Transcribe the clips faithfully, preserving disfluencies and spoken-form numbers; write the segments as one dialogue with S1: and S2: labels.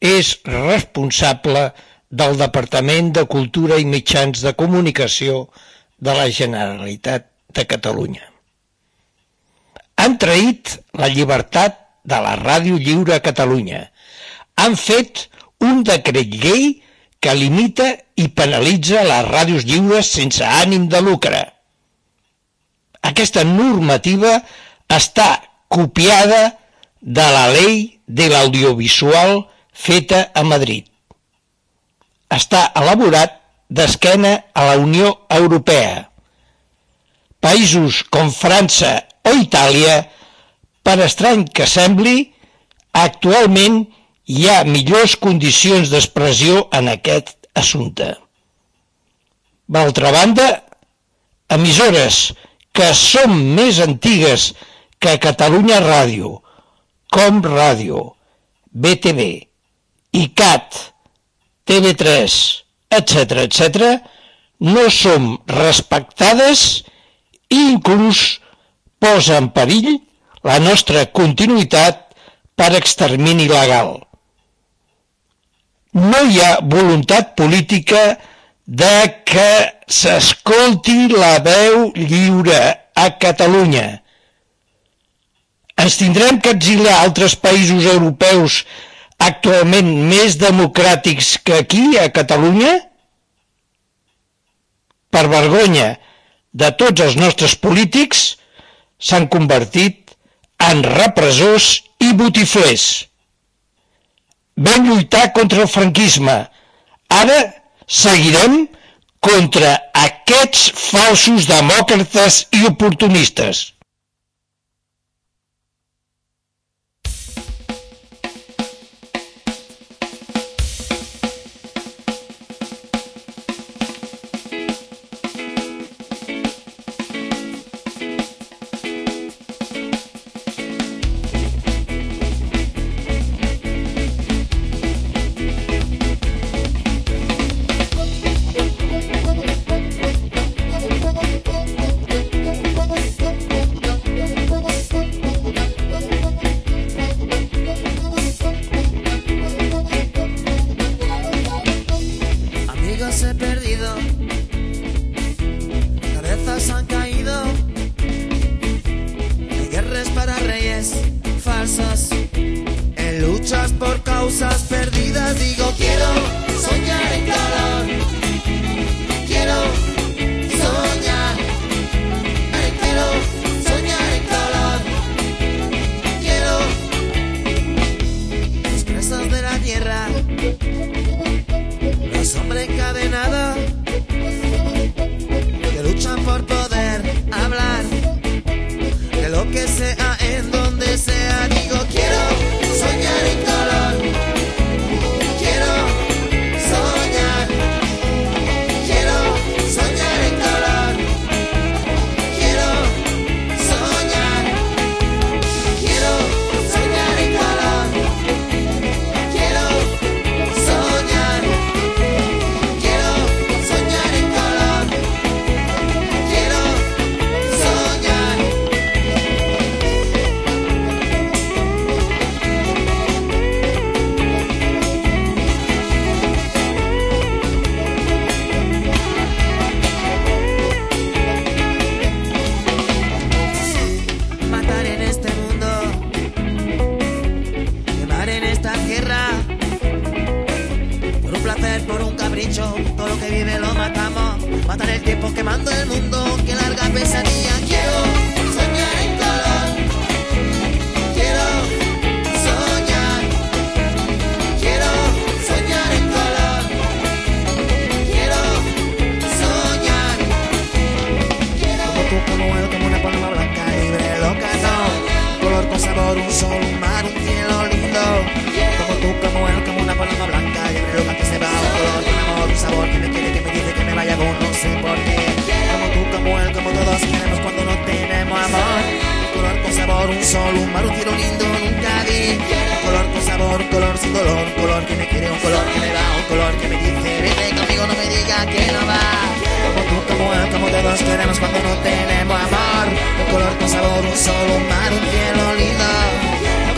S1: és responsable del Departament de Cultura i Mitjans de Comunicació de la Generalitat de Catalunya. Han traït la llibertat de la Ràdio Lliure a Catalunya. Han fet un decret llei que limita i penalitza les ràdios lliures sense ànim de lucre. Aquesta normativa està copiada de la Ley de l'Audiovisual feta a Madrid. Està elaborat d'esquena a la Unió Europea. Països com França o Itàlia, per estrany que sembli, actualment hi ha millors condicions d'expressió en aquest assumpte. D'altra banda, emissores que són més antigues que Catalunya Ràdio, Com Ràdio, B T V, I C A T, T V tres, etcètera, etcètera, no som respectades i inclús posa en perill la nostra continuïtat per extermini legal. No hi ha voluntat política de que s'escolti la veu lliure a Catalunya. Ens tindrem que exiliar a altres països europeus actualment més democràtics que aquí, a Catalunya? Per vergonya de tots els nostres polítics, s'han convertit en repressors i botiflers. Vam lluitar contra el franquisme. Ara seguirem contra aquests falsos demòcrates i oportunistes.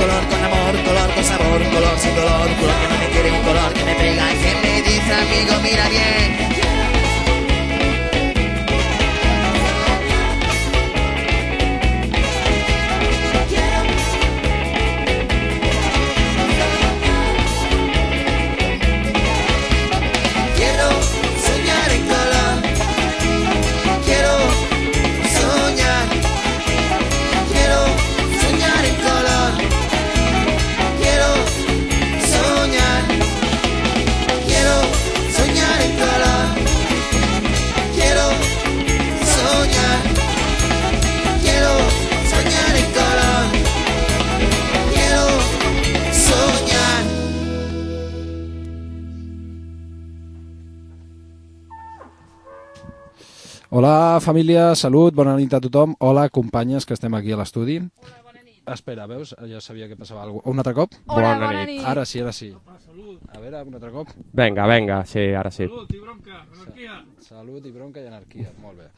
S2: Color con amor, color con sabor, color sin dolor, color que no me quiere. Hola, família, salut, bona nit a tothom. Hola, companyes, que estem aquí a l'estudi.
S3: Hola, bona nit.
S2: Espera, veus? Ja sabia que passava alguna cosa. Un altre cop?
S3: Hola, bona, bona nit. nit.
S2: Ara sí, ara sí. A veure, un altre cop.
S4: Vinga, vinga, sí, ara sí.
S5: Salut i bronca, anarquia.
S2: Salut i bronca i anarquia, molt bé.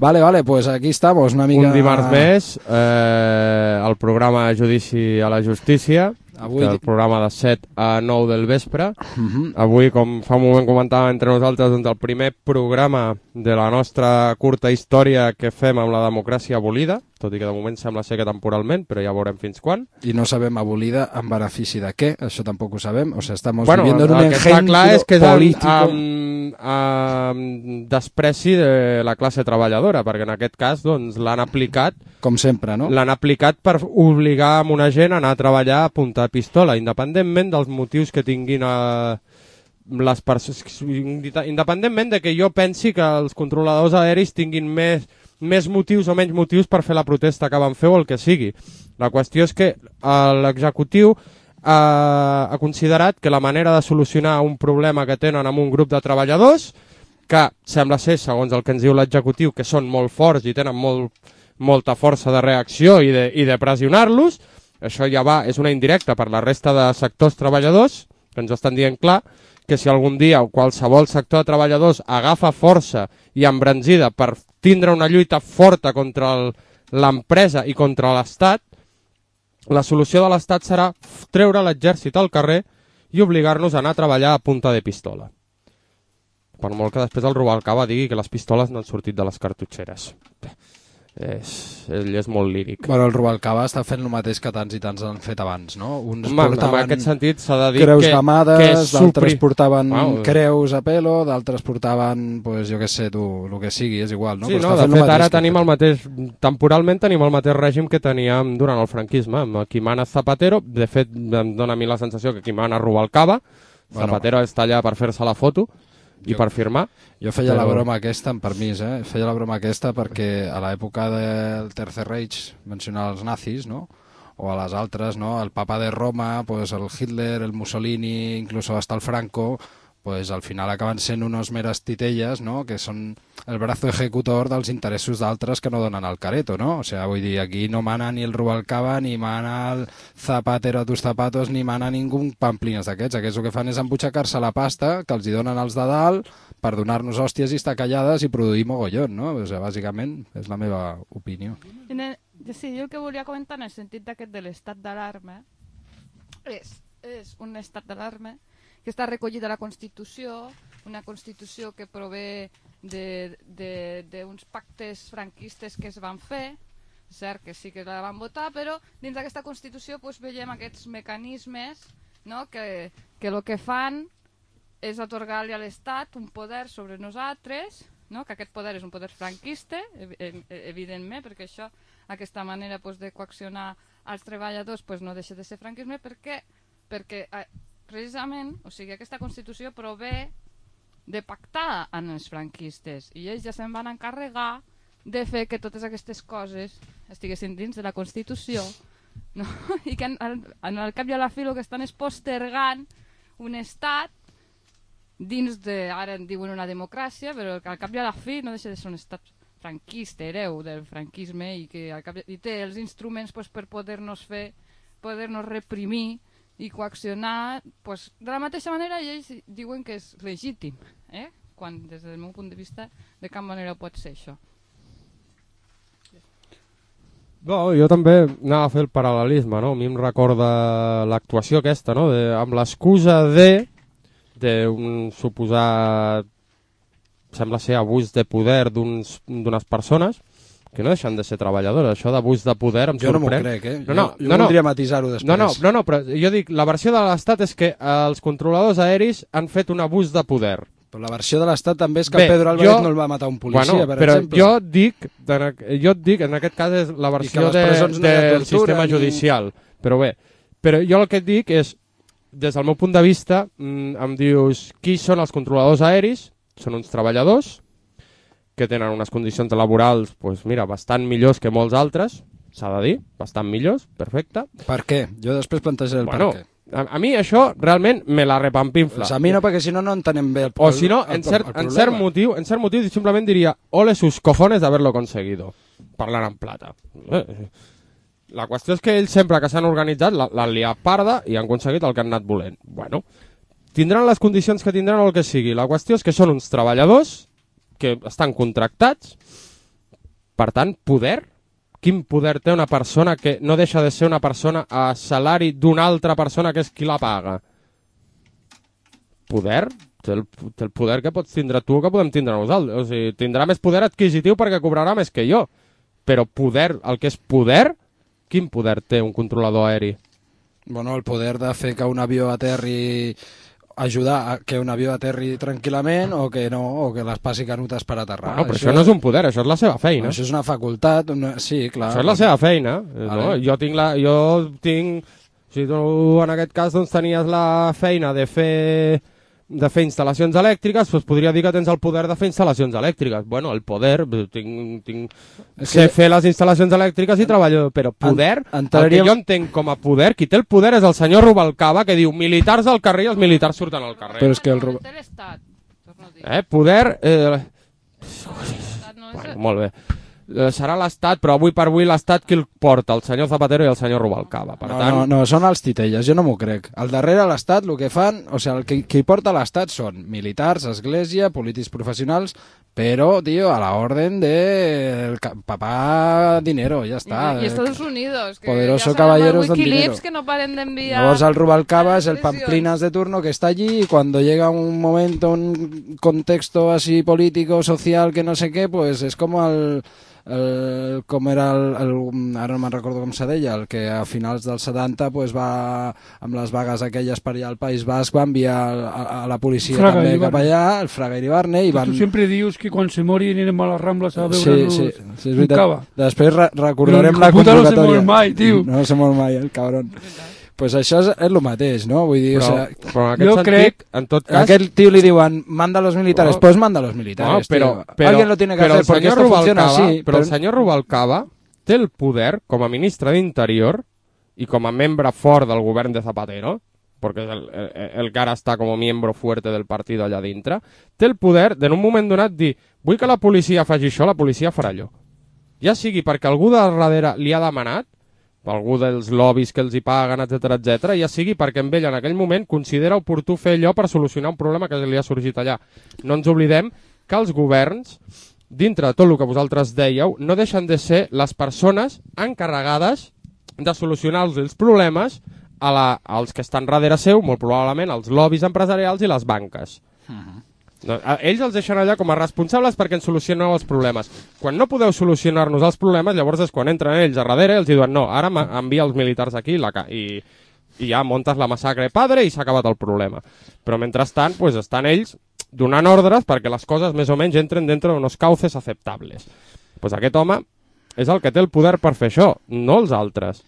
S2: Vale, vale, pues aquí estamos, una mica...
S4: Un dimarts més, eh, el programa Judici a la Justícia,
S2: Avui...
S4: el programa de set a nou del vespre.
S2: Uh -huh.
S4: Avui, com fa un moment comentàvem entre nosaltres, doncs el primer programa de la nostra curta història que fem amb la democràcia abolida, tot i que de moment sembla ser que temporalment, però ja veurem fins quan.
S2: I no sabem abolida en benefici de què, això tampoc ho sabem. O sea, estamos
S4: bueno,
S2: viviendo en un
S4: el que està clar és que és
S2: político...
S4: amb, amb despreci de la classe treballadora, perquè en aquest cas doncs, l'han aplicat
S2: com sempre, no?
S4: L'han aplicat per obligar a una gent a anar a treballar a punta de pistola, independentment dels motius que tinguin a les persones, independentment de que jo pensi que els controladors aeris tinguin més, més motius o menys motius per fer la protesta que van fer o el que sigui. La qüestió és que l'executiu ha, ha considerat que la manera de solucionar un problema que tenen amb un grup de treballadors, que sembla ser, segons el que ens diu l'executiu, que són molt forts i tenen molt molta força de reacció i de, i de pressionar-los, això ja va, és una indirecta per la resta de sectors treballadors, que ens estan dient clar que si algun dia qualsevol sector de treballadors agafa força i embranzida per tindre una lluita forta contra l'empresa i contra l'Estat, la solució de l'Estat serà treure l'exèrcit al carrer i obligar-nos a anar a treballar a punta de pistola. Per molt que després el Rubalcaba digui que les pistoles no han sortit de les cartutxeres. És, ell és molt líric.
S2: Bueno, el Rubalcaba està fent el mateix que tants i tants han fet abans, no? Uns
S4: Home,
S2: portaven
S4: en aquest sentit s'ha de dir
S2: creus
S4: que,
S2: gamades,
S4: que és
S2: d'altres
S4: supri...
S2: portaven
S4: wow.
S2: creus a pelo, d'altres portaven, pues, jo què sé, tu, el que sigui, és igual, no?
S4: Sí,
S2: Però
S4: no,
S2: està
S4: de
S2: fent
S4: fet ara tenim
S2: fet.
S4: el mateix, temporalment tenim el mateix règim que teníem durant el franquisme, amb qui mana Zapatero, de fet em dona a mi la sensació que qui mana Rubalcaba, bueno, Zapatero està allà per fer-se la foto, i
S2: jo,
S4: per firmar.
S2: Jo feia
S4: però...
S2: la broma aquesta, amb permís, eh? Feia la broma aquesta perquè a l'època del Tercer Reich, mencionar els nazis, no? O a les altres, no? El papa de Roma, pues el Hitler, el Mussolini, incluso hasta el Franco, pues al final acaben sent unos meras titelles, no? Que són el brazo ejecutor dels interessos d'altres que no donen el careto, no? O sea, vull dir, aquí no mana ni el Rubalcaba, ni mana el Zapatero a tus zapatos, ni mana ningú pamplines d'aquests. Aquests el que fan és embutxacar-se la pasta que els hi donen els de dalt per donar-nos hòsties i estar callades i produir mogollon, no? O sea, bàsicament és la meva opinió.
S3: El, sí, jo el que volia comentar en el sentit d'aquest de l'estat d'alarma és, és un estat d'alarma que està recollit a la Constitució, una Constitució que prové d'uns pactes franquistes que es van fer, cert que sí que la van votar, però dins d'aquesta Constitució pues, veiem aquests mecanismes, no? que, que el que fan és atorgar-li a l'Estat un poder sobre nosaltres, no? Que aquest poder és un poder franquista, evidentment, perquè això, aquesta manera pues, de coaccionar als treballadors pues, no deixa de ser franquisme, perquè, perquè precisament, o sigui, aquesta Constitució prové de pactar amb els franquistes i ells ja se'n van encarregar de fer que totes aquestes coses estiguessin dins de la Constitució, no? I que en, en el cap i a la fi el que estan és postergant un estat dins de, ara en diuen una democràcia, però al cap i a la fi no deixa de ser un estat franquista, hereu del franquisme i que al cap i té els instruments pues, per poder-nos fer, poder-nos reprimir i coaccionar pues, de la mateixa manera i ells diuen que és legítim, eh? Quan des del meu punt de vista de cap manera pot ser això.
S4: No, jo també anava a fer el paral·lelisme, no? A mi em recorda l'actuació aquesta, no? De, amb l'excusa de d'un suposat, sembla ser abús de poder d'unes persones que no deixen de ser treballadores. Això d'abús de poder em
S2: jo
S4: sorprèn.
S2: Jo no m'ho crec, eh?
S4: No, no,
S2: jo jo
S4: no,
S2: voldria
S4: no.
S2: matisar-ho després.
S4: No, no, no, no, però jo dic, la versió de l'Estat és que els controladors aeris han fet un abús de poder.
S2: Però la versió de l'Estat també és que
S4: Bé,
S2: Pedro Álvarez
S4: jo,
S2: no el va matar un policia,
S4: bueno,
S2: per
S4: però
S2: exemple.
S4: Jo et dic, jo et dic, en aquest cas és la versió de,
S2: no
S4: del sistema
S2: ni...
S4: judicial. Però bé, però jo el que et dic és, des del meu punt de vista, em dius, qui són els controladors aeris? Són uns treballadors que tenen unes condicions laborals, pues mira, bastant millors que molts altres, s'ha de dir, bastant millors, perfecte.
S2: Per què? Jo després plantejaré el
S4: bueno,
S2: per què.
S4: A, a mi això realment me la repampinfla.
S2: Pues a mi no, perquè si no no entenem bé el,
S4: o si no,
S2: el,
S4: en cert,
S2: el, el
S4: en cert motiu, en cert motiu simplement diria ole sus cojones d'haver-lo conseguido, parlant en plata. Eh, la qüestió és que ells sempre que s'han organitzat l'han liat parda i han aconseguit el que han anat volent. Bueno, tindran les condicions que tindran o el que sigui. La qüestió és que són uns treballadors que estan contractats, per tant, poder. Quin poder té una persona que no deixa de ser una persona a salari d'una altra persona que és qui la paga? Poder? Té el, té el poder que pots tindre tu que podem tindre nosaltres. O sigui, tindrà més poder adquisitiu perquè cobrarà més que jo. Però poder, el que és poder, quin poder té un controlador aeri?
S2: Bueno, el poder de fer que un avió aterri, ajudar a que un avió aterri tranquil·lament o que no, o que les passi canutes per aterrar.
S4: Bueno, però això, això no és un poder, això és la seva feina.
S2: No, això és una facultat, una... sí, clar.
S4: Això és la seva feina. Vale. No? Jo tinc la... Jo tinc... Si tu en aquest cas doncs, tenies la feina de fer de fer instal·lacions elèctriques, doncs podria dir que tens el poder de fer instal·lacions elèctriques. Bueno, el poder, tinc, tinc... sé fer les instal·lacions elèctriques i treballo, però poder, en, entraríem... el que jo entenc com a poder, qui té el poder és el senyor Rubalcaba, que diu militars al carrer i els militars surten al carrer.
S2: Però és que el Rub...
S4: Eh, poder... Eh... Bueno, molt bé. Serà l'Estat, però avui per avui l'Estat qui el porta, el senyor Zapatero i el senyor Rubalcaba. Per
S2: no,
S4: tant...
S2: no, no, són els titelles, jo no m'ho crec. Al darrere l'Estat el que fan, o sigui, el que, qui porta l'Estat són militars, església, polítics professionals, però, tio, a la orden de el papá dinero, ja està.
S3: I, i Estados Unidos, que
S2: Poderoso
S3: ja
S2: caballeros del
S3: Wikileaks
S2: dinero.
S3: Que no paren d'enviar...
S2: Llavors el Rubalcaba es el pamplinas de turno que está allí y cuando llega un momento, un contexto así político, social, que no sé qué, pues es como el... El, com era el, el, ara no me'n recordo com se deia, el que a finals dels setanta pues, va amb les vagues aquelles per allà al País Basc va enviar a, a la policia
S5: Fraga
S2: també
S5: Iribarne.
S2: cap allà, el Fraga Iribarne i van...
S5: Tu sempre dius que quan se mori anirem a les Rambles a veure
S2: sí, sí, sí, és veritat.
S5: Cava.
S2: Després re recordarem
S5: Però
S2: la
S5: puta
S2: convocatòria.
S5: no se mor mai, tio.
S2: No se mor mai, el cabron. Pues això és, és el mateix, no? Vull dir,
S4: però,
S2: o sea,
S4: però en aquest
S5: jo
S4: sentit,
S5: crec...
S4: en tot cas...
S2: A aquest tío li diuen, manda a los militares, no. Pues manda a los militares,
S4: no, però,
S2: tío.
S4: Però,
S2: Alguien lo tiene que
S4: però
S2: hacer, porque esto funciona así.
S4: Però
S2: Però
S4: el senyor Rubalcaba té el poder, com a ministre d'Interior i com a membre fort del govern de Zapatero, perquè el, el, el que ara està com a membre fuerte del partit allà dintre, té el poder de en un moment donat dir vull que la policia faci això, la policia farà allò. Ja sigui perquè algú de darrere li ha demanat, algú dels lobbies que els hi paguen, etcètera, etcètera, ja sigui perquè amb ell en aquell moment considera oportú fer allò per solucionar un problema que li ha sorgit allà. No ens oblidem que els governs, dintre de tot el que vosaltres dèieu, no deixen de ser les persones encarregades de solucionar els problemes a la, als que estan darrere seu, molt probablement els lobbies empresarials i les banques. Uh-huh. No, ells els deixen allà com a responsables perquè ens solucioneu els problemes. Quan no podeu solucionar-nos els problemes, llavors és quan entren ells a darrere i els diuen no, ara envia els militars aquí la i, i ja muntes la massacre padre i s'ha acabat el problema. Però mentrestant pues, estan ells donant ordres perquè les coses més o menys entren dintre d'uns cauces acceptables. Pues aquest home és el que té el poder per fer això, no els altres.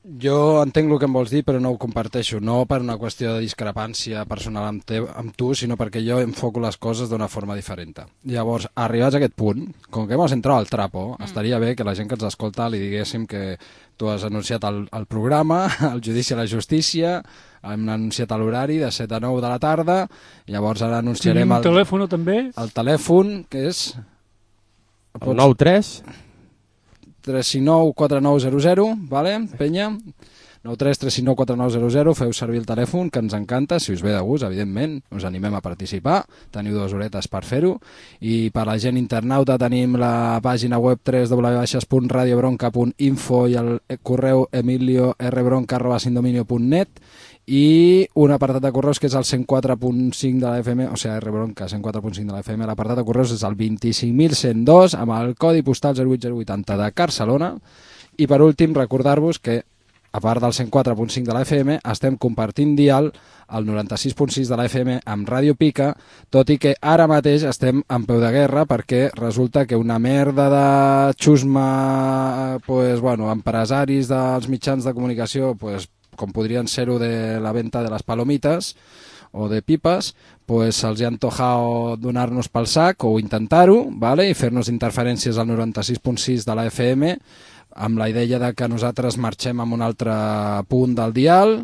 S2: Jo entenc el que em vols dir, però no ho comparteixo. No per una qüestió de discrepància personal amb, te, amb tu, sinó perquè jo enfoco les coses d'una forma diferent. Llavors, arribats a aquest punt, com que hemos entrado al trapo, mm. estaria bé que la gent que ens escolta li diguéssim que tu has anunciat el, el programa, el judici a la justícia, hem anunciat l'horari de set a nou de la tarda, llavors ara anunciarem
S5: el...
S2: el
S5: telèfon també?
S2: El telèfon, que és...
S4: El nou tres...
S2: tres cinc nou quatre nou zero zero, vale, penya? nou tres tres cinc nou quatre nou zero zero, feu servir el telèfon, que ens encanta, si us ve de gust, evidentment, us animem a participar, teniu dues horetes per fer-ho, i per la gent internauta tenim la pàgina web w w w punt radio bronca punt info i el correu emilio r bronca arroba sindominio punt net, i un apartat de correus que és el cent quatre punt cinc de la F M, o sigui, R Bronca cent quatre punt cinc de la F M, l'apartat de correus és el vint-i-cinc mil cent dos amb el codi postal zero vuit zero vuitanta de Barcelona. I per últim recordar-vos que a part del cent quatre punt cinc de la F M estem compartint dial al noranta-sis punt sis de la F M amb Ràdio Pica, tot i que ara mateix estem en peu de guerra perquè resulta que una merda de xusma, pues, bueno, empresaris dels mitjans de comunicació, pues, com podrien ser-ho de la venta de les palomites o de pipes, pues se'ls ha antojado donar-nos pel sac o intentar-ho, ¿vale? I fer-nos interferències al noranta-sis punt sis de la F M amb la idea de que nosaltres marxem a un altre punt del dial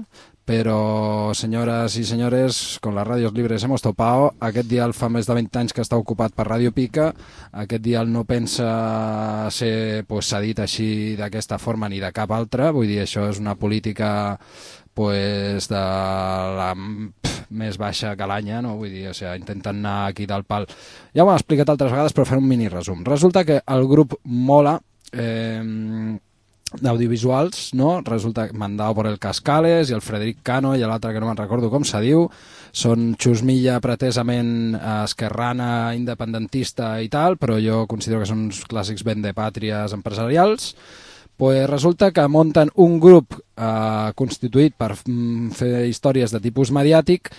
S2: Però, senyores i senyores, con las radios libres hemos topado. Aquest dial fa més de vint anys que està ocupat per Ràdio Pica. Aquest dial no pensa ser pues, cedit així d'aquesta forma ni de cap altra. Vull dir, això és una política pues, de la pff, més baixa que l'anya, no? Vull dir, o sigui, intenten anar aquí del pal. Ja ho hem explicat altres vegades, però faré un mini resum. Resulta que el grup Mola... Eh, d'audiovisuals, no? Resulta mandado por el Cascales i el Frederic Cano i l'altre que no me'n recordo com se diu, són xusmilla pretesament esquerrana, independentista i tal, però jo considero que són uns clàssics vendepàtries empresarials. Pues resulta que munten un grup eh, constituït per mm, fer històries de tipus mediàtic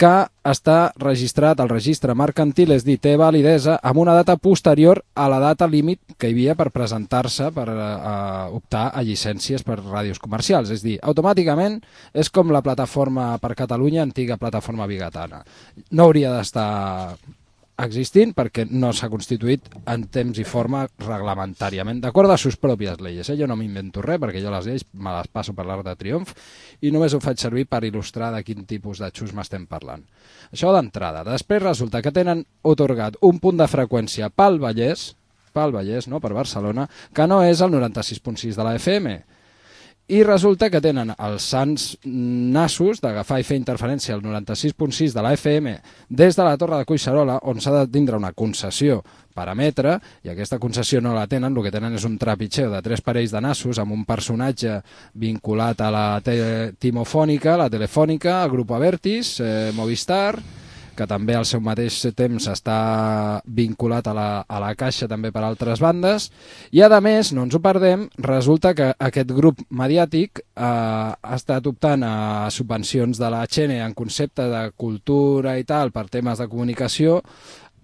S2: que està registrat al registre mercantil, és dir, té validesa amb una data posterior a la data límit que hi havia per presentar-se, per eh, optar a llicències per ràdios comercials. És dir, automàticament és com la plataforma per Catalunya, antiga plataforma bigatana. No hauria d'estar existint perquè no s'ha constituït en temps i forma reglamentàriament, d'acord a sus pròpies lleis. Eh? Jo no m'invento res perquè jo les lleis me les passo per l'Arc de Triomf i només ho faig servir per il·lustrar de quin tipus de xusma estem parlant. Això d'entrada. Després resulta que tenen otorgat un punt de freqüència pel Vallès, pel Vallès, no? Per Barcelona, que no és el noranta-sis punt sis de la F M. I resulta que tenen els sants nassos d'agafar i fer interferència al noranta-sis punt sis de la F M des de la Torre de Collserola, on s'ha de tindre una concessió per emetre, i aquesta concessió no la tenen, el que tenen és un trepitxeu de tres parells de nassos amb un personatge vinculat a la te timofònica, la telefònica, al grup Avertis, eh, Movistar, que també al seu mateix temps està vinculat a la, a la Caixa també per altres bandes, i a més, no ens ho perdem, resulta que aquest grup mediàtic eh, ha estat optant a subvencions de la Xene en concepte de cultura i tal per temes de comunicació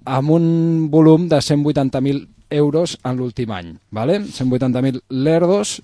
S2: amb un volum de cent vuitanta mil euros en l'últim any, ¿vale? cent vuitanta mil lerdos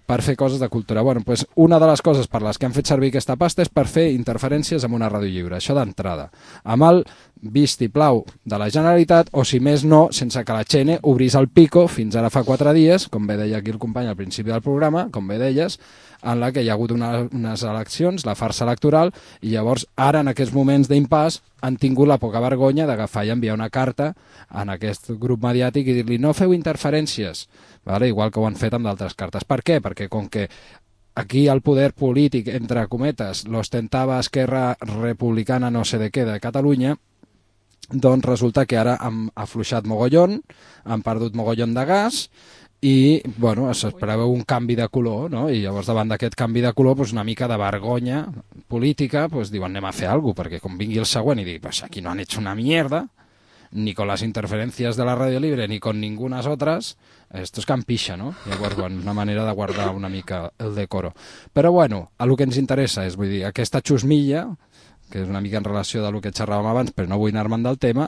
S2: per fer coses de cultura. Bueno, pues una de les coses per les que han fet servir aquesta pasta és per fer interferències amb una ràdio lliure, això d'entrada, amb el vistiplau de la Generalitat, o si més no, sense que la Xene obrís el pico fins ara fa quatre dies, com bé deia aquí el company al principi del programa, com bé deies, en la que hi ha hagut una, unes eleccions, la farsa electoral, i llavors ara en aquests moments d'impàs han tingut la poca vergonya d'agafar i enviar una carta en aquest grup mediàtic i dir-li no feu interferències, vale? Igual que ho han fet amb d'altres cartes. Per què? Perquè com que aquí el poder polític, entre cometes, l'ostentava Esquerra Republicana no sé de què de Catalunya, doncs resulta que ara han afluixat mogollon, han perdut mogollon de gas, i bueno, s'esperava un canvi de color, no? I llavors davant d'aquest canvi de color pues, una mica de vergonya política, pues, diuen anem a fer alguna cosa, perquè com vingui el següent i digui pues, aquí no han hecho una mierda, ni con las interferencias de la radio libre ni con ningunas otras, esto es campixa, no? Llavors, bueno, una manera de guardar una mica el decoro. Però bueno, a lo que ens interessa és, vull dir, aquesta xusmilla, que és una mica en relació del que xerràvem abans, però no vull anar-me'n del tema,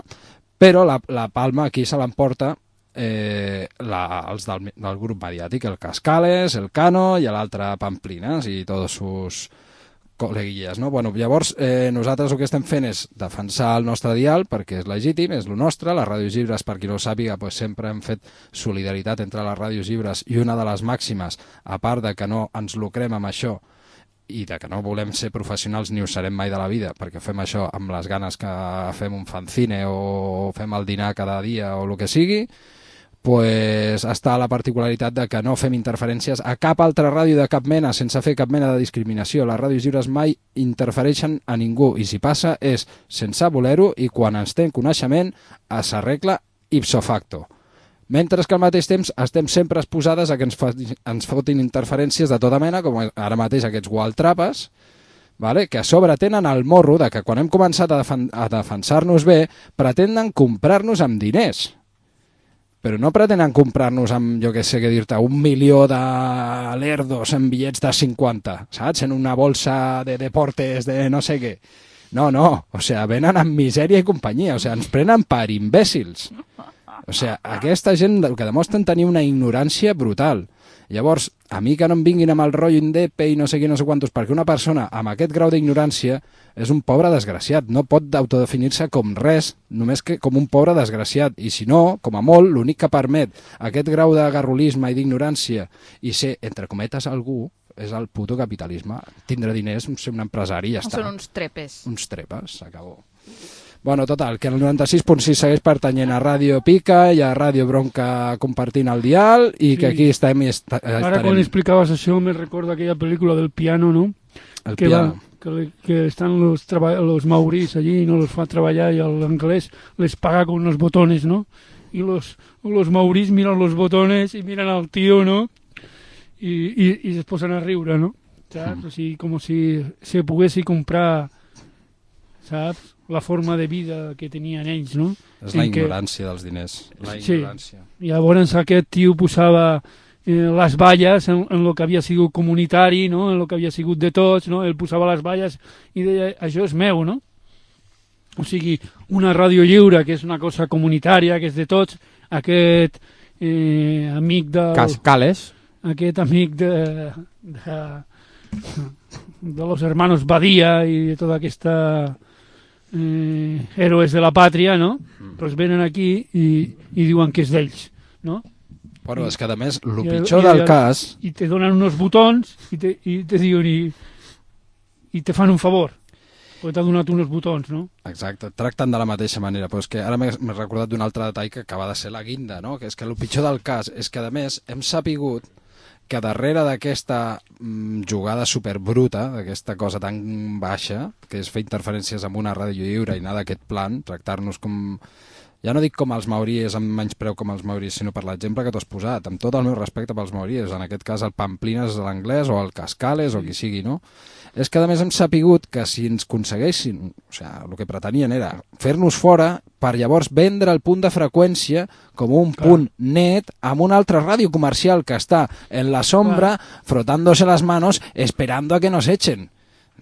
S2: però la, la palma aquí se l'emporta Eh, la, els del, del grup mediàtic, el Cascales, el Cano i l'altre Pamplinas i tots sus col·leguilles, no? Bueno, llavors eh, nosaltres el que estem fent és defensar el nostre dial perquè és legítim, és el nostre, les ràdios lliures, per qui no ho sàpiga, pues, sempre hem fet solidaritat entre les ràdios lliures i una de les màximes, a part de que no ens lucrem amb això i de que no volem ser professionals ni ho serem mai de la vida, perquè fem això amb les ganes que fem un fanzine o fem el dinar cada dia o el que sigui, pues està la particularitat de que no fem interferències a cap altra ràdio de cap mena, sense fer cap mena de discriminació. Les ràdios lliures mai interfereixen a ningú i si passa és sense voler-ho i quan ens té coneixement s'arregla ipso facto. Mentre que al mateix temps estem sempre exposades a que ens, fa, ens fotin interferències de tota mena, com ara mateix aquests gualtrapes, vale? Que a sobre tenen el morro de que quan hem començat a, defen a defensar-nos bé pretenen comprar-nos amb diners. Però no pretenen comprar-nos amb, jo què sé què dir-te, un milió de lerdos en bitllets de cinquanta, saps? En una bolsa de deportes de no sé què. No, no, o sigui, venen amb misèria i companyia, o sigui, ens prenen per imbècils. O sigui, aquesta gent el que demostren tenir una ignorància brutal. Llavors, a mi que no em vinguin amb el rotllo indepe i no sé què, no sé quantos, perquè una persona amb aquest grau d'ignorància és un pobre desgraciat, no pot autodefinir-se com res, només que com un pobre desgraciat, i si no, com a molt, l'únic que permet aquest grau de garrulisme i d'ignorància i ser, entre cometes, algú, és el puto capitalisme. Tindre diners, ser un empresari i ja està.
S3: Són uns trepes.
S2: Uns trepes, s'acabó. Bueno, total, que el noranta-sis punt sis segueix pertanyent a Ràdio Pica i a Ràdio Bronca compartint el dial i que
S5: Sí.
S2: aquí estem i est
S5: Ara
S2: estarem.
S5: quan explicaves això me recordo aquella pel·lícula del piano, ¿no?
S2: El
S5: que,
S2: piano.
S5: va, que, le- que están los, traba- los maurís allí y no los fa treballar y el inglés les paga con los botones, ¿no? Y los, los maurís miran los botones y miran al tío, ¿no? Y, y, y se posen a riure, ¿no? Saps? O sigui, com si se poguessi comprar, saps? La forma de vida que tenien ells, no?
S2: És la
S5: En que-
S2: ignorància dels diners. La
S5: Sí.
S2: ignorància.
S5: I llavors aquest tio posava eh, les valles en, en el que havia sigut comunitari, no? En el que havia sigut de tots, no? Ell posava les valles i deia, això és meu, no? O sigui, una ràdio lliure, que és una cosa comunitària, que és de tots, aquest eh, amic del...
S4: Cascales.
S5: Aquest amic de, de, de los hermanos Badia i de tota aquesta eh, héroes de la pàtria, no? Pues venen aquí i, i diuen que és d'ells, no?
S2: Bueno, és que a més, el
S5: I-
S2: pitjor
S5: i-
S2: del
S5: i-
S2: cas...
S5: I te donen unos botons i te, i te diuen i, i te fan un favor perquè t'ha donat uns botons, no?
S2: Exacte, tracten de la mateixa manera, però és que ara m'he m'he recordat d'un altre detall que acaba de ser la guinda, no? Que és que el pitjor del cas és que, a més, hem sapigut que darrere d'aquesta mm, jugada superbruta, d'aquesta cosa tan baixa, que és fer interferències amb una ràdio lliure i anar d'aquest plan, tractar-nos com... Ja no dic com els maories, amb menys preu com els maories, sinó per l'exemple que tu has posat, amb tot el meu respecte pels maories, en aquest cas el Pamplines de l'anglès o el Cascales o qui sigui, no? És que a més hem sapigut que si ens aconseguessin, o sigui, el que pretenien era fer-nos fora per llavors vendre el punt de freqüència com un
S5: Clar.
S2: punt net amb una altra ràdio comercial que està en la sombra frotándose las manos esperando a que nos echen.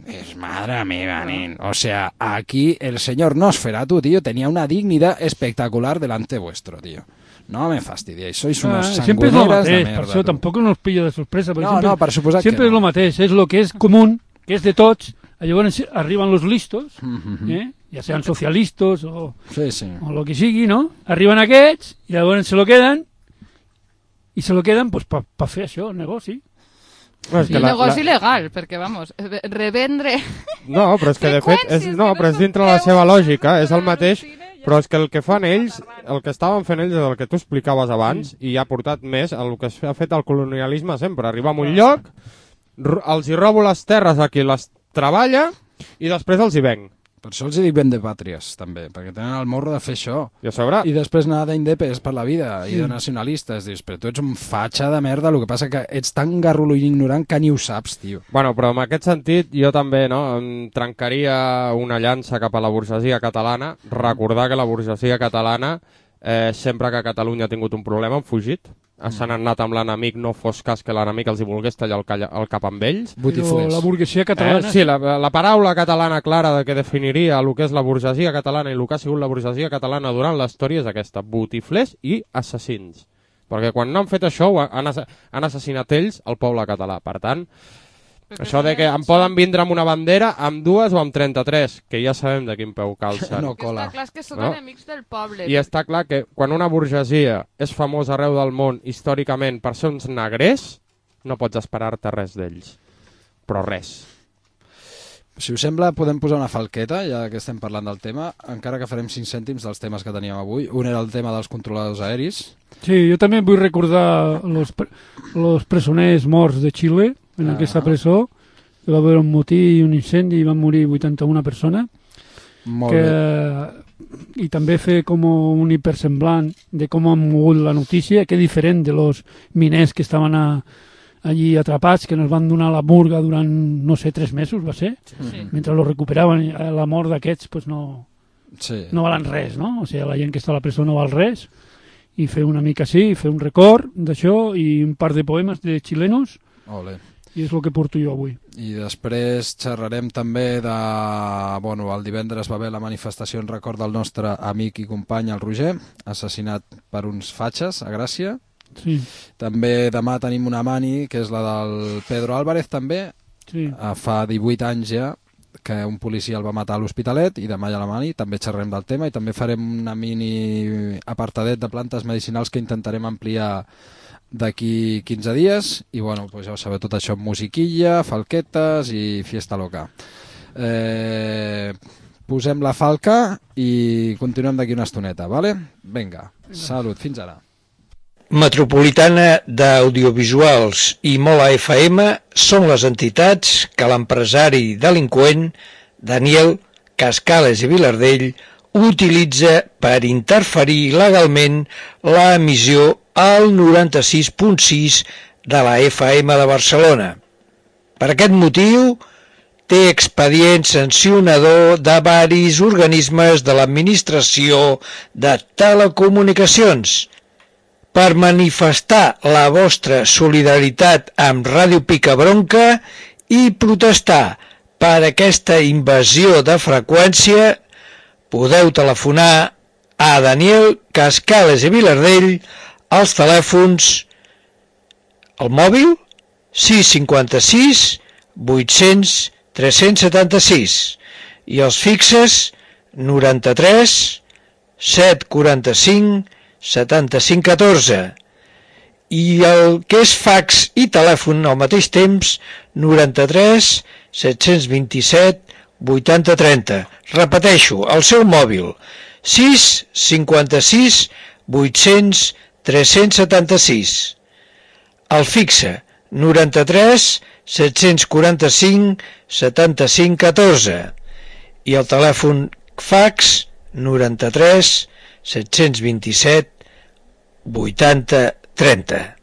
S2: Es madre mía, nen. O sea, aquí el señor Nosferatu, tío, tenía una dignidad espectacular delante vuestro, tío. No me fastidiéis, sois unos
S5: Ah, sempre és el
S2: sangoneras de
S5: mateix,
S2: merda.
S5: per això
S2: tu.
S5: tampoc no us pilla de sorpresa. perquè
S2: No,
S5: sempre,
S2: no, per suposat que
S5: sempre és
S2: no.
S5: el mateix, és el que és comú, que és de tots, llavors arriben los listos,
S2: Mhm.
S5: eh? ja sean socialistes o,
S2: Sí, sí.
S5: o lo que sigui, no? Arriben aquests i llavors se lo queden i se lo queden pues, per pa fer això, el negoci.
S4: No, és
S3: Sí,
S4: que la,
S3: negoci
S4: la...
S3: legal, perquè, vamos, eh, revendre...
S4: no, però és que de fet és,
S3: freqüències
S4: no,
S3: que
S4: però és
S3: són
S4: dintre la seva
S3: teus,
S4: lògica, és el
S3: per
S4: mateix,
S3: al cine, ja
S4: però és que el que fan ells, el que estaven fent ells és el que tu explicaves abans i ha portat més el que ha fet el colonialisme sempre, arribar a un lloc, ro- els hi robo les terres a qui les treballa i després els hi venc.
S2: Per això els hi dic ben de pàtries, també, perquè tenen el morro de fer això.
S4: I a sobre,
S2: I després anar d'indepes per la vida i de nacionalistes. Dius, però tu ets un fatxa de merda, el que passa que ets tan garrulo i ignorant que ni ho saps, tio.
S4: bueno, però en aquest sentit jo també no, em trencaria una llança cap a la burgesia catalana, recordar que la burgesia catalana eh, sempre que Catalunya ha tingut un problema han fugit, s'han anat amb l'enemic, no fos cas que l'enemic els hi volgués tallar el, calla, el cap amb ells.
S5: Però
S2: Botiflers.
S5: la burguesia catalana...
S4: Eh? Sí, la, la paraula catalana clara de que definiria el que és la burgesia catalana i el que ha sigut la burgesia catalana durant la història és aquesta, botiflers i assassins. Perquè quan no han fet això ho han, assa- han assassinat ells el poble català. Per tant,
S3: Perquè
S4: això de que em poden vindre amb una bandera, amb dues o amb trenta-tres, que ja sabem de quin peu calcen.
S2: No
S3: Que
S2: cola.
S3: està clar és que són
S4: No?
S3: enemics del poble.
S4: I està clar que quan una burgesia és famosa arreu del món històricament per ser uns negrers, no pots esperar-te res d'ells. Però res.
S2: Si us sembla, podem posar una falqueta, ja que estem parlant del tema, encara que farem cinc cèntims dels temes que teníem avui. Un era el tema dels controladors aeris.
S5: Sí, jo també vull recordar los, pre los presoners morts de Xile, en
S2: Ah.
S5: aquesta presó, que va haver un motí i un incendi i van morir vuitanta-una persones,
S2: Molt
S5: que,
S2: bé.
S5: i també fer com un hipersemblant de com han mogut la notícia, que és diferent de los miners que estaven a, allí atrapats, que nos van donar la murga durant, no sé, tres mesos, va ser?
S3: Sí.
S5: Mentre lo recuperaven, i la mort d'aquests pues no,
S2: Sí.
S5: no valen res, no? O sigui, la gent que està a la presó no val res, i fer una mica així, fer un record d'això, i un par de poemes de xilenos,
S2: Ole.
S5: i és el que porto jo avui.
S2: I després xerrarem també de... Bueno, el divendres va haver la manifestació en record del nostre amic i company, el Roger, assassinat per uns fatxes a Gràcia.
S5: Sí,
S2: També demà tenim una mani, que és la del Pedro Álvarez, també.
S5: sí.
S2: Eh, Fa divuit anys ja que un policia el va matar a l'Hospitalet i demà hi ha la mani, també xerrem del tema i també farem una mini apartadet de plantes medicinals que intentarem ampliar d'aquí quinze dies i bueno, pues ja ho sabeu, tot això, musiquilla, falquetes i fiesta loca. Eh, posem la falca i continuem d'aquí una estoneta, vale? Vinga, salut, fins ara.
S1: Metropolitana d'Audiovisuals i Mola F M són les entitats que l'empresari delinqüent Daniel Cascales i Vilardell utilitza per interferir legalment l'emissió al noranta-sis punt sis de la F M de Barcelona. Per aquest motiu, té expedient sancionador de varis organismes de l'Administració de Telecomunicacions. Per manifestar la vostra solidaritat amb Ràdio Picabronca i protestar per aquesta invasió de freqüència, podeu telefonar a Daniel Cascales i Vilardell als telèfons el mòbil sis cinquanta-sis vuit-cents tres-cents setanta-sis i els fixes noranta-tres set quaranta-cinc setanta-cinc catorze i el que és fax i telèfon al mateix temps noranta-tres set-cents vint-i-set vuitanta trenta. Repeteixo, el seu mòbil sis cinquanta-sis vuit-cents tres-cents setanta-sis, el fixe noranta-tres set-cents quaranta-cinc setanta-cinc catorze i el telèfon fax noranta-tres set-cents vint-i-set vuitanta trenta.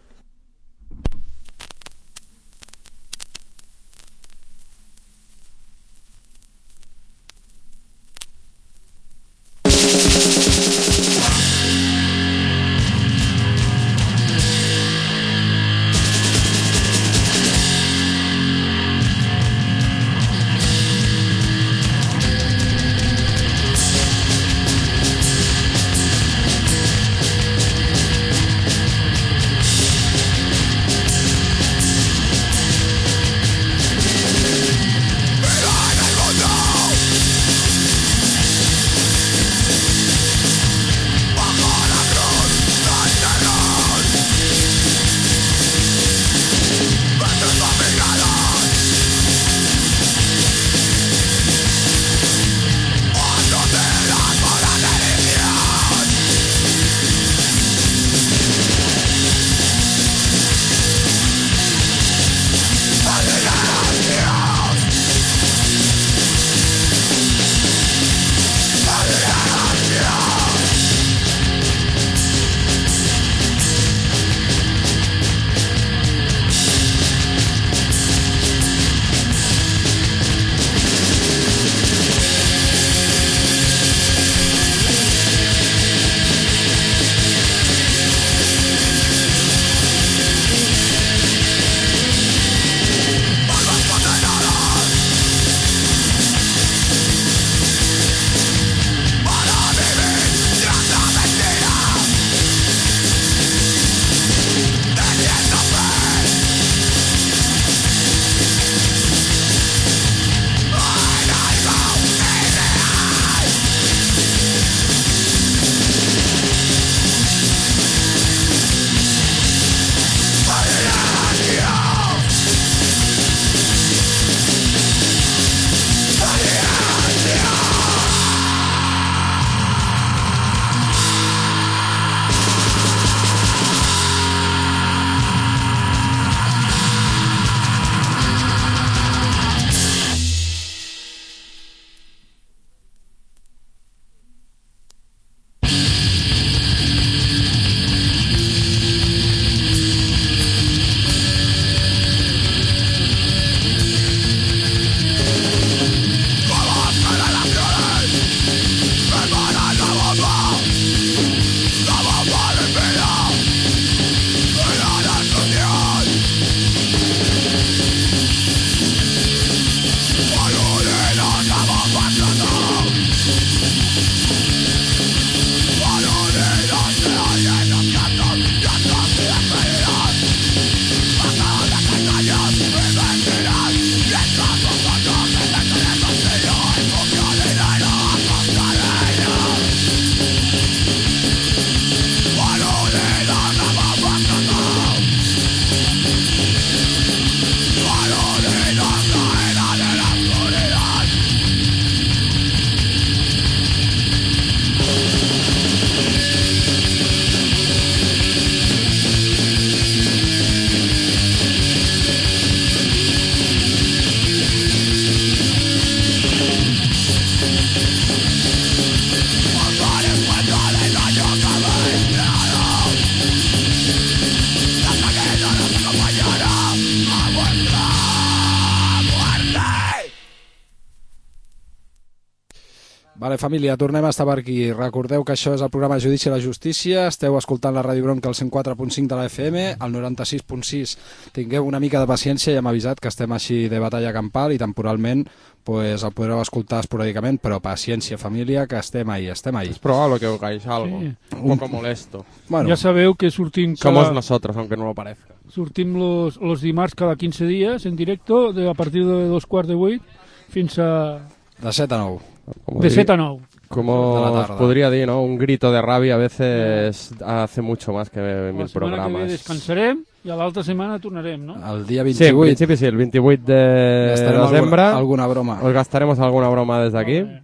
S2: Vale, família, tornem a estar per aquí. Recordeu que això és el programa Judici a la Justícia. Esteu escoltant la Ràdio Bronca al cent quatre punt cinc de la F M, al noranta-sis punt sis. Tingueu una mica de paciència, ja hem avisat que estem així de batalla campal i temporalment pues, el podreu escoltar esporàdicament, però paciència, família, que estem ahí, estem ahí.
S4: Es probable que oigáis algo,
S5: Sí.
S4: un poco molesto.
S2: Bueno,
S5: Ya sabeu que sortim
S4: Somos
S5: cada,
S4: nosotros, aunque no lo parezca.
S5: sortim los, los dimarts cada quinze dies en directo, de, a partir de dos quarts de vuit fins a...
S2: de set a nou.
S4: Como
S5: de
S4: diría-
S5: set a nou.
S4: Como
S2: De la
S4: os
S2: tarda.
S4: podría decir, ¿no? Un grito de rabia a veces hace mucho más que
S5: La
S4: mil
S5: setmana que ve
S4: programas.
S5: descansarem i a l'altra setmana tornarem, no?
S2: El dia
S4: Sí, en
S2: vint-i-vuit
S4: principi sí, el veintiocho de
S2: gastarem
S4: desembre
S2: alguna, alguna broma.
S4: os gastaremos alguna broma desde aquí.
S5: Eh,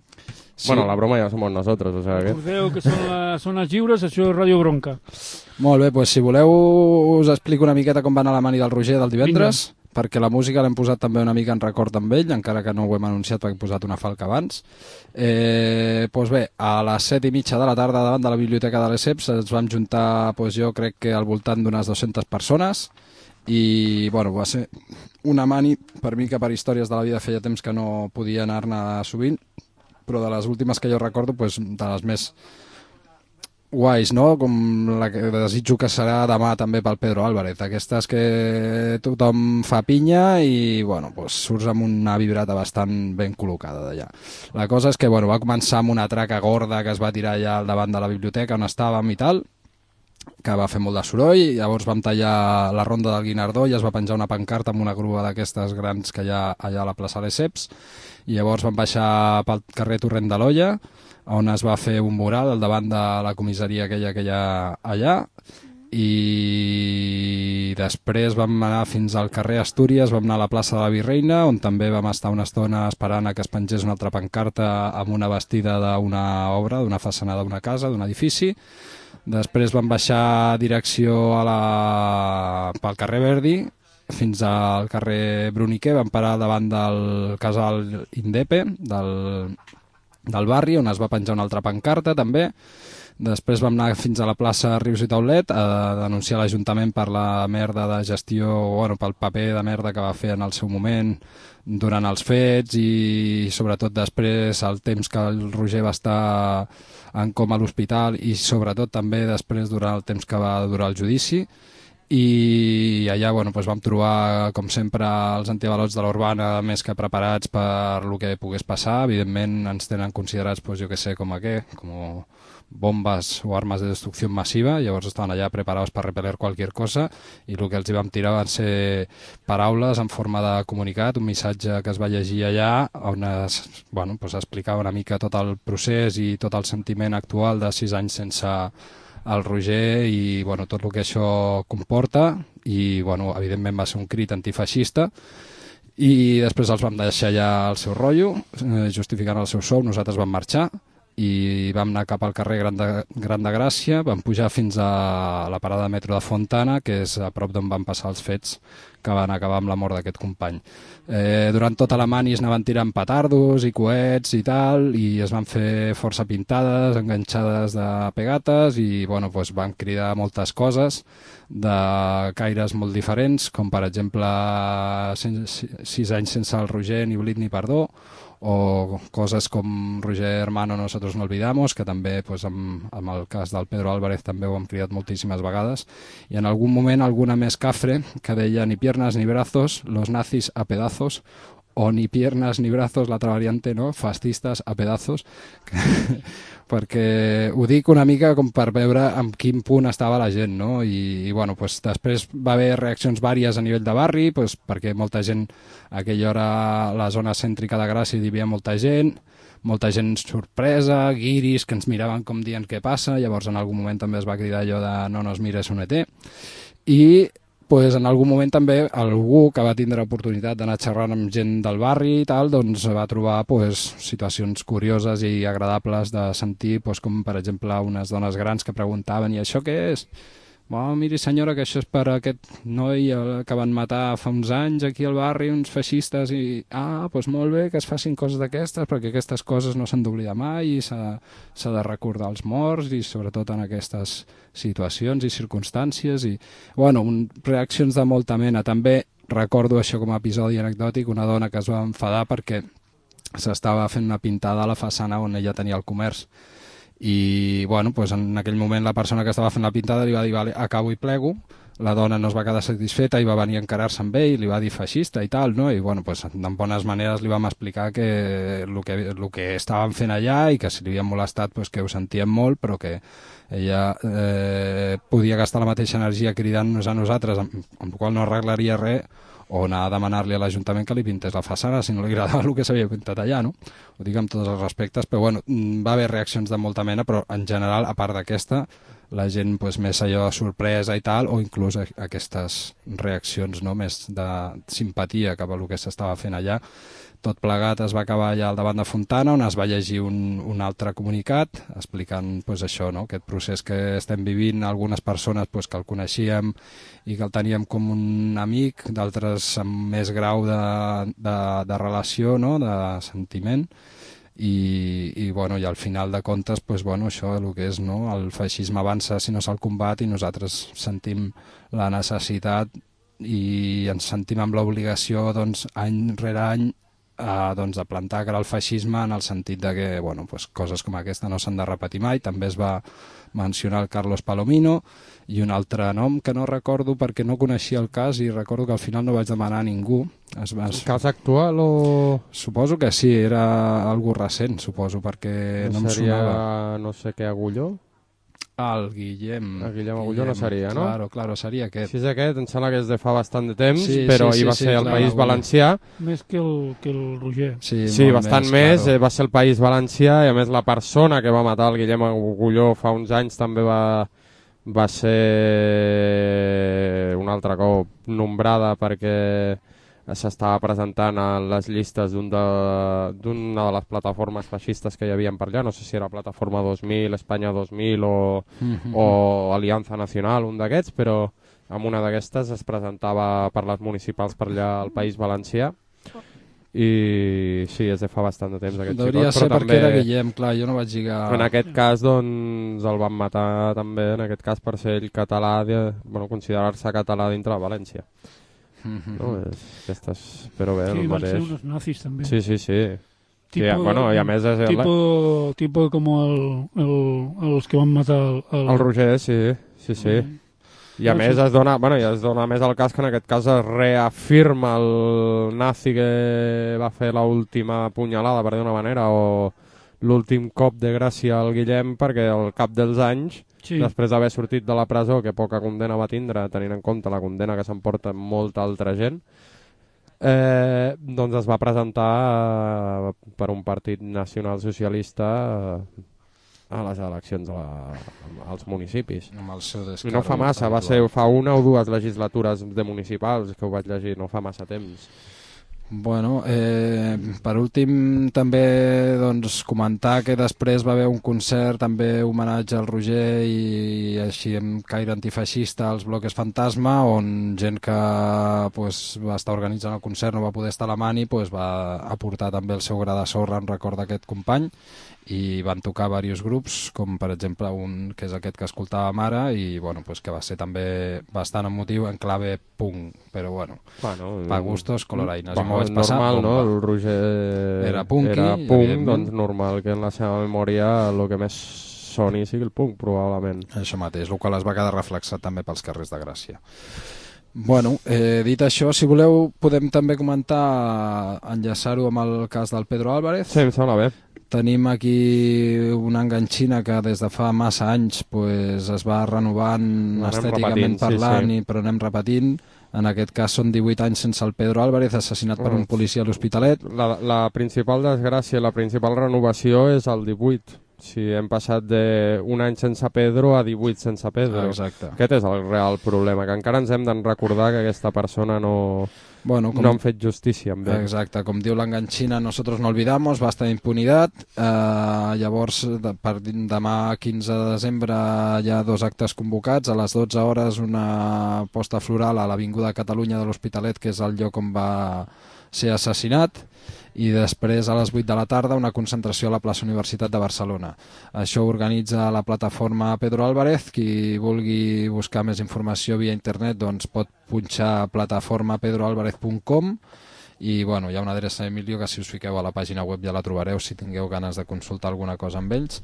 S2: Sí.
S4: Bueno, la broma ya somos nosotros, o sea que...
S5: Recordeu que són les zones lliures, això és Ràdio Bronca.
S2: Molt bé, doncs si voleu us explico una miqueta com va anar la mani del Roger del divendres, Vinga. perquè la música l'hem posat també una mica en record amb ell, encara que no ho hem anunciat perquè he posat una falca abans. Eh, doncs bé, a les set i mitja de la tarda davant de la Biblioteca de l'Esseps ens vam juntar, doncs jo crec que al voltant d'unes dues-centes persones i bueno, va ser una mani per mi que per històries de la vida feia temps que no podia anar-ne sovint, però de les últimes que jo recordo, pues, de les més guais, no? Com la que desitjo que serà demà també pel Pedro Álvarez. Aquestes que tothom fa pinya i, bueno, pues, surts amb una vibrata bastant ben col·locada d'allà. La cosa és que, bueno, va començar amb una traca gorda que es va tirar allà al davant de la biblioteca on estàvem i tal, que va fer molt de soroll, i llavors vam tallar la ronda del Guinardó i es va penjar una pancarta amb una grua d'aquestes grans que hi ha allà a la plaça Lesseps, i llavors vam baixar pel carrer Torrent de l'Olla, on es va fer un mural al davant de la comissaria aquella que hi ha allà, i després vam anar fins al carrer Astúries, vam anar a la plaça de la Virreina, on també vam estar una estona esperant a que es pengés una altra pancarta amb una vestida d'una obra, d'una façana d'una casa, d'un edifici. Després vam baixar direcció a la... pel carrer Verdi fins al carrer Bruniquer, vam parar davant del casal Indepe del, del barri, on es va penjar una altra pancarta també. Després vam anar fins a la plaça Rius i Taulet a denunciar l'Ajuntament per la merda de gestió, bueno, pel paper de merda que va fer en el seu moment durant els fets, i sobretot després el temps que el Roger va estar en coma a l'hospital, i sobretot també després durant el temps que va durar el judici. I allà, bueno, doncs vam trobar, com sempre, els antiavalots de l'Urbana més que preparats per el que pogués passar. Evidentment ens tenen considerats, doncs, jo que sé, com a què, com bombes o armes de destrucció massiva, llavors estaven allà preparats per repeler qualsevol cosa, i el que els hi vam tirar van ser paraules en forma de comunicat, un missatge que es va llegir allà on es, bueno, doncs explicava una mica tot el procés i tot el sentiment actual de sis anys sense el Roger i, bueno, tot el que això comporta, i, bueno, evidentment va ser un crit antifeixista. I després els vam deixar allà el seu rotllo, eh, justificant el seu sou. Nosaltres vam marxar i vam anar cap al carrer Gran de, Gran de Gràcia, vam pujar fins a la parada de metro de Fontana, que és a prop d'on van passar els fets que van acabar amb la mort d'aquest company. Eh, durant tota la mani es anaven tirant petardos i coets i tal, i es van fer força pintades, enganxades de pegates, i, bueno, doncs van cridar moltes coses de caires molt diferents, com per exemple sis anys sense el Roger, ni oblit ni perdó, o coses com Roger hermano, nosotros no olvidamos, que també, pues, amb, amb el cas del Pedro Álvarez també ho hem cridat moltíssimes vegades, i en algun moment alguna més cafre que deia ni piernas ni brazos, los nazis a pedazos, o ni piernas ni brazos, l'altra variante, no? Fascistes a pedazos, que, perquè ho dic una mica com per veure en quin punt estava la gent, no? I, i bueno, pues, després va haver reaccions vàries a nivell de barri, pues, perquè molta gent, a aquella hora a la zona cèntrica de Gràcia hi havia molta gent, molta gent sorpresa, guiris que ens miraven com dient què passa, llavors en algun moment també es va cridar allò de no nos mires un E T, i pues, en algun moment també algú que va tindre oportunitat d'anar xerrant amb gent del barri i tal, doncs va trobar, pues, situacions curioses i agradables de sentir, pues, com per exemple unes dones grans que preguntaven i això què és? Oh, miri senyora, que això és per aquest noi que van matar fa uns anys aquí al barri, uns feixistes, i ah, doncs molt bé que es facin coses d'aquestes, perquè aquestes coses no s'han d'oblidar mai i s'ha de recordar els morts, i sobretot en aquestes situacions i circumstàncies, i bueno, un, reaccions de molta mena. També recordo això com a episodi anecdòtic, una dona que es va enfadar perquè s'estava fent una pintada a la façana on ella tenia el comerç. I bueno, pues en aquell moment la persona que estava fent la pintada li va dir vale, acabo i plego. La dona no es va quedar satisfeta i va venir a encarar-se amb ell, li va dir feixista i tal, no? I bueno, pues, en bones maneres li vam explicar que el que, el que estàvem fent allà i que si li havien molestat pues, que ho sentíem molt, però que ella eh, podia gastar la mateixa energia cridant-nos a nosaltres, amb, amb la qual no arreglaria res, o anar a demanar-li a l'Ajuntament que li pintés la façana si no li agradava el que s'havia pintat allà, no? Ho dic amb tots els respectes, però bueno, va haver reaccions de molta mena, però en general, a part d'aquesta, la gent pues, més allò de sorpresa i tal, o inclús aquestes reaccions no, més de simpatia cap a el que s'estava fent allà. Tot plegat es va acabar allà al davant de Fontana, on es va llegir un, un altre comunicat explicant pues, això, no? Aquest procés que estem vivint, algunes persones pues, que el coneixíem i que el teníem com un amic, d'altres amb més grau de, de, de relació, no? De sentiment. I, i, bueno, i al final de comptes pues, bueno, això el que és, no? El feixisme avança si no se'l combat i nosaltres sentim la necessitat i ens sentim amb l'obligació doncs, any rere any a, doncs, a plantar cara al feixisme en el sentit de que bueno, pues, coses com aquesta no s'han de repetir mai. També es va mencionar el Carlos Palomino i un altre nom que no recordo perquè no coneixia el cas i recordo que al final no vaig demanar a ningú. Es va...
S4: El cas actual o...?
S2: Suposo que sí, era algo recent, suposo, perquè no, no em
S4: seria,
S2: sonava.
S4: No sé què, Agulló?
S2: El Guillem.
S4: El Guillem Agulló no seria, no?
S2: Claro, claro, seria aquest.
S4: Si és aquest, em sembla que és de fa bastant de temps,
S2: sí,
S4: però
S2: sí,
S4: hi va
S2: sí,
S4: ser
S2: sí,
S4: el
S2: clar,
S4: País Valencià.
S5: Més que el, que el Roger.
S2: Sí,
S4: sí bastant més, més
S2: claro.
S4: eh, va ser el País Valencià i a més la persona que va matar el Guillem Agulló fa uns anys també va, va ser un altre cop nombrada perquè s'estava presentant a les llistes d'una de, de les plataformes feixistes que hi havia per allà, no sé si era Plataforma dos mil, Espanya dos mil o, mm-hmm. o Aliança Nacional, un d'aquests, però amb una d'aquestes es presentava per les municipals per allà al País Valencià i sí, és de fa bastant de temps aquest
S2: Devia
S4: xicot,
S2: ser
S4: però
S2: perquè
S4: també,
S2: era Guillem, clar, jo no vaig lligar...
S4: En aquest cas, doncs, el van matar també, en aquest cas per ser ell català, de, bueno, considerar-se català dintre de València. Mm-hmm. No, és, aquestes, però bé,
S5: sí,
S4: el
S5: van
S4: mateix.
S5: ser unos nazis també.
S4: Sí, sí, sí.
S5: Tipo,
S4: sí bueno, i a més és
S5: tipo,
S4: la...
S5: tipo com el, el, els que van matar el, el...
S4: el Roger, sí, sí, sí. Mm. I a no, més sí. es dona, bueno, i es dona més el cas que en aquest cas es reafirma el nazi que va fer l'última punyalada, per dir una manera, o l'últim cop de gràcia al Guillem, perquè al cap dels anys, sí. després d'haver sortit de la presó, que poca condena va tindre, tenint en compte la condena que s'emporta molta altra gent, eh, doncs es va presentar eh, per un partit nacional socialista eh, a les eleccions a la, als municipis.
S2: Amb el seu
S4: I no fa massa, va ser fa una o dues legislatures de municipals que ho vaig llegir, no fa massa temps.
S2: Bueno, eh, per últim també doncs, comentar que després va haver un concert també homenatge al Roger i així amb caire antifeixista als Bloques Fantasma, on gent que pues, va estar organitzant el concert no va poder estar a la mani, pues, va aportar també el seu gra de sorra en record d'aquest company i van tocar diversos grups, com per exemple un que és aquest que escoltàvem ara i bueno, pues, que va ser també bastant emotiu en clave punk, però bueno, bueno pa gustos coloraines.
S4: Bueno, és normal, no? El Roger
S2: era punky,
S4: era punk, doncs normal que en la seva memòria el que més soni sigui el punk, probablement.
S2: Això mateix, el qual es va quedar reflexat també pels carrers de Gràcia. Bueno, eh, dit això, si voleu podem també comentar, enllaçar-ho amb el cas del Pedro Álvarez.
S4: Sí, em sembla bé.
S2: Tenim aquí una enganxina que des de fa massa anys pues, es va renovant anem estèticament repetint, parlant, sí, sí. I, però anem repetint. En aquest cas són divuit anys sense el Pedro Álvarez, assassinat per un policia a l'Hospitalet.
S4: La, la principal desgràcia, la principal renovació és el divuit. Si hem passat d'un any sense Pedro a divuit sense Pedro.
S2: Exacte.
S4: Aquest és el real problema, que encara ens hem de recordar que aquesta persona no, bueno, com, no han fet justícia amb ell.
S2: Exacte, com diu l'enganxina, nosotros no olvidamos, basta d'impunidad. Eh, llavors, de, per demà quinze de desembre hi ha dos actes convocats. A les dotze hores una posta floral a l'Avinguda Catalunya de l'Hospitalet, que és el lloc on va ser assassinat, i després a les vuit de la tarda una concentració a la plaça Universitat de Barcelona. Això organitza la plataforma Pedro Álvarez. Qui vulgui buscar més informació via internet doncs pot punxar plataforma pedro álvarez punt com i bueno, hi ha una adreça d'Emilio que si us fiqueu a la pàgina web ja la trobareu si tingueu ganes de consultar alguna cosa amb ells.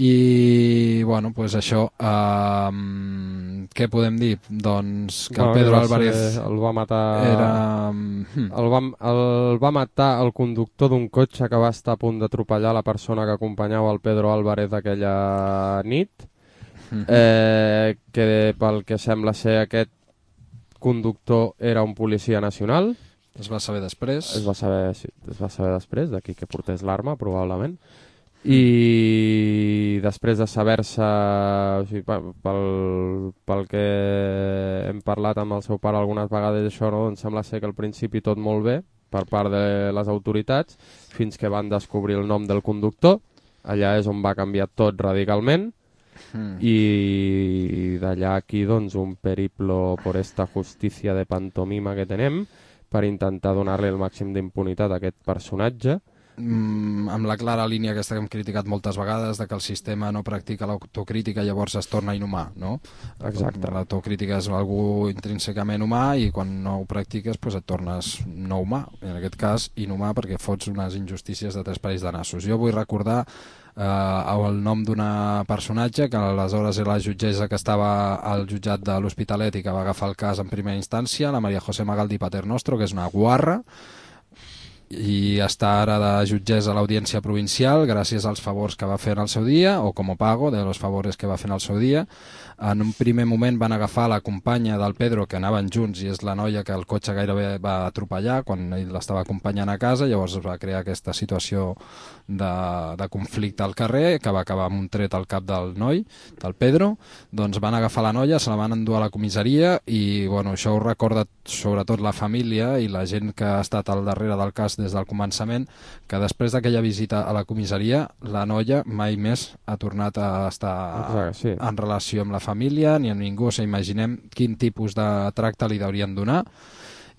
S2: I bueno, pues això, eh, què podem dir? Doncs que el Pedro Álvarez
S4: el va matar
S2: era...
S4: el, va, el va matar el conductor d'un cotxe que va estar a punt d'atropellar la persona que acompanyava el Pedro Álvarez aquella nit, eh, que pel que sembla ser aquest conductor era un policia nacional.
S2: Es va saber després.
S4: Es va saber, sí, es va saber després, d'aquí que portés l'arma, probablement. I després de saber-se, o sigui, pel, pel que hem parlat amb el seu pare algunes vegades, això, no? Doncs sembla ser que al principi tot molt bé per part de les autoritats, fins que van descobrir el nom del conductor. Allà és on va canviar tot radicalment. Mm. I d'allà aquí, doncs, un periplo por esta justicia de pantomima que tenem per intentar donar-li el màxim d'impunitat a aquest personatge.
S2: Mm, amb la clara línia aquesta que hem criticat moltes vegades, de que el sistema no practica l'autocrítica, llavors es torna inhumà, no?
S4: Exacte.
S2: L'autocrítica és algú intrínsecament humà i quan no ho practiques pues et tornes no humà, en aquest cas inhumà perquè fots unes injustícies de tres parells de nassos. Jo vull recordar eh, el nom d'una personatge que aleshores era la jutgessa que estava al jutjat de l'Hospitalet i que va agafar el cas en primera instància, la Maria José Magaldi Paternostro, que és una guarra i està ara de jutgessa a l'Audiència Provincial gràcies als favors que va fer en el seu dia, o com a pago de los favores que va fer en el seu dia. En un primer moment van agafar la companya del Pedro, que anaven junts, i és la noia que el cotxe gairebé va atropellar quan ell l'estava acompanyant a casa, llavors es va crear aquesta situació de, de conflicte al carrer, que va acabar amb un tret al cap del noi, del Pedro. Doncs van agafar la noia, se la van endur a la comissaria i bueno, això ho recorda sobretot la família i la gent que ha estat al darrere del cas des del començament, que després d'aquella visita a la comissaria la noia mai més ha tornat a estar
S4: Exacte, sí.
S2: en relació amb la família ni amb ningú. O sigui, imaginem quin tipus de tracte li haurien donar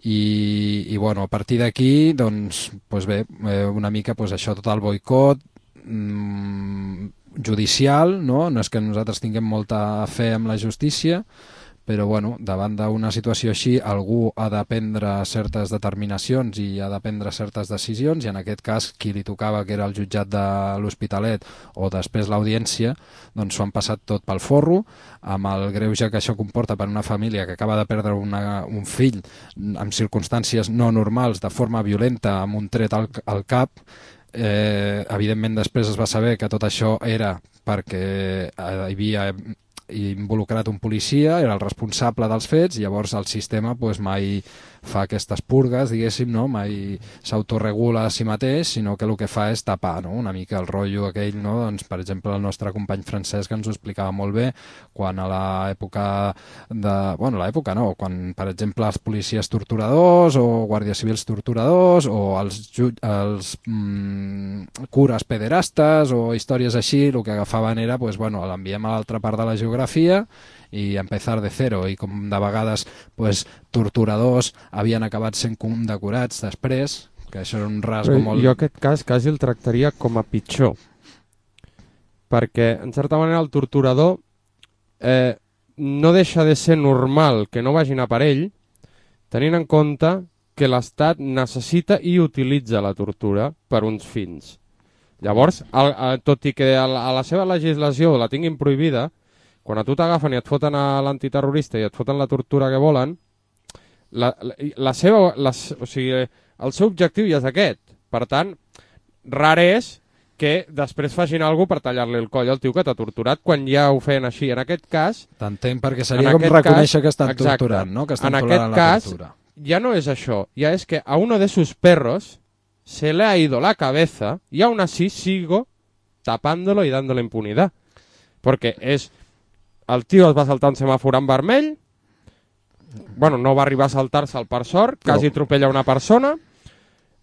S2: i, i bueno, a partir d'aquí doncs, doncs bé, una mica doncs això, tot el boicot mmm, judicial, no? No és que nosaltres tinguem molta fe en la justícia, però bueno, davant d'una situació així algú ha de prendre certes determinacions i ha de prendre certes decisions, i en aquest cas qui li tocava, que era el jutjat de l'Hospitalet o després l'Audiència, doncs s'ho han passat tot pel forro, amb el greuge que això comporta per una família que acaba de perdre una, un fill en circumstàncies no normals, de forma violenta, amb un tret al, al cap. Eh, evidentment després es va saber que tot això era perquè hi havia involucrat un policia, era el responsable dels fets, llavors el sistema pues, mai fa aquestes purgues, diguéssim, no? Mai s'autoregula a si mateix, sinó que el que fa és tapar, no? Una mica el rotllo aquell, no? Doncs, per exemple, el nostre company Francesc ens ho explicava molt bé quan a l'època de... Bueno, l'època no, quan, per exemple, els policies torturadors o guàrdies civils torturadors o els, els mm, cures pederastes o històries així, el que agafaven era, pues, bueno, l'enviem a l'altra part de la geografia i empezar de zero, i com de vegades pues, torturadors havien acabat sent condecorats després, que això era un rasgo
S4: Però
S2: molt...
S4: Jo aquest cas quasi el tractaria com a pitjor, perquè en certa manera el torturador eh, no deixa de ser normal que no vagin a per ell, tenint en compte que l'Estat necessita i utilitza la tortura per uns fins. Llavors, el, el, tot i que a la, a la seva legislació la tinguin prohibida, quan a tu t'agafen i et foten a l'antiterrorista i et foten la tortura que volen, la, la, la seva, la, o sigui, el seu objectiu ja és aquest. Per tant, rar és que després facin alguna cosa per tallar-li el coll al tio que t'ha torturat quan ja ho feien així. En aquest cas...
S2: T'entenc, perquè seria com reconèixer cas, que estan
S4: exacte,
S2: torturant, no? Que estan
S4: en aquest
S2: la
S4: cas,
S2: tortura.
S4: Ja no és això, ja és que a uno de sus perros se le ha ido la cabeza y aún así sigo tapándolo y dándole impunidad. Porque és... El tio es va saltar un semàfor en vermell, bueno, no va arribar a saltar-se'l per sort, quasi atropella una persona,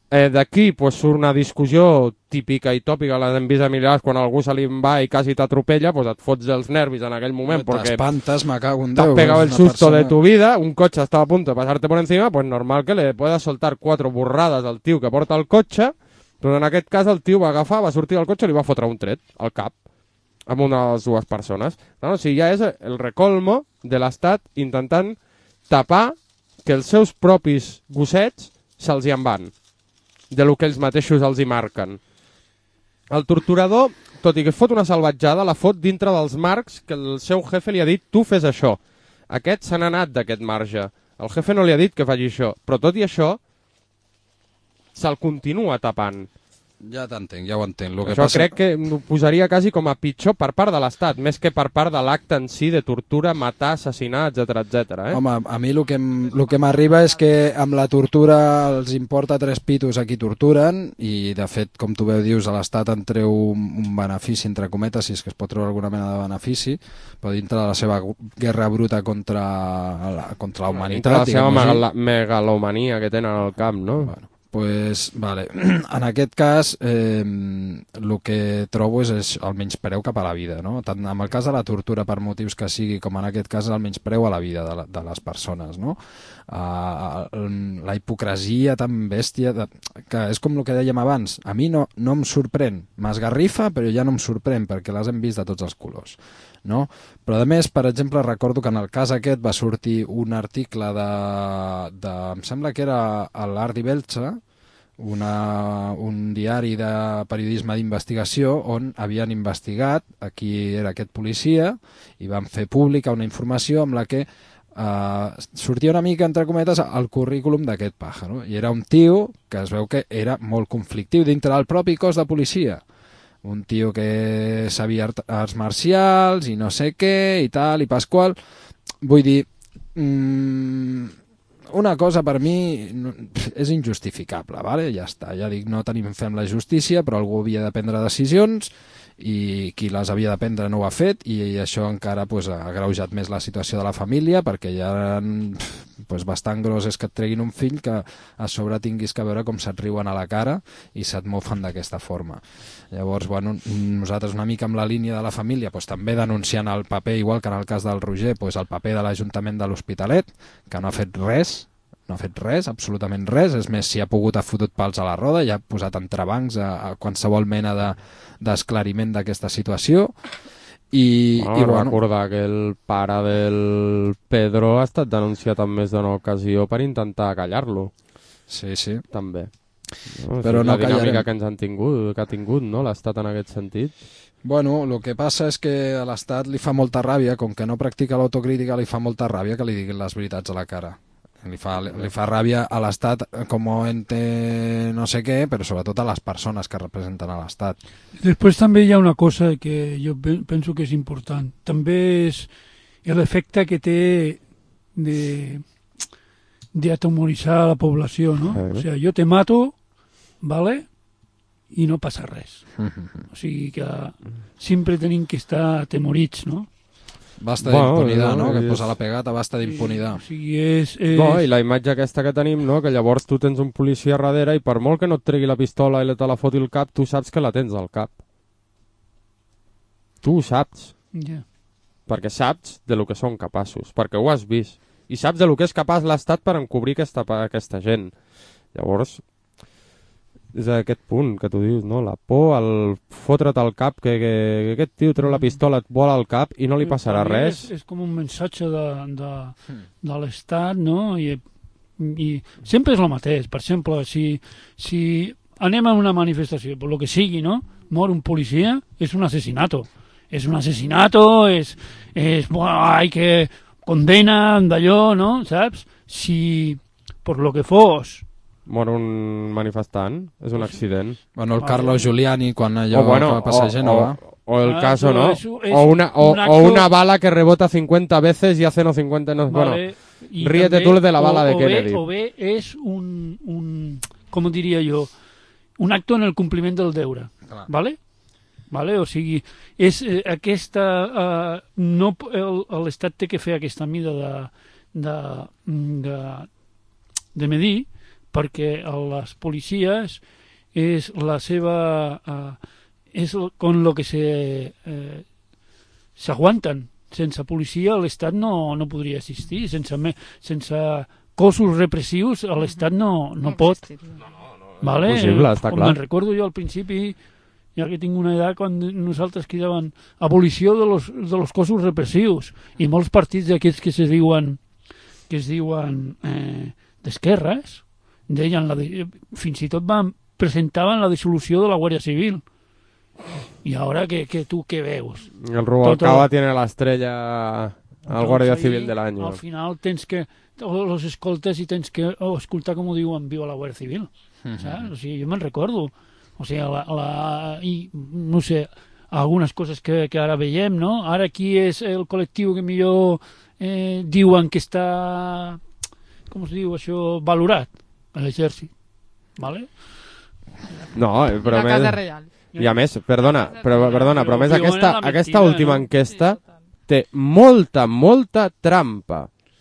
S4: eh, d'aquí pues, surt una discussió típica i tòpica, les hem vist a milers, quan algú se li va i quasi t'atropella, pues et fots dels nervis en aquell moment, perquè
S2: t'espantes, me cago en Déu,
S4: t'has pegado el susto
S2: persona...
S4: de tu vida, un cotxe estava a punto de pasarte por encima, pues normal que le puedas soltar cuatro burrades al tio que porta el cotxe, però en aquest cas el tio va agafar, va sortir del cotxe i li va fotre un tret al cap amb una de les dues persones. No, o sigui, ja és el recolmo de l'Estat intentant tapar que els seus propis gossets se'ls hi en van, de lo que ells mateixos els hi marquen. El torturador, tot i que fot una salvatjada, la fot dintre dels marcs que el seu jefe li ha dit tu fes això. Aquest se n'ha anat d'aquest marge. El jefe no li ha dit que faci això, però tot i això se'l continua tapant.
S2: Ja t'entenc, ja ho entenc. Lo que
S4: Això
S2: passa...
S4: crec que ho posaria quasi com a pitjor per part de l'Estat, més que per part de l'acte en si de tortura, matar, assassinar, etcètera, etcètera. Eh?
S2: Home, a mi el que, em- lo que m'arriba és que amb la tortura els importa tres pitos a qui torturen i, de fet, com tu bé dius, a l'Estat en treu un, un benefici, entre cometes, si és que es pot treure alguna mena de benefici, però dintre de la seva guerra bruta contra la, contra la humanitat...
S4: Dintre de la seva
S2: diguem-ho així.
S4: megala- megalomania que tenen al camp, no?
S2: Bueno, pues, vale. En aquest cas, eh, el que trobo és, és el menyspreu cap a la vida, no? Tant en el cas de la tortura per motius que sigui, com en aquest cas el menyspreu a la vida de, la, de les persones, no? Uh, la hipocresia tan bèstia, de, que és com el que dèiem abans, a mi no, no em sorprèn, m'esgarrifa, però ja no em sorprèn, perquè les hem vist de tots els colors. No? Però a més, per exemple, recordo que en el cas aquest va sortir un article de, de em sembla que era l'Art i Belxa, una, un diari de periodisme d'investigació on havien investigat a qui era aquest policia i van fer pública una informació amb la que Uh, sortia una mica, entre cometes, el currículum d'aquest pàjaro. I era un tio que es veu que era molt conflictiu dintre del propi cos de policia. Un tio que sabia arts marcials i no sé què i tal i pasqual. Vull dir, mmm, una cosa per mi és injustificable, ¿vale? Ja està, ja dic, no tenim fem la justícia, però algú havia de prendre decisions i qui les havia de prendre no ho ha fet i això encara pues, ha agreujat més la situació de la família perquè ja pues, bastant gros és que et treguin un fill que a sobre tinguis que veure com se't riuen a la cara i se't mofen d'aquesta forma. Llavors, bueno, nosaltres una mica amb la línia de la família pues, també denunciant el paper, igual que en el cas del Roger, pues, el paper de l'Ajuntament de l'Hospitalet, que no ha fet res, no ha fet res, absolutament res, és més, si ha pogut ha fotut pals a la roda i ha posat entrebancs a, a qualsevol mena de, d'esclariment d'aquesta situació i,
S4: bueno,
S2: i bueno,
S4: recordar que el pare del Pedro ha estat denunciat en més d'una ocasió per intentar callar-lo.
S2: Sí, sí.
S4: També. No,
S2: Però
S4: sí,
S2: no
S4: la dinàmica
S2: callarem.
S4: que ens han tingut, que ha tingut, no?, l'Estat en aquest sentit.
S2: Bueno, el que passa és que a l'Estat li fa molta ràbia, com que no practica l'autocrítica, li fa molta ràbia que li diguin les veritats a la cara. Li fa, li fa ràbia a l'Estat com ente no sé què, però sobretot a les persones que representen a l'Estat.
S5: Després també hi ha una cosa que jo penso que és important. També és l'efecte que té de d'atemoritzar la població, no?
S4: Eh.
S5: O sigui, jo te mato, ¿vale? I no passa res. O sigui que sempre tenim que estar atemorits, no?
S2: Basta
S4: Bueno,
S2: d'impunidad,
S4: no,
S2: no? Que
S4: és-
S2: posa la pegata, basta d'impunidad.
S5: O sigui, és... és...
S4: No, i la imatge aquesta que tenim, no?, que llavors tu tens un policia darrere i per molt que no et tregui la pistola i te la foti al cap, tu saps que la tens al cap. Tu ho saps,
S5: Ja.
S4: perquè saps de lo que són capaços, perquè ho has vist. I saps de lo que és capaç l'Estat per encobrir aquesta, aquesta gent. Llavors, és a aquest punt que tu dius, no? La por, el fotre't al cap, que, que, que aquest tio treu la pistola, et vola al cap i no li passarà
S5: Per mi
S4: res.
S5: És, és com un missatge de, de, de l'Estat, no? I, i sempre és el mateix. Per exemple, si, si anem a una manifestació, per lo que sigui, no? Mor un policia, és un asesinato. És un asesinato, és, és bueno, ai, que condena d'allò, no? Saps? Si, per lo que fos,
S4: Mor un manifestant, és un accident.
S2: Bueno, el Carlos Giuliani, quan allò
S4: o, bueno,
S2: va passar a Gènova...
S4: o, o el
S5: Ah,
S4: caso,
S5: eso
S4: ¿no?
S5: es- es
S4: o, una, o,
S5: un
S4: o
S5: acto-
S4: una bala que rebota cincuenta veces y hace no cincuenta... No,
S5: vale,
S4: bueno,
S5: i
S4: ríete
S5: també,
S4: tú de la bala
S5: o,
S4: de
S5: o
S4: Kennedy.
S5: Bé, o bé és un, un, com diria jo, un acto en el compliment del deure,
S2: Clar.
S5: vale? Vale? O sigui, és eh, aquesta... Eh, no, el- l'Estat té que fer aquesta mida de, de, de, de medir, perquè les policies és la seva... Eh, és con lo que se eh, s'aguanten. Sense policia l'Estat no, no podria existir. Sense, me, sense cossos repressius l'Estat no, no pot. Vale?
S4: Impossible, està
S5: Com
S4: clar.
S5: me'n recordo jo al principi, ja que tinc una edat, quan nosaltres cridaven abolició de los, de los cossos repressius, i molts partits d'aquests que se diuen que es diuen eh, d'esquerres, deien la de... fins i tot van presentaven la dissolució de la Guàrdia Civil. I ara que, que tu què veus?
S4: El Rubalcaba
S5: Tot...
S4: tiene la estrella al Guàrdia Civil del año.
S5: Al final tens que los escoltes i tens que oh, escoltar com ho diuen viva la Guàrdia Civil. Uh-huh. Saps? O sigui, jo me'n recordo. O sigui, la, la, i, no sé, algunes coses que, que ara veiem, no? Ara qui és el col·lectiu que millor eh, diuen que està, com es diu això, valorat? L'exèrcit. Vale?
S4: No, però...
S3: La
S4: més...
S3: Casa Reial.
S4: I a més, perdona, però, perdona, però a més
S5: Però
S4: aquesta,
S5: mentida,
S4: aquesta última
S5: no?
S4: enquesta
S3: Sí, total.
S4: té molta, molta trampa,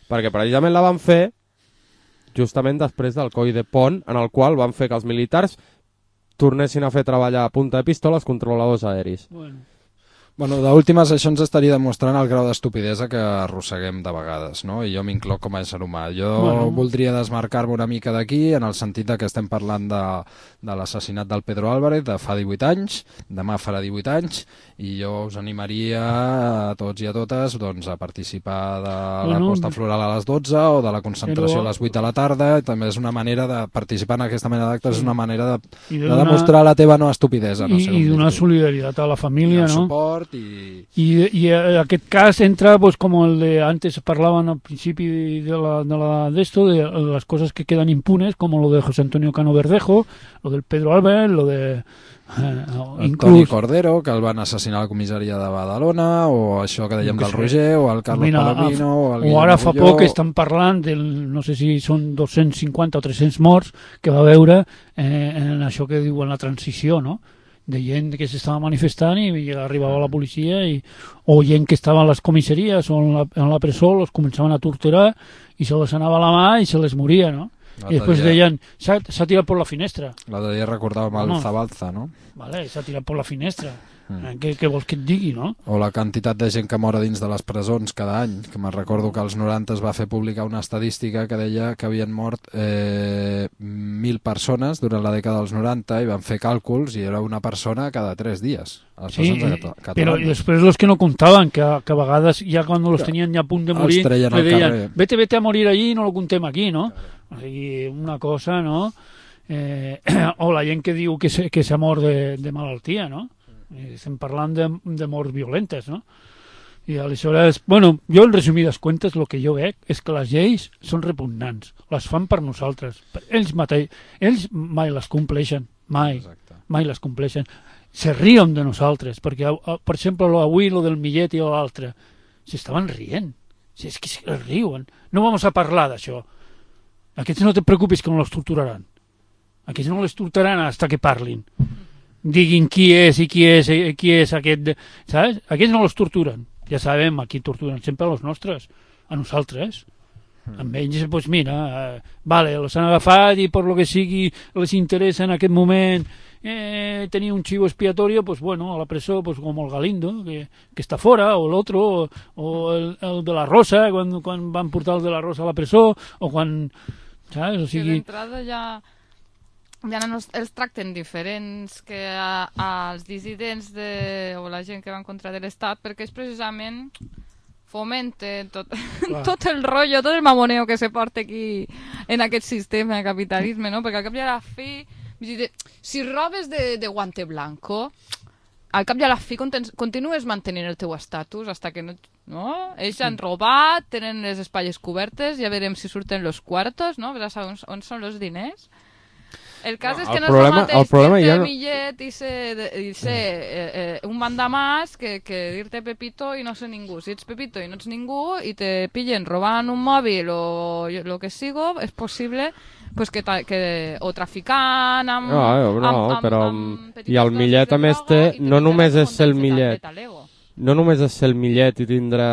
S4: perquè precisament la van fer justament després del coll de Pont, en el qual van fer que els militars tornessin a fer treballar a punta de pistola els controladors aeris.
S5: Bueno.
S2: Bueno, d'últimes això ens estaria demostrant el grau d'estupidesa que arrosseguem de vegades, no? I jo m'incloc com a ésser humà. Jo
S5: Bueno.
S2: voldria desmarcar-me una mica d'aquí en el sentit de que estem parlant de, de l'assassinat del Pedro Álvarez de fa divuit anys, demà farà divuit anys, i jo us animaria a tots i a totes doncs, a participar de la
S5: Bueno,
S2: costa floral a les dotze o de la concentració
S5: però-
S2: a les vuit de la tarda. També és una manera de participar en aquesta mena d'actes, és una manera de,
S5: I
S2: de,
S5: de donar-
S2: demostrar la teva no estupidesa. No
S5: I,
S2: sé com
S5: i donar
S2: dir-ho.
S5: solidaritat a la família,
S2: el
S5: no?
S2: suport i...
S5: I, i en aquest cas entra pues, com el de antes parlaven al principi de la de la de esto de las cosas que quedan impunes como lo de José Antonio Cano Verdejo, lo del Pedro Álvarez, lo de eh,
S2: el
S5: inclús
S2: Toni Cordero, que el van assassinar a la comissaria de Badalona, o això que dèiem
S5: Que
S2: del
S5: sé.
S2: Roger, o el Carlos
S5: Mira,
S2: Palomino, o el
S5: o
S2: Guillermo
S5: ara fa
S2: Agulló.
S5: poc estan parlant del, no sé si són dos-cents cinquanta o tres-cents morts que va veure eh, en això que diuen la transició, no? De gent que s'estava manifestant i arribava la policia i, o gent que estava a les comissaries o en la, en la presó, els començaven a torturar i se les anava la mà i se les moria, no?
S2: L'altre
S5: I després
S2: dia-
S5: deien, s'ha tirat per la finestra.
S2: L'altre dia recordàvem el
S5: No.
S2: Zabalza, no?
S5: Vale, s'ha tirat per la finestra.
S2: Mm.
S5: Eh, Què, què vols que et digui, no?
S2: O la quantitat de gent que mor a dins de les presons cada any, que me'n recordo que als noranta es va fer publicar una estadística que deia que havien mort eh, mil persones durant la dècada dels noranta, i van fer càlculs i era una persona cada tres dies a les
S5: Sí,
S2: presons
S5: eh,
S2: cata-
S5: però
S2: catalanes.
S5: després los que no contaven, que, que a vegades ja quan los tenien ja a punt de
S2: Els
S5: morir,
S2: treien
S5: le
S2: al
S5: deien,
S2: carrer.
S5: vete, vete a morir allí i no lo contem aquí, no? O sigui, una cosa, no? Eh, o la gent que diu que s'ha que s'ha mort de, de malaltia, no? Eh, Estem parlant de, de morts violentes, no? I aleshores, bueno, jo en resumides comptes el que jo veig és que les lleis són repugnants, les fan per nosaltres, per ells mateix, ells mai les compleixen, mai,
S2: Exacte.
S5: mai les compleixen, se riuen de nosaltres, perquè, a- a- per exemple, lo avui, lo del Millet i l'altre, s'estaven rient, si és que es riuen, no vamos a parlar d'això, aquests no te preocupis que no los torturaran, aquests no les torturaran hasta que parlin, diguin qui és i qui és, i qui és aquest, saps? Aquests no los torturen, ja sabem a qui torturen, sempre a los nostres, a nosaltres. Amb ells, doncs mira, eh, vale, els han agafat i per lo que sigui les interessa en aquest moment eh, tenir un chivo expiatorio, pues bueno, a la presó, pues com el Galindo, que, que està fora, o l'altre, o, o el, el de la Rosa, quan, quan van portar el de la Rosa a la presó, o quan, saps? O
S3: Que
S5: sigui,
S3: d'entrada ja, ja no els, els tracten diferents que a, als dissidents de, o la gent que va en contra de l'Estat, perquè és precisament fomenten tot, tot el rotllo, tot el mamoneo que se porta aquí en aquest sistema de capitalisme, no? Perquè al cap i a la fi, vull dir, si robes de, de guante blanco, al cap i a la fi contens, continues mantenint el teu estatus hasta que no... no? Ells han robat, tenen les espatlles cobertes, ja veurem si surten los cuartos, no? Ja sabem on, on són els diners. El cas
S4: No,
S3: és que
S4: el
S3: no
S4: problema-
S3: és el
S4: el problema
S3: mateix dir-te
S4: ja no-
S3: Millet i ser, i ser eh, eh, un mandamàs que, que dir-te Pepito i no ser ningú. Si ets Pepito i no ets ningú i te pillen robant un mòbil o lo que sigo, és possible pues, que, ta, que o traficant amb...
S4: No, no,
S3: amb, amb,
S4: però...
S3: amb petites
S4: I el
S3: dosis
S4: Millet,
S3: de
S4: a més,
S3: droga
S4: té...
S3: i te
S4: No només
S3: pillaràs
S4: és ser el
S3: amb un
S4: Millet.
S3: talego.
S4: No només és ser el Millet i tindre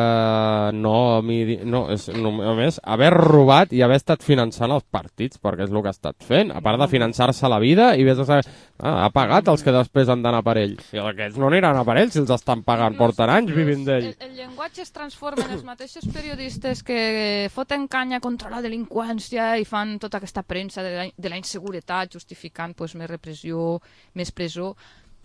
S4: nom i... No, és, no, a més, haver robat i haver estat finançant els partits, perquè és el que ha estat fent, a part de finançar-se la vida i vés a saber... Ah, ha pagat els que després han d'anar per ell. I aquests no aniran a per ell si els estan pagant, porten anys vivint d'ell.
S3: El, el llenguatge es transforma en els mateixos periodistes que foten canya contra la delinqüència i fan tota aquesta premsa de la, de la inseguretat justificant pues, més repressió, més presó.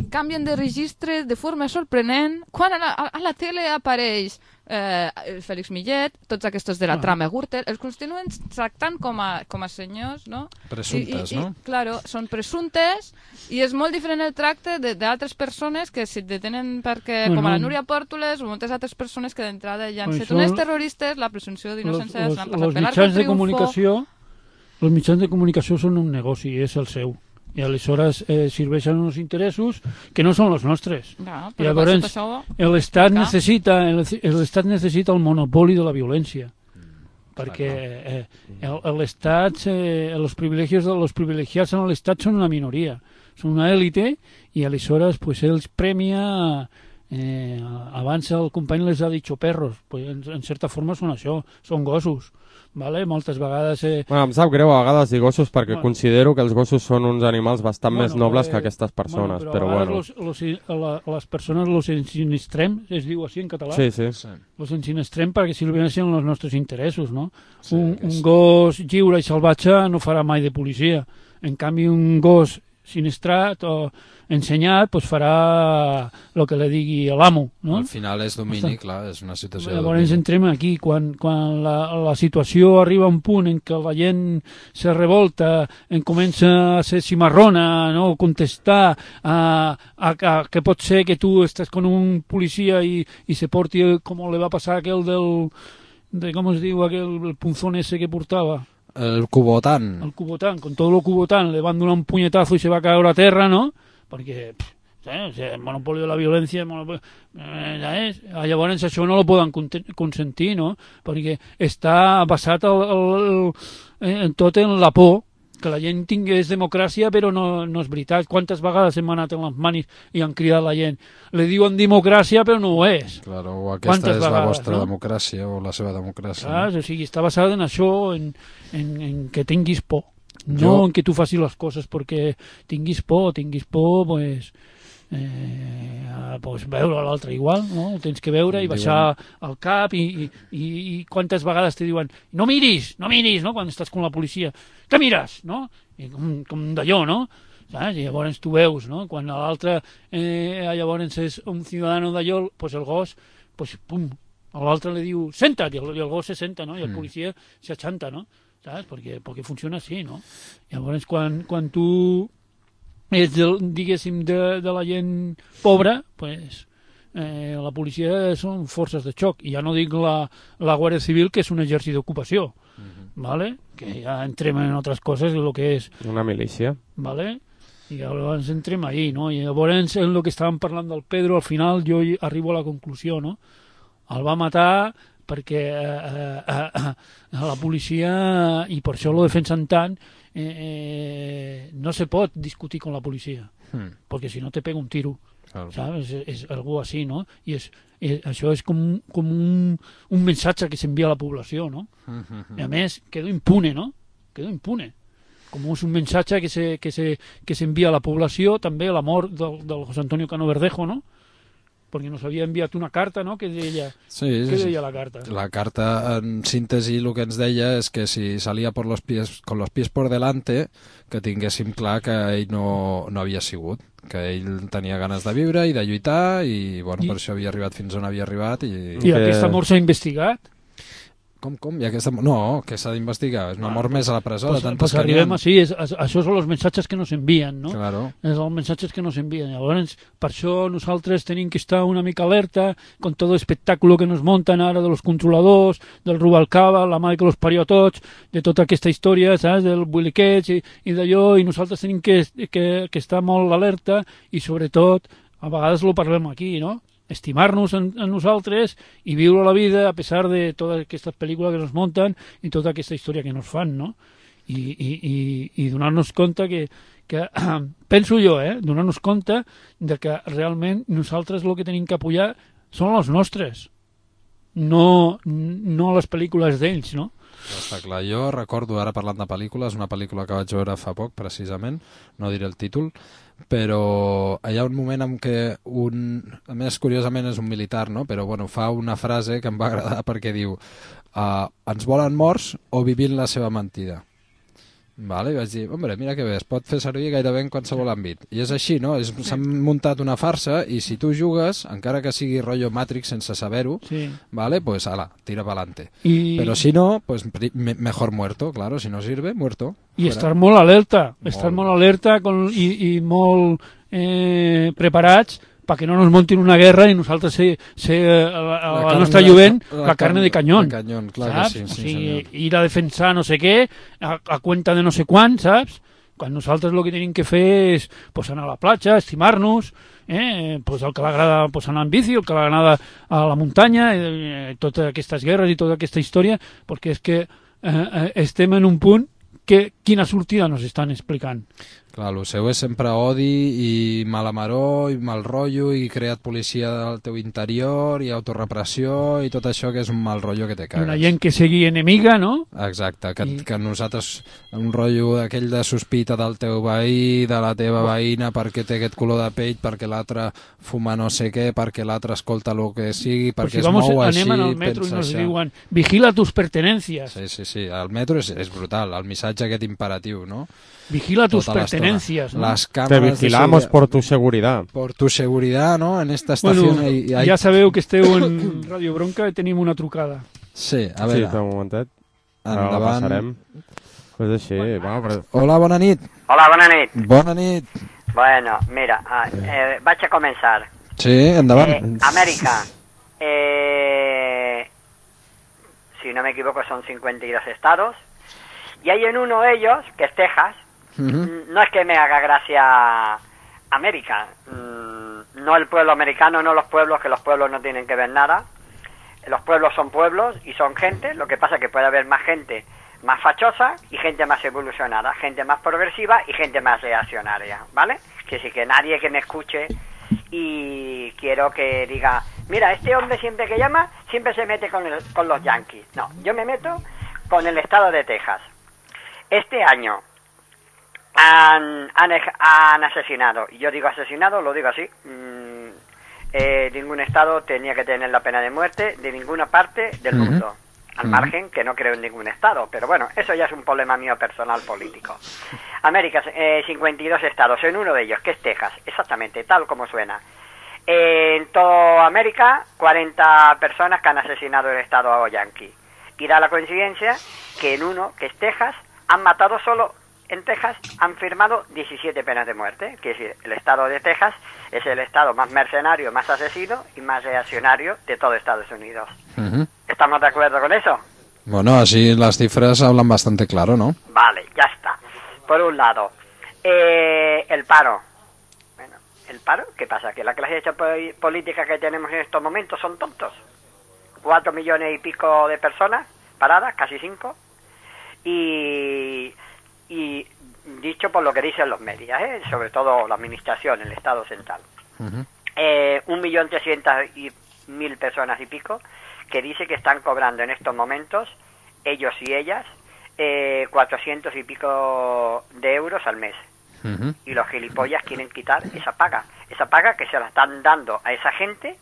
S3: canvien de registre de forma sorprenent. Quan a la, a la tele apareix eh, Félix Millet, tots aquests de la ah. trama Gürtel, els continuen tractant com a, com a senyors, no?
S2: Presumptes,
S3: I, i,
S2: no?
S3: I, claro, són presumptes i és molt diferent el tracte d'altres persones que si et detenen perquè, bueno, com a la Núria Pòrtoles o moltes altres persones que d'entrada ja han set unes terroristes, la presumpció d'innocència l'han passat per l'arc del triomfo.
S5: Els mitjans de comunicació són un negoci, és el seu. I aleshores eh, serveixen uns interessos que no són els nostres.
S3: No,
S5: I llavors
S3: això...
S5: l'Estat necessita, l'Estat necessita el monopoli de la violència. Mm, perquè eh, l'Estat, eh, els privilegis els privilegiats en l'Estat són una minoria, són una èlite, i aleshores pues, ells premia... Eh, abans el company les ha dit perros, pues, en, en certa forma són això, són gossos. Vale? Moltes vegades... Eh...
S4: Bueno, em sap greu a vegades dir gossos perquè bueno, considero que els gossos són uns animals bastant bueno, més nobles eh, que aquestes persones, bueno, però, però bueno...
S5: Los, los, la, les persones los ensinistrem, es diu així en català?
S4: Sí, sí. sí.
S5: Los ensinistrem perquè serveixen els nostres interessos, no? Sí, un, un gos lliure i salvatge no farà mai de policia. En canvi, un gos sinistrat o ensenyat pues farà el que li digui l'amo, no?
S2: Al final és domini, clar, és una situació de
S5: domini. Llavors entrem aquí, quan, quan la, la situació arriba a un punt en què la gent se revolta, en comença a ser cimarrona, no? Contestar a, a, a que pot ser que tu estàs con un policia i, i se porti com li va passar aquell del, de, com es diu, aquell el punzón ese que portava.
S2: El cubotán.
S5: El cubotán, con todo lo cubotán, le van a dar un puñetazo y se va a caer a tierra, ¿no? Porque ¿sabes? El monopolio de la violència, monopolio, ¿sabes? Llavors això no lo poden consentir, no? Perquè està basat el, el, el, tot en la por, que la gent tingués democràcia, però no, no és veritat. Quantes vegades hem anat en les manis i han cridat la gent? Le diuen democràcia, però no ho és.
S2: Claro, o aquesta Quantes és vegades, la vostra no? democràcia, o la seva democràcia.
S5: Clar, no? O sigui, està basada en això, en, en, en que tinguis por. No jo... en que tu facis les coses perquè tinguis por, tinguis por, pues... Eh, pues veure l'altre igual, no? Tens que veure i baixar el cap i, i, i quantes vegades te diuen no miris, no miris, no? Quan estàs con la policia, què mires, no? I com, com d'allò, no? Saps? I llavors tu veus, no? Quan l'altre eh, llavors és un ciutadano d'allò, pues el gos, pues pum, l'altre li diu senta't, i el, i el gos se senta, no? I el policia s'aixanta, no? Saps? Perquè, perquè funciona així, no? Llavors quan, quan tu és, de, diguéssim, de, de la gent pobra, pues, eh, la policia són forces de xoc. I ja no dic la, la Guàrdia Civil, que és un exèrcit d'ocupació, uh-huh. ¿Vale? Que ja entrem en altres coses, el que és...
S4: Una milícia.
S5: ¿Vale? I llavors entrem ahí, no? I llavors, en el que estàvem parlant del Pedro, al final jo arribo a la conclusió, no? El va matar perquè eh, eh, eh, la policia, i per això lo defensen tant, eh, eh, no se pot discutir con la policia, hmm. perquè si no te pega un tiro, claro. ¿Sabes? És, és algo així, no? I és, és, això és com, com un, un missatge que s'envia a la població, no? Hmm, hmm, hmm. I a més, quedo impune, no? Quedo impune. Com és un missatge que se, que se, que s'envia a la població, també la mort del, del José Antonio Cano Verdejo, no? Perquè nos havia enviat una carta, no?, que deia...
S2: Sí,
S5: què
S2: sí,
S5: deia la carta?
S2: La carta, en síntesi, el que ens deia és que si salia por los pies, con los pies por delante, que tinguéssim clar que ell no, no havia sigut, que ell tenia ganes de viure i de lluitar, i, bueno, I... per això havia arribat fins on havia arribat. I,
S5: I que... aquesta mort s'ha investigat?
S2: Com, com? I aquesta... No, que s'ha d'investigar. És una mort ah, més a la presó.
S5: Pues,
S2: de tantes
S5: pues arribem així. És, això són els missatges que nos envien, no?
S2: Claro.
S5: És els missatges que nos envien. Llavors, per això nosaltres tenim que estar una mica alerta con todo l'espectacle que nos monten ara de los controladors, del Rubalcaba, la mare que los parió a tots, de tota aquesta història, saps? Del Builiquets i, i d'allò, i nosaltres tenim que, que, que estar molt alerta i, sobretot, a vegades lo parlem aquí, no? Estimar-nos en, en nosaltres i viure la vida a pesar de totes aquestes pel·lícules que nos munten i tota aquesta història que nos fan, no? I, i, i, i donar-nos compte que, que penso jo, eh, donar-nos compte de que realment nosaltres el que tenim que apoyar són els nostres, no, no les pel·lícules d'ells, no?
S2: Està clar. Jo recordo, ara parlant de pel·lícules, una pel·lícula que vaig veure fa poc, precisament, no diré el títol, però hi ha un moment en què un... A més, curiosament, és un militar, no? Però, bueno, fa una frase que em va agradar perquè diu uh, ens volen morts o vivint la seva mentida. Vale, i vaig dir, hombre, mira que bé, es pot fer servir gairebé en qualsevol àmbit. I és així, no? S'han muntat una farsa i si tu jugues, encara que sigui rotllo Matrix sense saber-ho,
S5: Sí.
S2: vale, pues ala, tira pa'lante.
S5: I,
S2: Pero si no, pues pri- me- mejor muerto, claro, si no sirve, muerto.
S5: i
S2: Fuera.
S5: estar molt alerta, estar
S2: Molt.
S5: molt alerta con, i, i molt eh, preparats perquè no nos montin una guerra i nosaltres ser, ser eh,
S2: La
S5: el
S2: carne
S5: nostre
S2: de-
S5: lluent
S2: la
S5: la carne de canyón.
S2: de canyón, clar que
S5: saps?
S2: sí, sí,
S5: o sigui,
S2: senyor.
S5: ir a defensar no sé què a, a cuenta de no sé quan, saps? Quan nosaltres el que tenim que fer és pues, anar a la platja, estimar-nos, eh? pues, el que l'agrada pues, anar en bici, el que l'agrada a la muntanya, eh, totes aquestes guerres i tota aquesta història, perquè és que eh, eh, estem en un punt que quina sortida nos estan explicant.
S2: Clar, el seu és sempre odi i mala maror i mal rotllo i creat policia del teu interior i autorepressió i tot això que és un mal rotllo que te
S5: I una
S2: cagues.
S5: gent que sigui enemiga, no?
S2: Exacte, que,
S5: I-
S2: que nosaltres un rotllo d'aquell de sospita del teu veí, de la teva veïna perquè té aquest color de pell, perquè l'altre fuma no sé què, perquè l'altre escolta el que sigui,
S5: Pues
S2: perquè
S5: si
S2: es
S5: vamos,
S2: mou així,
S5: anem en el metro i
S2: pensa
S5: nos
S2: això.
S5: diuen vigila tus pertenencias,
S2: Sí, sí, sí, el metro és, és brutal, el missatge aquest imperatiu, no?
S5: vigila tus
S2: Tota l'estona.
S5: pertenencias, ¿no?
S2: Las
S4: Te
S2: cámaras de
S4: vigilamos
S2: seguridad-
S4: por tu seguridad.
S2: por tu seguridad, ¿no? En esta estación
S5: Bueno,
S2: hay, hay-
S5: ja sabeu que esteu en Radio Bronca i tenim una trucada.
S2: Sí, a
S4: Sí,
S2: veure,
S4: espera un momentet. Ara la
S2: endavant.
S4: passarem. Pues així, bueno, però...
S2: Hola, bona nit.
S6: Hola, bona nit.
S2: Bona nit.
S6: Bueno, mira, ah, eh, vaig a comenzar.
S2: Sí, endavant.
S6: Eh, América, eh, si no me equivoco, son cincuenta y dos estados. Y hay en uno de ellos, que es Texas.
S2: Ujú.
S6: Mm, No es que me haga gracia América. Mm, No el pueblo americano, no los pueblos, que los pueblos no tienen que ver nada. Los pueblos son pueblos y son gente. Lo que pasa es que puede haber más gente más fachosa y gente más evolucionada, gente más progresiva y gente más reaccionaria, ¿vale? Que sí, que nadie que me escuche y quiero que diga, mira, este hombre siempre que llama, siempre se mete con, el- con los yanquis. No, yo me meto con el estado de Texas. Este año han, han, ej- han asesinado, y yo digo asesinado, lo digo así, mm, eh, ningún estado tenía que tener la pena de muerte de ninguna parte del
S2: Ujú.
S6: mundo, al
S2: Ujú.
S6: margen que no creo en ningún estado, pero bueno, eso ya es un problema mío personal político. América, eh, cincuenta y dos estados, en uno de ellos, que es Texas, exactamente, tal como suena. Eh, en toda América, cuarenta personas que han asesinado el estado yankee. Y da la coincidencia que en uno, que es Texas, han matado solo, en Texas han firmado diecisiete penas de muerte. Quiere decir, el estado de Texas es el estado más mercenario, más asesino y más reaccionario de todo Estados Unidos.
S2: Ujú.
S6: ¿Estamos de acuerdo con eso?
S2: Bueno, así las cifras hablan bastante claro, ¿no?
S6: Vale, ya está. Por un lado, eh, el paro. Bueno, el paro, ¿qué pasa? Que la clase po- política que tenemos en estos momentos son tontos. Cuatro millones y pico de personas paradas, casi cinco. Y, y dicho por lo que dicen los medios, ¿eh? Sobre todo la administración, el Estado central.
S2: Ujú.
S6: Eh, un millón trescientas y mil personas y pico que dice que están cobrando en estos momentos, ellos y ellas, eh, cuatrocientos y pico de euros al mes.
S2: Ujú.
S6: Y los gilipollas quieren quitar esa paga. Esa paga que se la están dando a esa gente,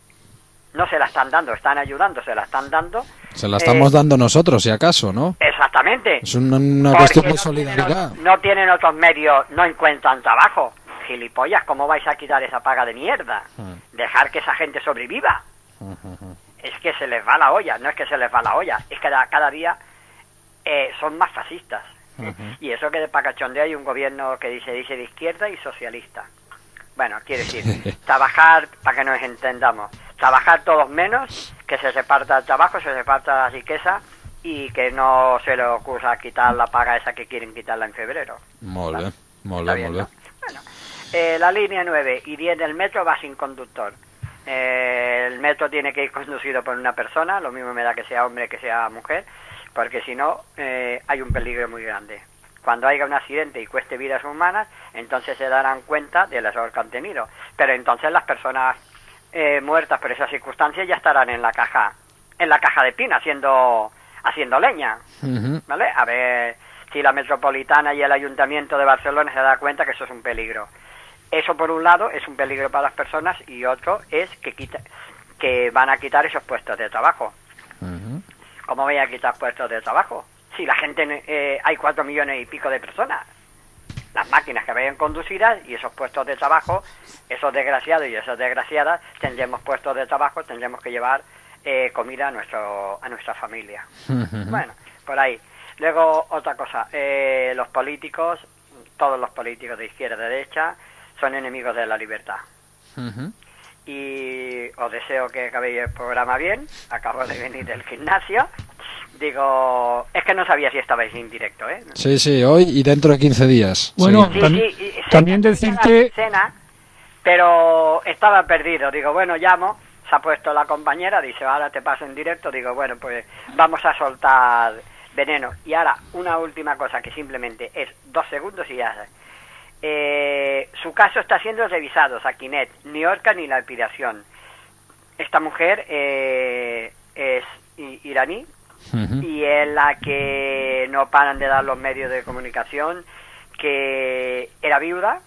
S6: no se la están dando, están ayudando, se la están dando.
S2: Se la estamos
S6: eh,
S2: dando nosotros, si acaso, ¿no?
S6: Exactamente.
S2: Es una, una
S6: Porque
S2: cuestión de
S6: no
S2: solidaridad.
S6: tienen, no tienen otros medios, no encuentran trabajo. Gilipollas, ¿cómo vais a quitar esa paga de mierda?
S2: Mm.
S6: Dejar que esa gente sobreviva.
S2: Ujú, ujú.
S6: Es que se les va la olla, no es que se les va la olla, es que cada, cada día eh, son más fascistas.
S2: Ujú.
S6: Y eso que de pacachondeo hay un gobierno que dice, dice de izquierda y socialista. Bueno, quiere decir, trabajar, para que nos entendamos, trabajar todos menos, que se reparta el trabajo, se reparta la riqueza y que no se le ocurra quitar la paga esa que quieren quitarla en febrero.
S2: Molt bé, molt
S6: Está
S2: bé,
S6: bien,
S2: molt bé.
S6: ¿no? Bueno, eh, la línea nueve y diez del metro va sin conductor. Eh, el metro tiene que ir conducido por una persona, lo mismo me da que sea hombre que sea mujer, porque si no eh, hay un peligro muy grande. Cuando haya un accidente y cueste vidas humanas, entonces se darán cuenta del error que han tenido. Pero entonces las personas eh, muertas por esas circunstancias ya estarán en la caja, en la caja de pina haciendo haciendo leña.
S2: Ujú.
S6: ¿Vale? A ver si la Metropolitana y el Ayuntamiento de Barcelona se da cuenta que eso es un peligro. Eso por un lado es un peligro para las personas y otro es que quita, que van a quitar esos puestos de trabajo.
S2: Ujú.
S6: ¿Cómo voy a quitar puestos de trabajo? si la gente, eh, hay cuatro millones y pico de personas. Las máquinas que vayan conducidas y esos puestos de trabajo, esos desgraciados y esas desgraciadas, tendremos puestos de trabajo, tendremos que llevar eh, comida a nuestro a nuestra familia. Uh-huh. Bueno, por ahí. Luego, otra cosa, eh, los políticos, todos los políticos de izquierda y derecha, son enemigos de la libertad. Uh-huh. Y os deseo que acabéis el programa bien. Acabo de venir del gimnasio. Digo, es que no sabía si estabais en directo, ¿eh?
S2: Sí, sí, hoy y dentro de quince días.
S5: Bueno,
S6: sí,
S5: tam
S6: sí, sí,
S5: también decirte...
S6: Cena, pero estaba perdido. Digo, bueno, llamo, se ha puesto la compañera, dice, ahora te paso en directo. Digo, bueno, pues vamos a soltar veneno. Y ahora, una última cosa que simplemente es dos segundos y ya sé. Eh, su caso está siendo revisado, Sakinet, ni Orca ni la expiración. Esta mujer eh, es iraní. Uh-huh. Y es la que no paran de dar los medios de comunicación, que era viuda,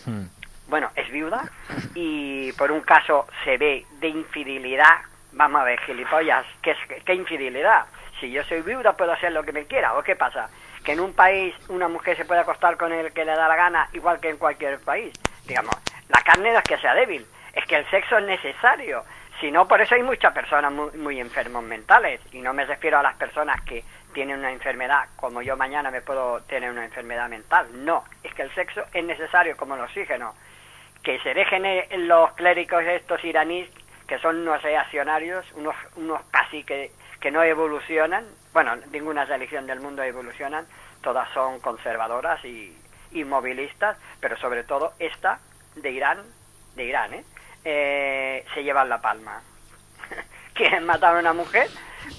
S6: uh-huh. bueno, es viuda, y por un caso se ve de infidelidad. Vamos a ver, gilipollas, ¿qué, es, qué infidelidad? Si yo soy viuda puedo hacer lo que me quiera, ¿o qué pasa? Que en un país una mujer se puede acostar con el que le da la gana, igual que en cualquier país. Digamos, la carne no es que sea débil, es que el sexo es necesario. Si no, por eso hay muchas personas muy, muy enfermos mentales, y no me refiero a las personas que tienen una enfermedad, como yo mañana me puedo tener una enfermedad mental. No, es que el sexo es necesario como el oxígeno. Que se dejen los clérigos estos iraníes, que son unos reaccionarios, unos, unos casi que, que no evolucionan. Bueno, ninguna religión del mundo evolucionan, todas son conservadoras y inmovilistas, pero sobre todo esta de Irán, de Irán, ¿eh? Eh, se llevan la palma. Quieren matar a una mujer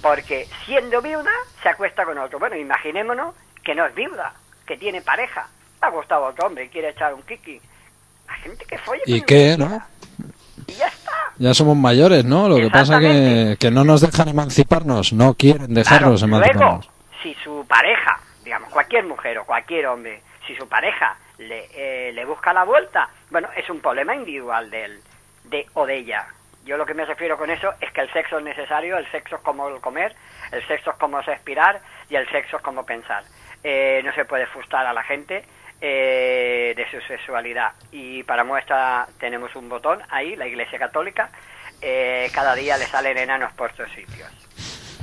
S6: porque siendo viuda se acuesta con otro. Bueno, imaginémonos que no es viuda, que tiene pareja, ha gustado a otro hombre y quiere echar un kiki. La gente que folla.
S2: ¿Y qué, no?
S6: Y ya está.
S2: Ya somos mayores, ¿no? Lo que pasa que que no nos dejan emanciparnos, no quieren dejarnos
S6: claro,
S2: emanciparnos.
S6: Luego, si su pareja, digamos, cualquier mujer o cualquier hombre, si su pareja le, eh, le busca la vuelta, bueno, es un problema individual de él. De o de ella. Yo lo que me refiero con eso es que el sexo es necesario, el sexo es como el comer, el sexo es como respirar y el sexo es como pensar. Eh, no se puede frustrar a la gente eh, de su sexualidad. Y para muestra tenemos un botón ahí, la Iglesia Católica, eh, cada día le salen enanos por estos sitios.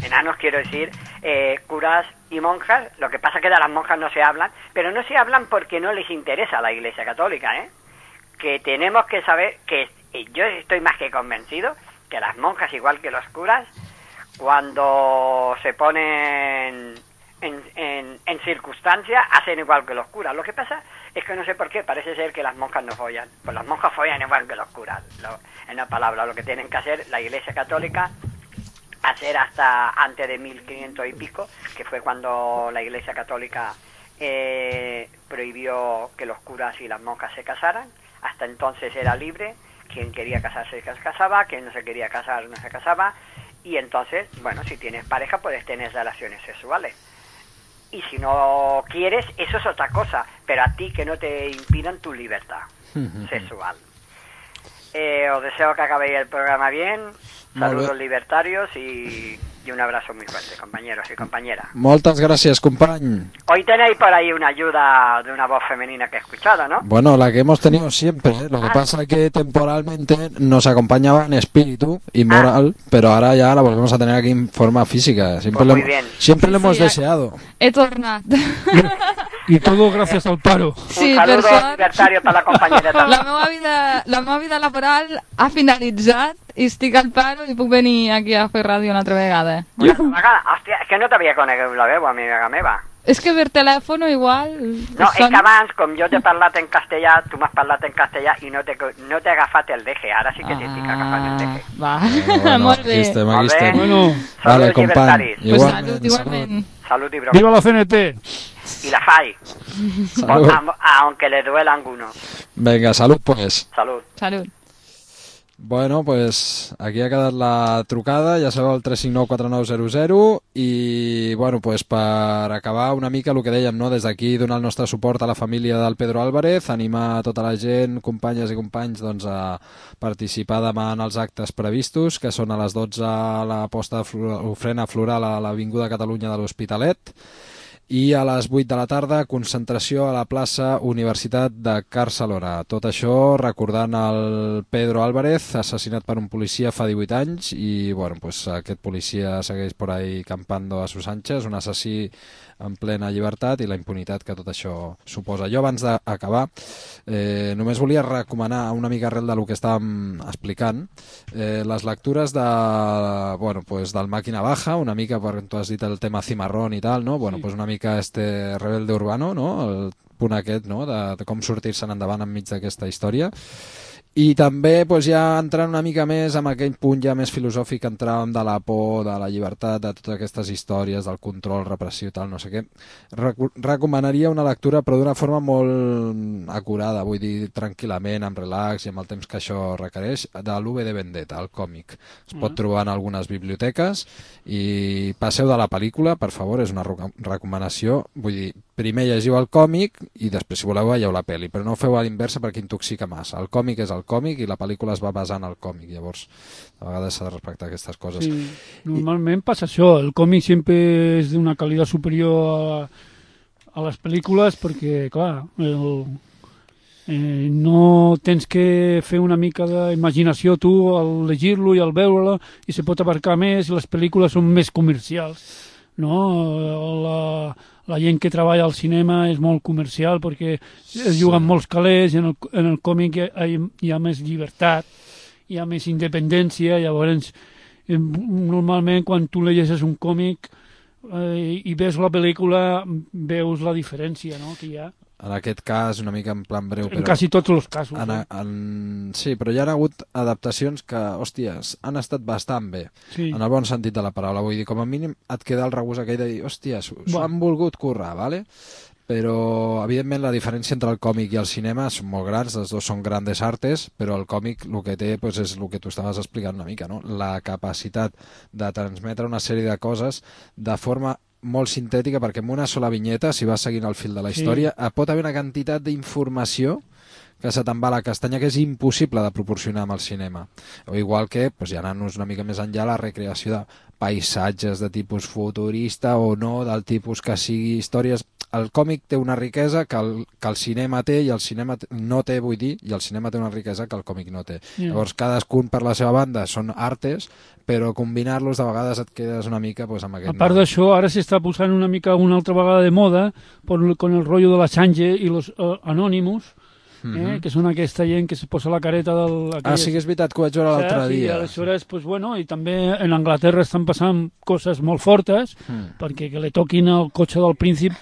S6: Enanos quiero decir eh, curas y monjas. Lo que pasa es que de las monjas no se hablan, pero no se hablan porque no les interesa a la Iglesia Católica, ¿eh? Que tenemos que saber que yo estoy más que convencido que las monjas, igual que los curas, cuando se ponen en, en, en circunstancias, hacen igual que los curas. Lo que pasa es que no sé por qué, parece ser que las monjas no follan. Pues las monjas follan igual que los curas. Lo, en una palabra, lo que tienen que hacer la Iglesia Católica, hacer hasta antes de mil quinientos y pico, que fue cuando la Iglesia Católica eh, prohibió que los curas y las monjas se casaran. Hasta entonces era libre, quien quería casarse se casaba, quien no se quería casar no se casaba, y entonces, bueno, si tienes pareja puedes tener relaciones sexuales. Y si no quieres, eso es otra cosa, pero a ti que no te impidan tu libertad sexual. Eh, os deseo que acabéis el programa bien, saludos libertarios y, y un abrazo muy fuerte, compañeros y compañeras.
S2: Moltes gràcies, company.
S6: Hoy tenéis por ahí una ayuda de una voz femenina que he escuchado, ¿no?
S2: Bueno, la que hemos tenido siempre, ¿eh? Lo que ah. pasa es que temporalmente nos acompañaba en espíritu y moral, ah. pero ahora ya la volvemos a tener aquí en forma física. Siempre, pues muy bien. Siempre sí, lo hemos sí, deseado.
S3: He tornat.
S5: Y todo gracias al paro.
S3: Sí,
S6: un saludo libertario para la compañera també.
S3: La meva vida, la meva vida laboral ha finalitzat i estic al paro i puc venir aquí a fer ràdio una altra vegada.
S6: Una altra vegada? Hòstia, és que no t'havia conegut la veu, amiga meva.
S3: És que per telèfon igual...
S6: No, és que abans, com jo t'he parlat en castellà, tu m'has parlat en castellà i no t'he no agafat el deje. Ara sí que t'estic ah, agafant el deje.
S3: Va, bueno, bueno, molt bé.
S2: Aquí estem, aquí estem.
S5: Bueno,
S2: vale, company.
S3: Pues salut, igualment.
S6: Salut y broma.
S5: ¡Viva la C N T!
S6: Y la F A I. Aunque le duela a alguno.
S2: Venga, salud pues.
S6: Salud.
S3: Salud.
S2: Bueno, pues aquí ha quedat la trucada, ja sabeu, el tres cinc nou quatre nou zero zero, i bueno, pues per acabar una mica el que dèiem, no? Des d'aquí donar el nostre suport a la família del Pedro Álvarez, animar tota la gent, companyes i companys, doncs, a participar demà en els actes previstos, que són a les dotze a la posta d'ofrena floral a l'Avinguda Catalunya de l'Hospitalet, i a les vuit de la tarda concentració a la plaça Universitat de Barcelona. Tot això recordant el Pedro Álvarez, assassinat per un policia fa divuit anys, i bueno, pues, aquest policia segueix por ahí campando a sus anchas, un assassí en plena llibertat i la impunitat que tot això suposa. Jo, abans d'acabar, eh, només volia recomanar una mica arrel del que estàvem explicant, eh, les lectures de, bueno, pues, del Màquina Baja, una mica, perquè tu has dit el tema Cimarrón i tal, no? Bueno, sí. Pues una mica este Rebelde Urbano, no? El punt aquest, no? De, de com sortir-se'n endavant enmig d'aquesta història. I també, pues, ja entrant una mica més amb aquell punt ja més filosòfic que entràvem de la por, de la llibertat, de totes aquestes històries, del control repressiu i tal, no sé què, Recu recomanaria una lectura però d'una forma molt acurada, vull dir, tranquil·lament, amb relax i amb el temps que això requereix, de l'U V de Vendetta, el còmic. Es pot trobar en algunes biblioteques i passeu de la pel·lícula, per favor, és una recomanació, vull dir, primer llegiu el còmic i després, si voleu, veieu la pel·li, però no ho feu a l'inversa perquè intoxica massa. El còmic és el còmic i la pel·lícula es va basar en el còmic, llavors a vegades s'ha de respectar aquestes coses.
S5: Sí, normalment I... passa això, el còmic sempre és d'una qualitat superior a, a les pel·lícules perquè, clar, el, eh, no tens que fer una mica d'imaginació tu al llegir-lo i al veure-lo i se pot abarcar més, les pel·lícules són més comercials, no? La, la gent que treballa al cinema és molt comercial perquè es juguen molts calés i en el, en el còmic hi ha, hi ha més llibertat, hi ha més independència, llavors eh, normalment quan tu llegeixes un còmic eh, i ves la pel·lícula veus la diferència, no?, que hi ha.
S2: En aquest cas, una mica en plan breu...
S5: En però quasi tots els casos.
S2: En,
S5: eh?
S2: en, sí, però hi ha hagut adaptacions que, hòsties, han estat bastant bé,
S5: sí.
S2: En el bon sentit de la paraula. Vull dir, com a mínim et queda el regust aquell de dir, hòsties, s'ho han volgut currar, ¿vale? Però, evidentment, la diferència entre el còmic i el cinema són molt grans, els dos són grandes artes, però el còmic el que té pues, és el que tu estaves explicant una mica, no? La capacitat de transmetre una sèrie de coses de forma molt sintètica, perquè en una sola vinyeta, si vas seguint el fil de la història, sí. Pot haver una quantitat d'informació que se te'n va a la castanya que és impossible de proporcionar amb el cinema. O igual que, pues, ja anant-nos una mica més enllà, la recreació de paisatges de tipus futurista o no, del tipus que sigui històries... El còmic té una riquesa que el, que el cinema té i el cinema no té, vull dir, i el cinema té una riquesa que el còmic no té. Yeah. Llavors, cadascun per la seva banda són artes, però combinar-los de vegades et quedes una mica pues, amb aquest...
S5: A part d'això, ara s'està posant una mica una altra vegada de moda con el rotllo de la Sange i los uh, Anonymous, eh, mm-hmm. que són aquesta gent que se posa la careta del... Aquelles...
S2: Ah, sí que és veritat que ho vaig veure l'altre
S5: sí,
S2: dia.
S5: Aleshores, pues, bueno, i també en Anglaterra estan passant coses molt fortes, mm. perquè que le toquin el cotxe del príncip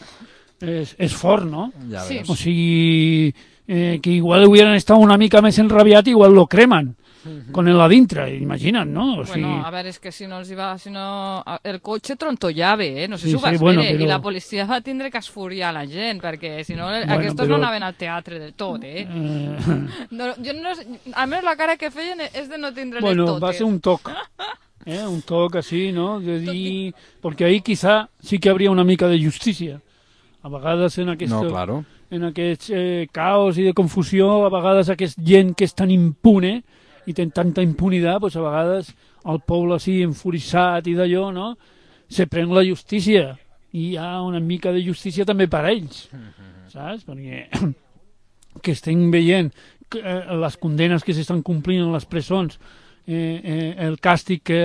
S5: és, és fort, no?
S2: Ja
S3: sí.
S5: O sigui, eh, que igual hubieran estat una mica més enrabiat, igual lo cremen. Mm-hmm. Con el a dintre, imagina't, no? O sigui...
S3: Bueno, a veure, és que si no els hi va... Si no... El cotxe trontollava, eh? No sé
S5: sí,
S3: si ho vas
S5: sí, bueno,
S3: veure.
S5: però...
S3: I la policia va tindre que esfuriar la gent, perquè si no,
S5: bueno,
S3: aquests
S5: però...
S3: no anaven al teatre del tot, eh? Uh... No, jo no... Almenys la cara que feien és de no tindre
S5: bueno,
S3: tot.
S5: Va ser un toc. Eh? Un toc así, ¿no? De dir... Porque ahí quizá sí que habría una mica de justícia. A vegades en aquest,
S2: no, claro.
S5: en aquest eh, caos i de confusió, a vegades aquest gent que és tan impune i té tanta impunitat, pues a vegades el poble així enfurissat i d'allò, no? Se pren la justícia i hi ha una mica de justícia també per a ells, saps? Perquè que estem veient que, eh, les condenes que s'estan complint en les presons, eh, eh, el càstig que,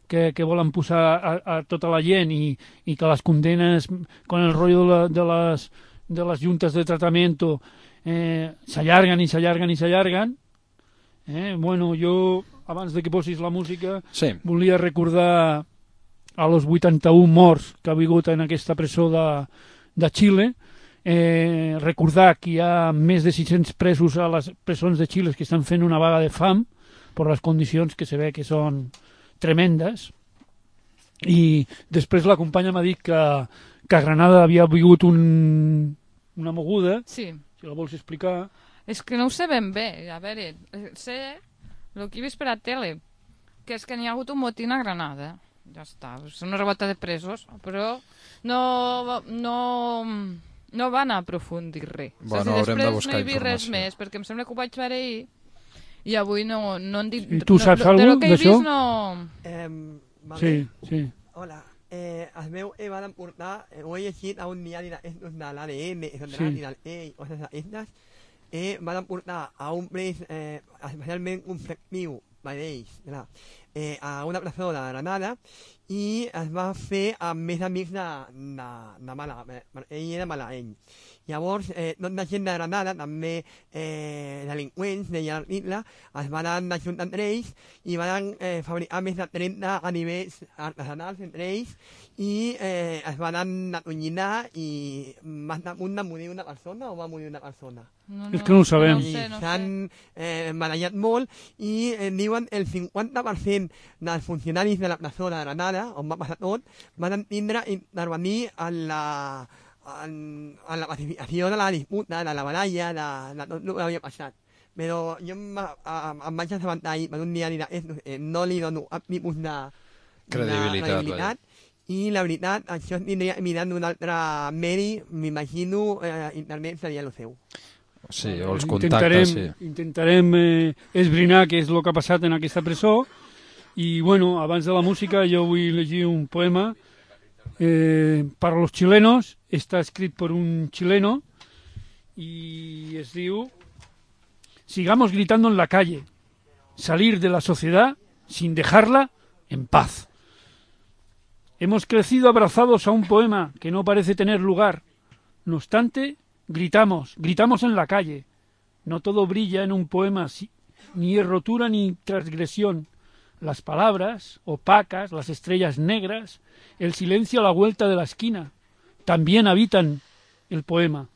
S5: que, que volen posar a, a tota la gent i, i que les condenes con el rotllo de, la, de, les, de les juntes de tractament eh, s'allarguen i s'allarguen i s'allarguen. Eh? Bueno, jo, abans de que posis la música,
S2: sí.
S5: volia recordar a los vuitanta-un morts que ha hagut en aquesta presó de, de Xile, eh, recordar que hi ha més de sis-cents presos a les presons de Xile que estan fent una vaga de fam per les condicions que se ve que són tremendes, i després la companya m'ha dit que, que a Granada havia hagut un, una moguda,
S3: sí.
S5: Si la vols explicar...
S3: És que no ho sé ben bé, a veure, sé el que he vist per a tele, que és que n'hi ha hagut un motín a Granada. Ja està, és una revolta de presos, però no, no, no van aprofundir res.
S2: Bueno,
S3: o sigui,
S2: haurem de
S3: després
S2: buscar
S3: no hi havia res
S2: informació.
S3: més, perquè em sembla que ho vaig veure ahir i avui no, no han dit...
S5: I tu saps
S3: no,
S5: alguna
S3: cosa que he
S5: d'això?
S3: vist no...
S7: Eh, vale.
S5: Sí, sí.
S7: Hola. Eh, el meu eh, van portar, eh, ho he llegit a un diari d'estos de l'A D N, de
S5: Sí.
S7: l'A D N, i coses d'aquestes, eh, van portar a un pres eh, especialment conflictiu per ells, clar, eh, a una presó de Granada, i es va fer amb més amics de, de, de Màlaga, ell era malagueny. Llavors, eh, tota gent de Granada, també eh, delinqüents, deia l'article, es van ajuntar entre ells i van eh, fabricar més de trenta ganivells artesanals entre ells i eh, es van atonyinar i va estar a punt de morir una persona o va morir una persona?
S3: No,
S5: És que no ho sabem.
S3: No
S7: I
S3: sé, no
S7: s'han
S3: sé.
S7: eh, barallat molt i eh, diuen el cinquanta per cent dels funcionaris de la presó de Granada, on va passar tot, van tindre intervenir en la, en, en la pacificació de la disputa, de la baralla, de, de tot el que havia passat. Però jo em, em, em vaig assabentar ahir per un diari d'aquestos, eh, no li dono cap tipus de,
S2: Credibilitat,
S7: de credibilitat i la veritat, això tindria mirant d'un altre medi, m'imagino, eh, internet seria el seu.
S2: Sí, o els
S5: intentarem,
S2: contactes, sí.
S5: intentarem eh, esbrinar què és el que ha passat en aquesta presó i, bueno, abans de la música jo vull llegir un poema eh, para los chilenos, està escrit per un chileno y es diu sigamos gritando en la calle, salir de la sociedad sin dejarla en paz. Hemos crecido abrazados a un poema que no parece tener lugar. No obstante, gritamos, gritamos en la calle. No todo brilla en un poema, ni es rotura ni transgresión. Las palabras, opacas, las estrellas negras, el silencio a la vuelta de la esquina, también habitan el poema.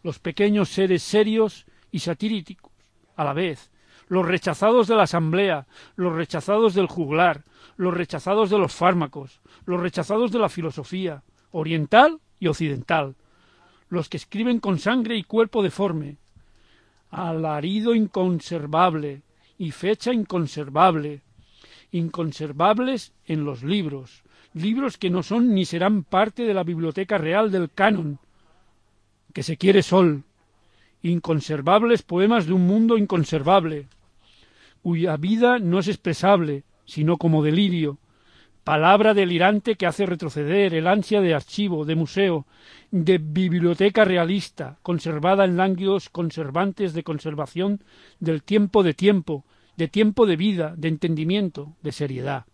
S5: Los pequeños seres serios y satíricos a la vez. Los rechazados de la asamblea, los rechazados del juglar, los rechazados de los fármacos, los rechazados de la filosofía, oriental y occidental. Los que escriben con sangre y cuerpo deforme, alarido inconservable y fecha inconservable, inconservables en los libros, libros que no son ni serán parte de la biblioteca real del canon, que se quiere sol, inconservables poemas de un mundo inconservable, cuya vida no es expresable, sino como delirio, palabra delirante que hace retroceder el ansia de archivo, de museo, de biblioteca realista, conservada en lánguidos conservantes de conservación del tiempo de tiempo, de tiempo de vida, de entendimiento, de seriedad.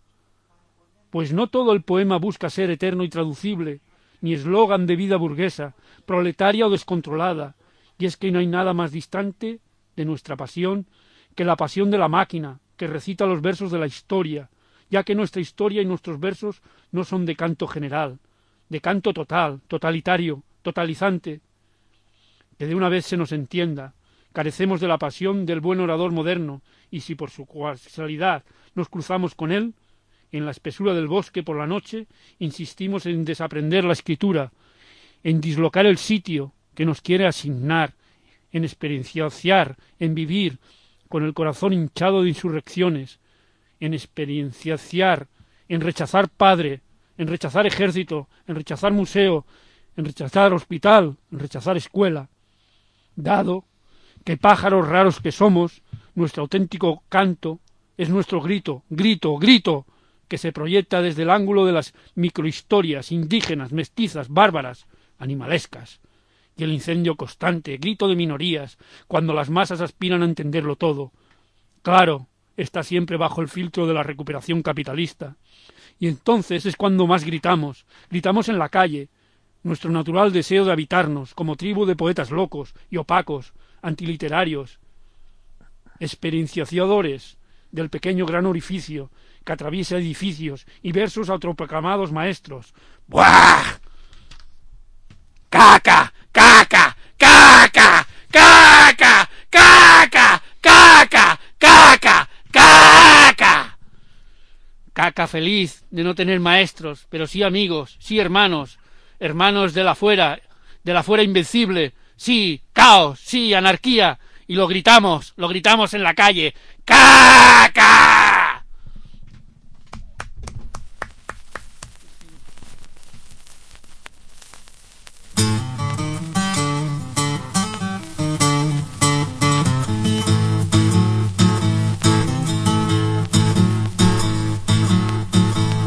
S5: Pues no todo el poema busca ser eterno y traducible, ni eslogan de vida burguesa, proletaria o descontrolada, y es que no hay nada más distante de nuestra pasión que la pasión de la máquina, que recita los versos de la historia, ya que nuestra historia y nuestros versos no son de canto general, de canto total, totalitario, totalizante. Que de una vez se nos entienda, carecemos de la pasión del buen orador moderno, y si por su casualidad nos cruzamos con él, en la espesura del bosque por la noche, insistimos en desaprender la escritura, en dislocar el sitio que nos quiere asignar, en experienciar, en vivir, con el corazón hinchado de insurrecciones, en experienciar, en rechazar padre, en rechazar ejército, en rechazar museo, en rechazar hospital, en rechazar escuela, dado que pájaros raros que somos, nuestro auténtico canto es nuestro grito, grito, grito, que se proyecta desde el ángulo de las microhistorias indígenas, mestizas, bárbaras, animalescas, y el incendio constante, grito de minorías, cuando las masas aspiran a entenderlo todo. Claro, está siempre bajo el filtro de la recuperación capitalista. Y entonces es cuando más gritamos, gritamos en la calle, nuestro natural deseo de habitarnos como tribu de poetas locos y opacos, antiliterarios, experienciadores del pequeño gran orificio que atraviesa edificios y versos autoproclamados maestros. ¡Buah! ¡Caca! ¡Caca! ¡Caca! ¡Caca! ¡Caca! ¡Caca! ¡Caca! ¡Caca! Caca feliz de no tener maestros, pero sí amigos, sí hermanos, hermanos de la fuera, de la fuera invencible, sí caos, sí anarquía, y lo gritamos, lo gritamos en la calle. ¡Caca!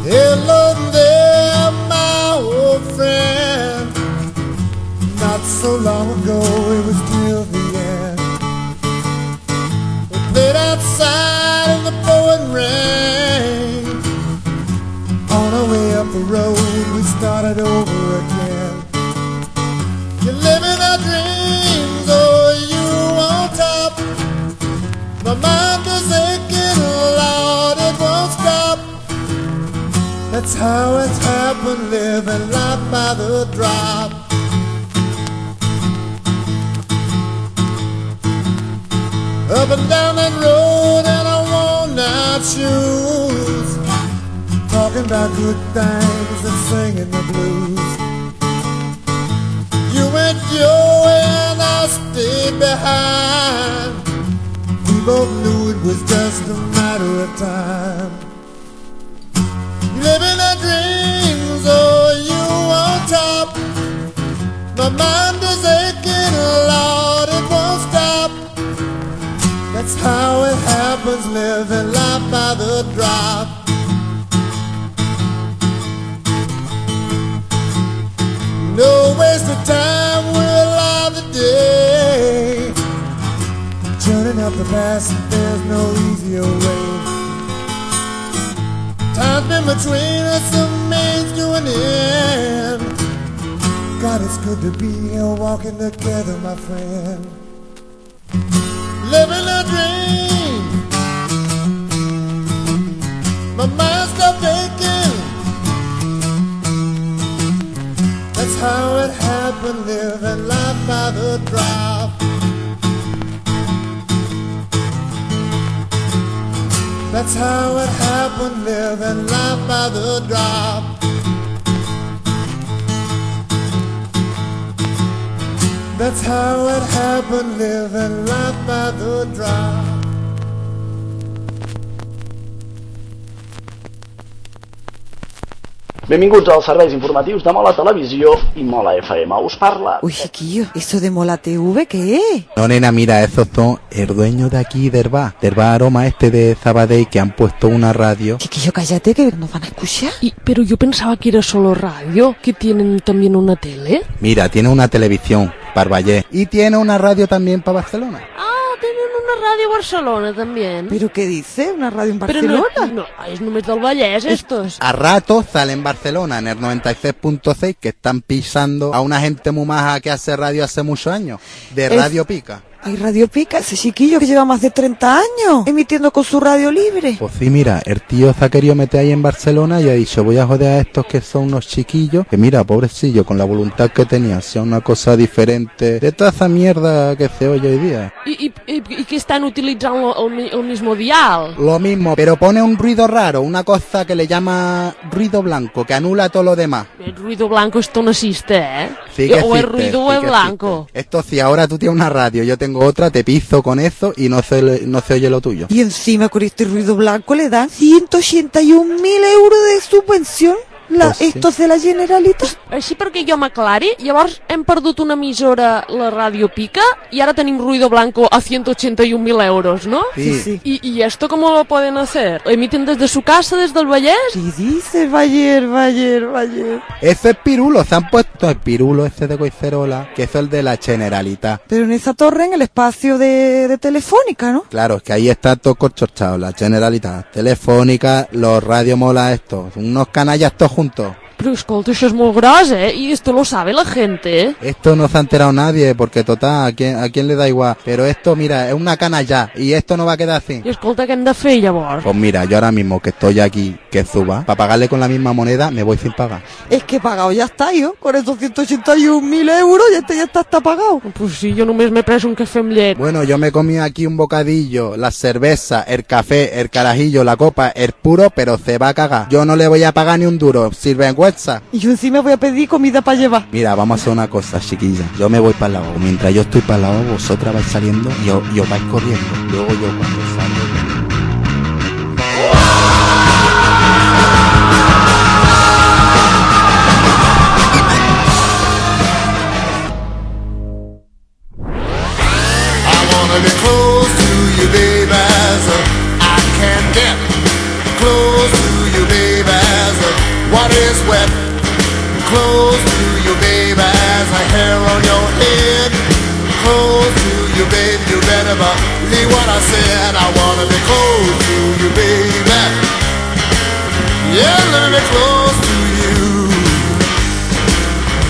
S8: Hello there, my old friend. Not so long ago, it was till the end. We played outside in the pouring rain. On our way up the road, we started over again. You're living our dreams, oh, you on top. My mind is aching, Lord, it won't stop. That's how it's happened, living life by the drop. Up and down that road in our worn-out shoes, talking about good things and singing the blues. You went your way and I stayed behind. We both knew it was just a matter of time. Living our dreams, oh, you on top. My mind is aching, Lord, it won't stop. That's how it happens, living life by the drop. No waste of time, we're alive today. Turning up the past, there's no easier way. Time's been between us, a means to an end. God, it's good to be here walking together, my friend. Living a dream. My mind stopped aching. That's how it happened, living life by the drop. That's how it happened, living life by the drop. That's how it happened, living life by the drop.
S9: Benvinguts als serveis informatius de Mola Televisió y Mola F M. Us parla...
S10: Uy, chiquillo, ¿eso de Mola T V qué es?
S11: No, nena, mira, esos son el dueño de aquí del bar, del bar Aroma este de Sabadell, que han puesto una radio.
S10: Chiquillo, cállate, que nos van a escuchar.
S12: Y, pero yo pensaba que era solo radio, que tienen también una tele.
S11: Mira, tiene una televisión para Valle y tiene una radio también para Barcelona.
S12: Ah, tienen una radio a Barcelona también.
S10: ¿Pero qué dice? ¿Una radio en Barcelona?
S12: Pero no, no, es només del Vallès, estos.
S11: A rato sale en Barcelona, en el noventa y seis punto seis, que están pisando a una gente muy maja que hace radio hace muchos años, de Radio Pica.
S10: Hay Radio Pica, ese chiquillo que lleva más de treinta años emitiendo con su radio libre.
S11: Pues sí, mira, el tío se ha querido meter ahí en Barcelona y ha dicho, voy a joder a estos que son unos chiquillos, que mira, pobrecillo, con la voluntad que tenía, sea una cosa diferente de toda esa mierda que se oye hoy día.
S12: ¿Y, y, y, y que están utilizando el, el mismo dial?
S11: Lo mismo, pero pone un ruido raro, una cosa que le llama ruido blanco, que anula todo lo demás.
S12: El ruido blanco esto no existe, ¿eh?
S11: Sí que
S12: o
S11: existe,
S12: el ruido
S11: sí
S12: es
S11: que
S12: blanco.
S11: Existe. Esto sí, ahora tú tienes una radio, yo tengo otra, te piso con eso y no se, no se oye lo tuyo.
S10: Y encima con este ruido blanco le dan ciento ochenta y un mil euros de subvención. La,
S11: pues sí.
S10: Estos de la Generalitat.
S12: Així perquè jo m'aclari, llavors hem perdut una emissora, la Radio Pica, y ahora tenim ruido blanco a ciento ochenta y un mil euros, ¿no?
S11: Sí.
S10: sí.
S12: ¿Y, ¿Y esto cómo lo pueden hacer? ¿Emiten desde su casa, desde el Vallès?
S10: ¿Qué dices, Bayer, Bayer, Bayer?
S11: Ese es Pirulo, se han puesto el Pirulo ese de Coicerola, que es el de la Generalitat.
S10: Pero en esa torre, en el espacio de, de Telefónica, ¿no?
S11: Claro, es que ahí está todo corchorchado, la Generalitat, Telefónica, los Radio Mola estos, unos canallas todos juntos.
S12: Pero escolta, això és molt gros, eh? Y esto lo sabe la gente, ¿eh?
S11: Esto no se ha enterado nadie, porque total, ¿a quién, a quién le da igual? Pero esto, mira, es una canalla, y esto no va a quedar así.
S12: I escolta, què hem de fer, llavors?
S11: Pues mira, yo ahora mismo que estoy aquí, que suba, para pagarle con la misma moneda, me voy sin pagar.
S10: Es que pagado ya está, yo, con esos ciento ochenta y un mil euros, ya está, ya está, está pagado.
S12: Pues sí, jo només m'he pres un cafè amb llet.
S11: Bueno, yo me comí aquí un bocadillo, la cerveza, el café, el carajillo, la copa, el puro, pero se va a cagar. Yo no le voy a pagar ni un duro, sirven WhatsApp.
S10: Y yo encima voy a pedir comida para llevar.
S11: Mira, vamos a hacer una cosa, chiquilla. Yo me voy para el lavabo. Mientras yo estoy para el lavabo, vosotras vais saliendo y os, y os vais corriendo. Luego yo cuando salgo...
S8: Be close to you, baby, as I can get. Close to you, baby, as what is wet. Close to you, baby, as a hair on your head. Close to you, baby, you better believe what I said. I wanna be close to you, baby. Yeah, let me be close to you.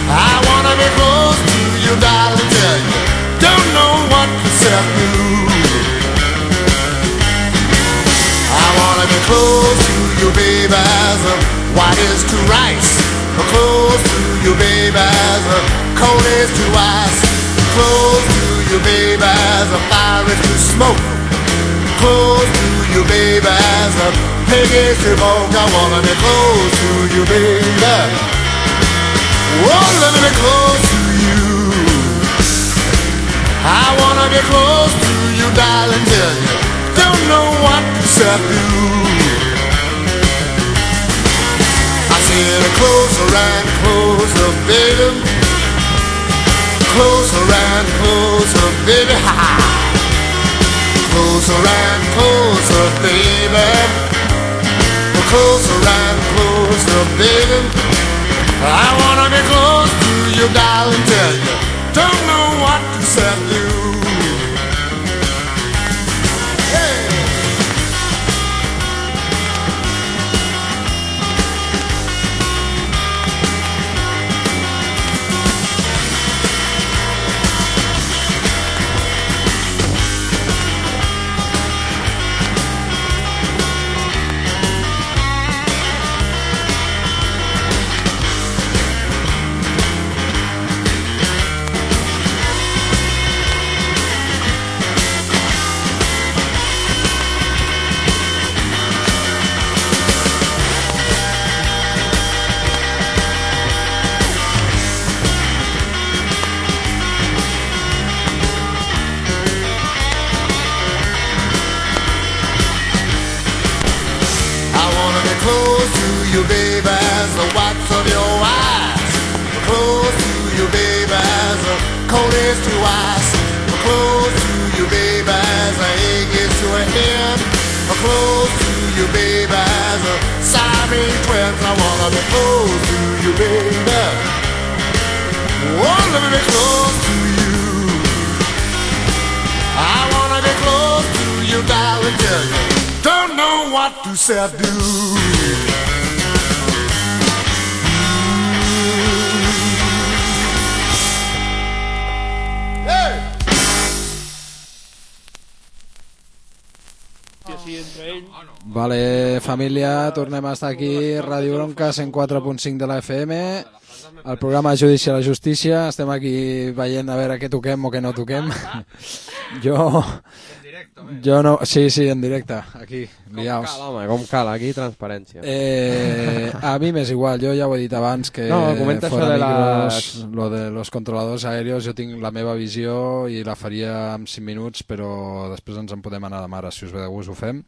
S8: I wanna be close to you, darling, tell you. Don't know what to say to. I wanna be close to you, baby, as white is to rice. Close to you, baby, as cold is to ice. Close to you, baby, as fire is to smoke. Close to you, baby, as pig is to smoke. I wanna be close to you, baby. Oh, let me be close to you. I wanna be close to you, darling, tell you. Don't know what to do. I said closer and closer, baby. Closer and closer, baby. Ha ha. Closer and closer, baby. Closer and closer, baby. I wanna be close to you, darling, tell you. Don't know what to say to you. Hey. You, baby, as the whites of your eyes. Close to you, baby, as the cold is to ice. Close to you, baby, as the egg is to a hen. Close to you, baby, as the Siamese twins. I wanna be close to you, baby. Oh, let me be close to you. I wanna be close to you, darling, tell you. Don't know what to say I do.
S2: Vale, família, tornem a estar aquí, Ràdio Bronca, cent quatre punt cinc de la F M, el programa Judici a la Justícia. Estem aquí veient a veure què toquem o què no toquem. Jo... Jo no... Sí, sí, en directe, aquí, liaus.
S4: Com cal, home, com cal, aquí transparència.
S2: Eh, a mi m'és igual, jo ja ho he dit abans que
S4: no, comenta
S2: fora
S4: això de
S2: micros,
S4: les...
S2: lo de los controladors aèreos, jo tinc la meva visió i la faria en cinc minuts, però després ens en podem anar de mare, si us ve de gust ho fem.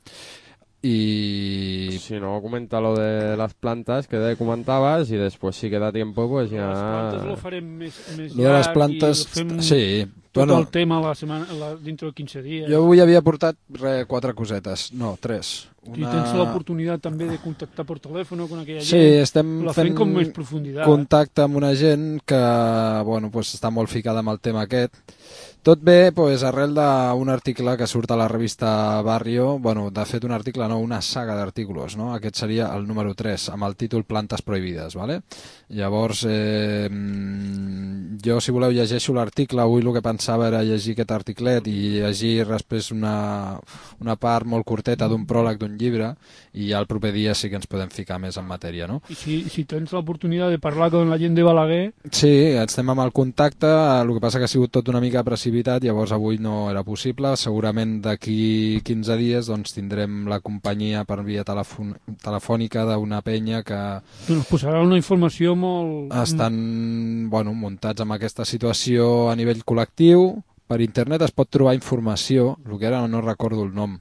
S2: Y
S4: si no, comenta lo de las plantas que de comentabas y después si queda tiempo pues ya...
S5: Las plantas lo farem més, més
S2: lo de les plantes, sí.
S5: Tot
S2: bueno,
S5: el tema la setmana, la, dintre de quinze dies.
S2: Jo avui havia portat re, quatre cosetes, no, tres. Una...
S5: I tens l'oportunitat també de contactar per telèfon con aquella gent.
S2: Sí, estem
S5: la
S2: fent
S5: com més profunditat.
S2: contacte amb una gent que bueno, pues, està molt ficada amb el tema aquest. Tot bé, pues, arrel d'un article que surt a la revista Barrio, bueno, de fet un article, no, una saga d'articles, no? Aquest seria el número tres, amb el títol Plantes prohibides, ¿vale? Llavors, eh, jo, si voleu, llegeixo l'article. Avui el que pensava era llegir aquest articlet i llegir després una, una part molt curteta d'un pròleg d'un llibre i ja el proper dia sí que ens podem ficar més en matèria, no?
S5: I si, si tens l'oportunitat de parlar amb la gent de Balaguer...
S2: Sí, estem amb el contacte, el que passa que ha sigut tot una mica precipitat activitat, llavors avui no era possible. Segurament d'aquí quinze dies doncs, tindrem la companyia per via telefon telefònica d'una penya que...
S5: Ens posarà una informació molt...
S2: Estan bueno, muntats amb aquesta situació a nivell col·lectiu. Per internet es pot trobar informació, el que ara no recordo el nom,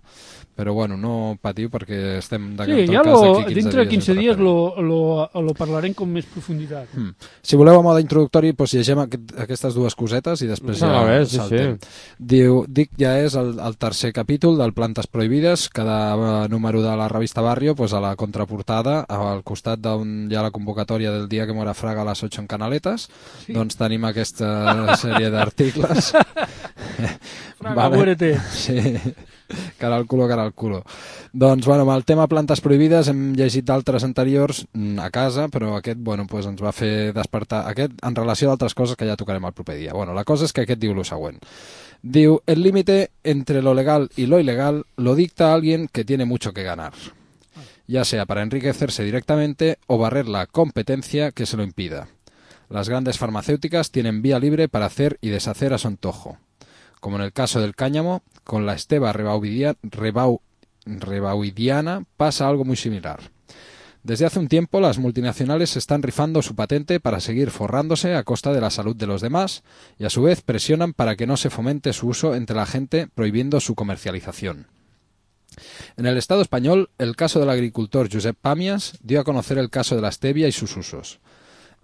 S2: però bueno, no patiu perquè estem de
S5: sí, ja
S2: lo,
S5: quinze dintre de quinze dies lo, lo, lo parlarem com més profunditat.
S2: Hmm. Si voleu a mode introductori, doncs llegem aquest, aquestes dues cosetes i després ja
S4: no, bé, sí,
S2: saltem.
S4: Sí.
S2: Diu, dic ja és el, el tercer capítol del Plantes Prohibides. Cada número de la revista Barrio, pues a la contraportada, al costat d'on hi ha la convocatòria del dia que mora Fraga a les ocho en Canaletes, sí. Doncs tenim aquesta sèrie d'articles.
S5: Fraga, vale. Muérete.
S2: Sí. Cara al culo, cara al culo. Doncs, bueno, amb el tema plantes prohibides hem llegit d'altres anteriors a casa, però aquest, bueno, pues ens va fer despertar aquest en relació a altres coses que ja tocarem el proper dia. Bueno, la cosa és que aquest diu lo següent. Diu, el límite entre lo legal y lo ilegal lo dicta alguien que tiene mucho que ganar, ya sea para enriquecerse directamente o barrer la competencia que se lo impida. Las grandes farmacéuticas tienen vía libre para hacer y deshacer a su antojo. Como en el caso del cáñamo, con la esteva rebaudiana, rebau, rebaudiana pasa algo muy similar. Desde hace un tiempo las multinacionales están rifando su patente para seguir forrándose a costa de la salud de los demás y a su vez presionan para que no se fomente su uso entre la gente prohibiendo su comercialización. En el Estado español, el caso del agricultor Josep Pàmies dio a conocer el caso de la stevia y sus usos.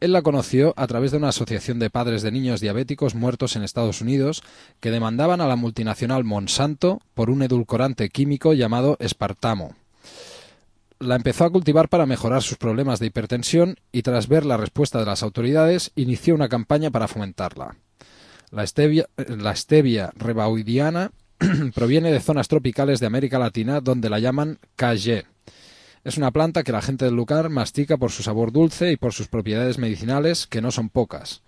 S2: Él la conoció a través de una asociación de padres de niños diabéticos muertos en Estados Unidos que demandaban a la multinacional Monsanto por un edulcorante químico llamado espartamo. La empezó a cultivar para mejorar sus problemas de hipertensión y tras ver la respuesta de las autoridades inició una campaña para fomentarla. La stevia, la stevia rebaudiana proviene de zonas tropicales de América Latina donde la llaman K G. Es una planta que la gente del lugar mastica por su sabor dulce y por sus propiedades medicinales, que no son pocas.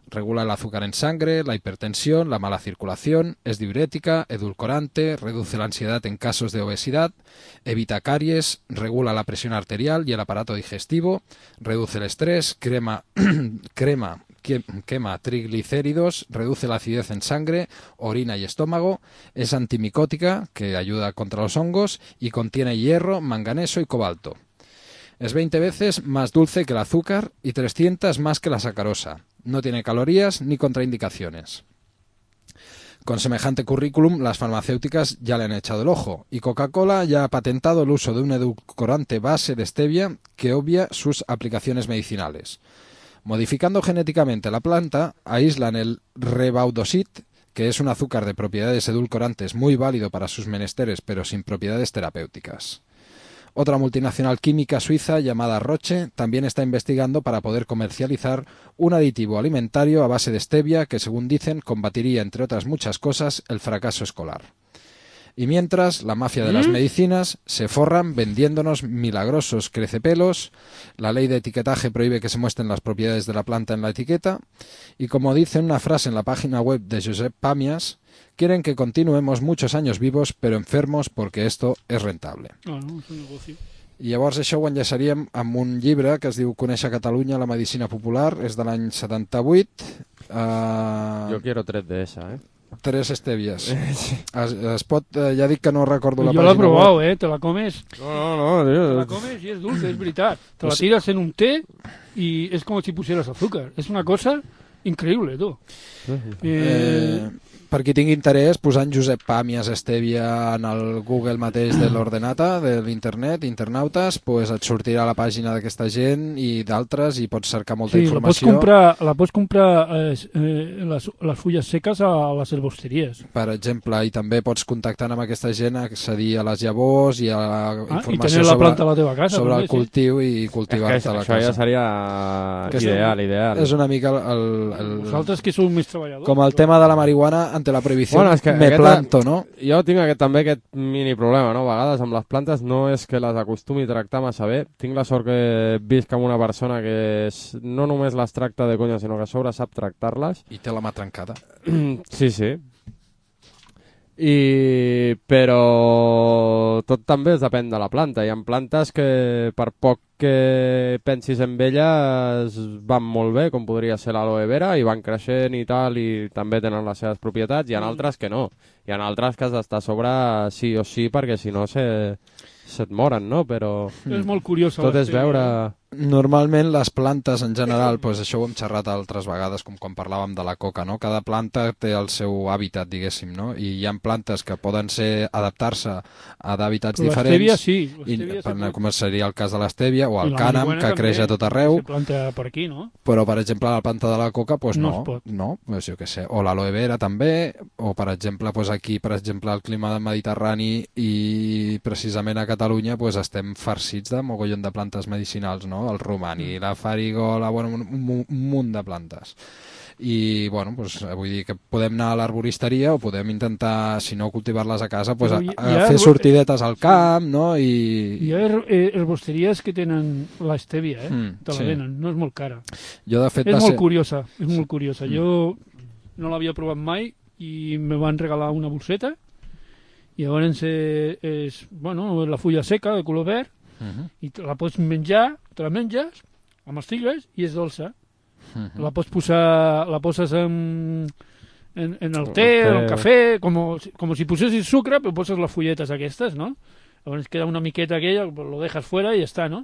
S2: Regula el azúcar en sangre, la hipertensión, la mala circulación, es diurética, edulcorante, reduce la ansiedad en casos de obesidad, evita caries, regula la presión arterial y el aparato digestivo, reduce el estrés, crema, crema, quema triglicéridos, reduce la acidez en sangre, orina y estómago, es antimicótica, que ayuda contra los hongos, y contiene hierro, manganeso y cobalto. Es veinte veces más dulce que el azúcar y trescientas más que la sacarosa. No tiene calorías ni contraindicaciones. Con semejante currículum, las farmacéuticas ya le han echado el ojo, y Coca-Cola ya ha patentado el uso de un edulcorante base de stevia que obvia sus aplicaciones medicinales. Modificando genéticamente la planta, aíslan el rebaudosit, que es un azúcar de propiedades edulcorantes muy válido para sus menesteres, pero sin propiedades terapéuticas. Otra multinacional química suiza llamada Roche también está investigando para poder comercializar un aditivo alimentario a base de stevia que, según dicen, combatiría, entre otras muchas cosas, el fracaso escolar. Y mientras, la mafia de las medicinas se forran vendiéndonos milagrosos crecepelos, la ley de etiquetaje prohíbe que se muestren las propiedades de la planta en la etiqueta, y como dice una frase en la página web de Josep Pàmies, quieren que continuemos muchos años vivos pero enfermos porque esto es rentable.
S5: Ah, no, és un negoci.
S2: I llavors això ho enllaçaríem amb un llibre que es diu Conèixer Catalunya, la medicina popular, és de l'any setanta-vuit. Uh...
S4: Jo quiero tres de esa, eh?
S2: Tres estévies. Es, es pot, eh, ja dic que no recordo la
S5: jo
S2: pàgina.
S5: Jo l'he provat, eh? Te la comes.
S4: No, no, no. Tío.
S5: Te la comes i és dulce, és veritat. Te la tiras en un té i és com si pusieras azúcar. És una cosa increïble, tu.
S2: Eh... eh... Per qui tingui interès, posant Josep Pàmies Stevia en el Google mateix de l'ordenata, de l'internet, internautes, pues et sortirà la pàgina d'aquesta gent i d'altres i pots cercar molta
S5: sí,
S2: informació.
S5: Sí, la pots comprar, la pots comprar eh, eh, les, les fulles seques a les herbosteries.
S2: Per exemple, i també pots contactar amb aquesta gent, accedir a les llavors i a la
S5: ah,
S2: informació
S5: i la
S2: sobre,
S5: planta a la teva casa,
S2: sobre
S5: també,
S2: el cultiu sí. I cultivar-te la
S4: casa. Això ja seria
S2: que
S4: ideal,
S2: és,
S4: ideal.
S2: És una mica el... el
S5: Vosaltres que sou més treballadors.
S2: Com el tema de la marihuana ante la prohibició. Bueno,
S4: que
S2: me
S4: aquesta,
S2: planto, no?
S4: Jo tinc aquest, també aquest mini problema, no? A vegades amb les plantes no és que les acostumi a tractar massa bé. Tinc la sort que visc amb una persona que és, no només les tracta de conya, sinó que a sobre sap tractar-les.
S2: I té la mà trencada.
S4: Sí, sí. I, però tot també es depèn de la planta. Hi ha plantes que per poc que pensis en elles van molt bé, com podria ser l'aloe vera, i van creixent i tal, i també tenen les seves propietats. Hi ha altres que no. Hi ha altres que has d'estar a sobre sí o sí, perquè si no se, se't moren, no? Però
S5: és molt curiós.
S4: Tot és veure...
S2: Normalment les plantes en general, doncs això ho hem xerrat altres vegades, com quan parlàvem de la coca, no? Cada planta té el seu hàbitat, diguéssim, no? I hi ha plantes que poden ser adaptar-se a d'hàbitats diferents.
S5: L'estèvia sí.
S2: I, per, com seria el cas de l'estèvia, o el cànem, que creix a tot arreu.
S5: Se planta per aquí, no?
S2: Però, per exemple, la planta de la coca, doncs no.
S5: No es pot.
S2: No, doncs jo què sé. O l'aloe vera també, o per exemple, doncs aquí, per exemple, el clima mediterrani i precisament a Catalunya doncs estem farcits de mogollon de plantes medicinals, no? El romani, la farigola, bueno, un, un, un munt de plantes. I, bueno, doncs, vull dir que podem anar a l'arboristeria o podem intentar, si no cultivar-les a casa, doncs, a, a fer sortidetes al camp, no? I...
S5: Hi ha herbosteries que tenen l'estèvia, eh? Mm, te la sí. venen, no és molt cara.
S2: Jo, de fet,
S5: és molt
S2: ser...
S5: curiosa, és molt curiosa. Mm. Jo no l'havia provat mai i me van regalar una bolseta i llavors és, és bueno, la fulla seca de color verd. Uh-huh. I te la pots menjar, te la menges amb estigues i és dolça. Uh-huh. La pots posar, la poses en, en, en el té, en el cafè, com, com si posessis sucre, però poses les fulletes aquestes, no? Llavors queda una miqueta aquella, lo dejas fuera i ja està, no?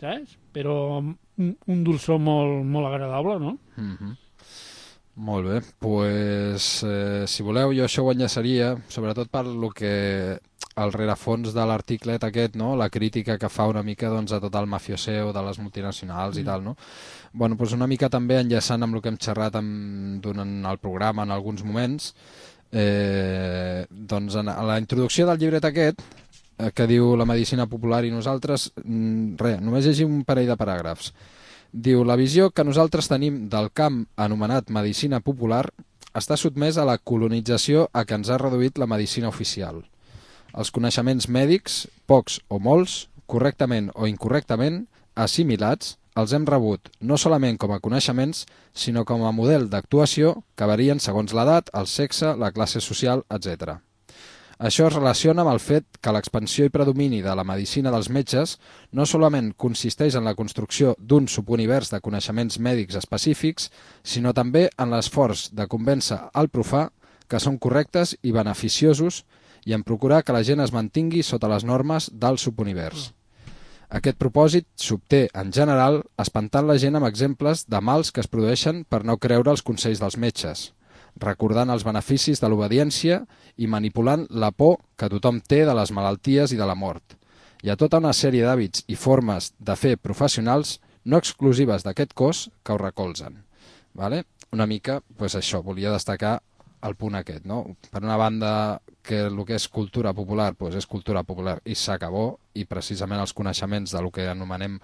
S5: Saps? Però un, un dolçor molt, molt agradable, no?
S2: Uh-huh. Molt bé, pues, eh, si voleu jo això ho enllaçaria, sobretot per lo que el rerefons de l'articlet aquest, no? La crítica que fa una mica doncs, a tot el mafioseo de les multinacionals mm. i tal, no? Bueno, doncs una mica també enllaçant amb el que hem xerrat amb, durant el programa en alguns moments, eh, doncs en, a la introducció del llibret aquest, eh, que diu la medicina popular i nosaltres, mm, res, només llegim un parell de paràgrafs. Diu, la visió que nosaltres tenim del camp anomenat medicina popular està sotmès a la colonització a què ens ha reduït la medicina oficial. Els coneixements mèdics, pocs o molts, correctament o incorrectament, assimilats, els hem rebut no solament com a coneixements, sinó com a model d'actuació que varien segons l'edat, el sexe, la classe social, etcètera. Això es relaciona amb el fet que l'expansió i predomini de la medicina dels metges no solament consisteix en la construcció d'un subunivers de coneixements mèdics específics, sinó també en l'esforç de convèncer al profà que són correctes i beneficiosos i en procurar que la gent es mantingui sota les normes del subunivers. Aquest propòsit s'obté, en general, espantant la gent amb exemples de mals que es produeixen per no creure els consells dels metges, recordant els beneficis de l'obediència i manipulant la por que tothom té de les malalties i de la mort. Hi ha tota una sèrie d'hàbits i formes de fer professionals no exclusives d'aquest cos que ho recolzen. Vale? Una mica, pues això, volia destacar el punt aquest, no? Per una banda, que el que és cultura popular pues és cultura popular i s'acabó, i precisament els coneixements del que anomenem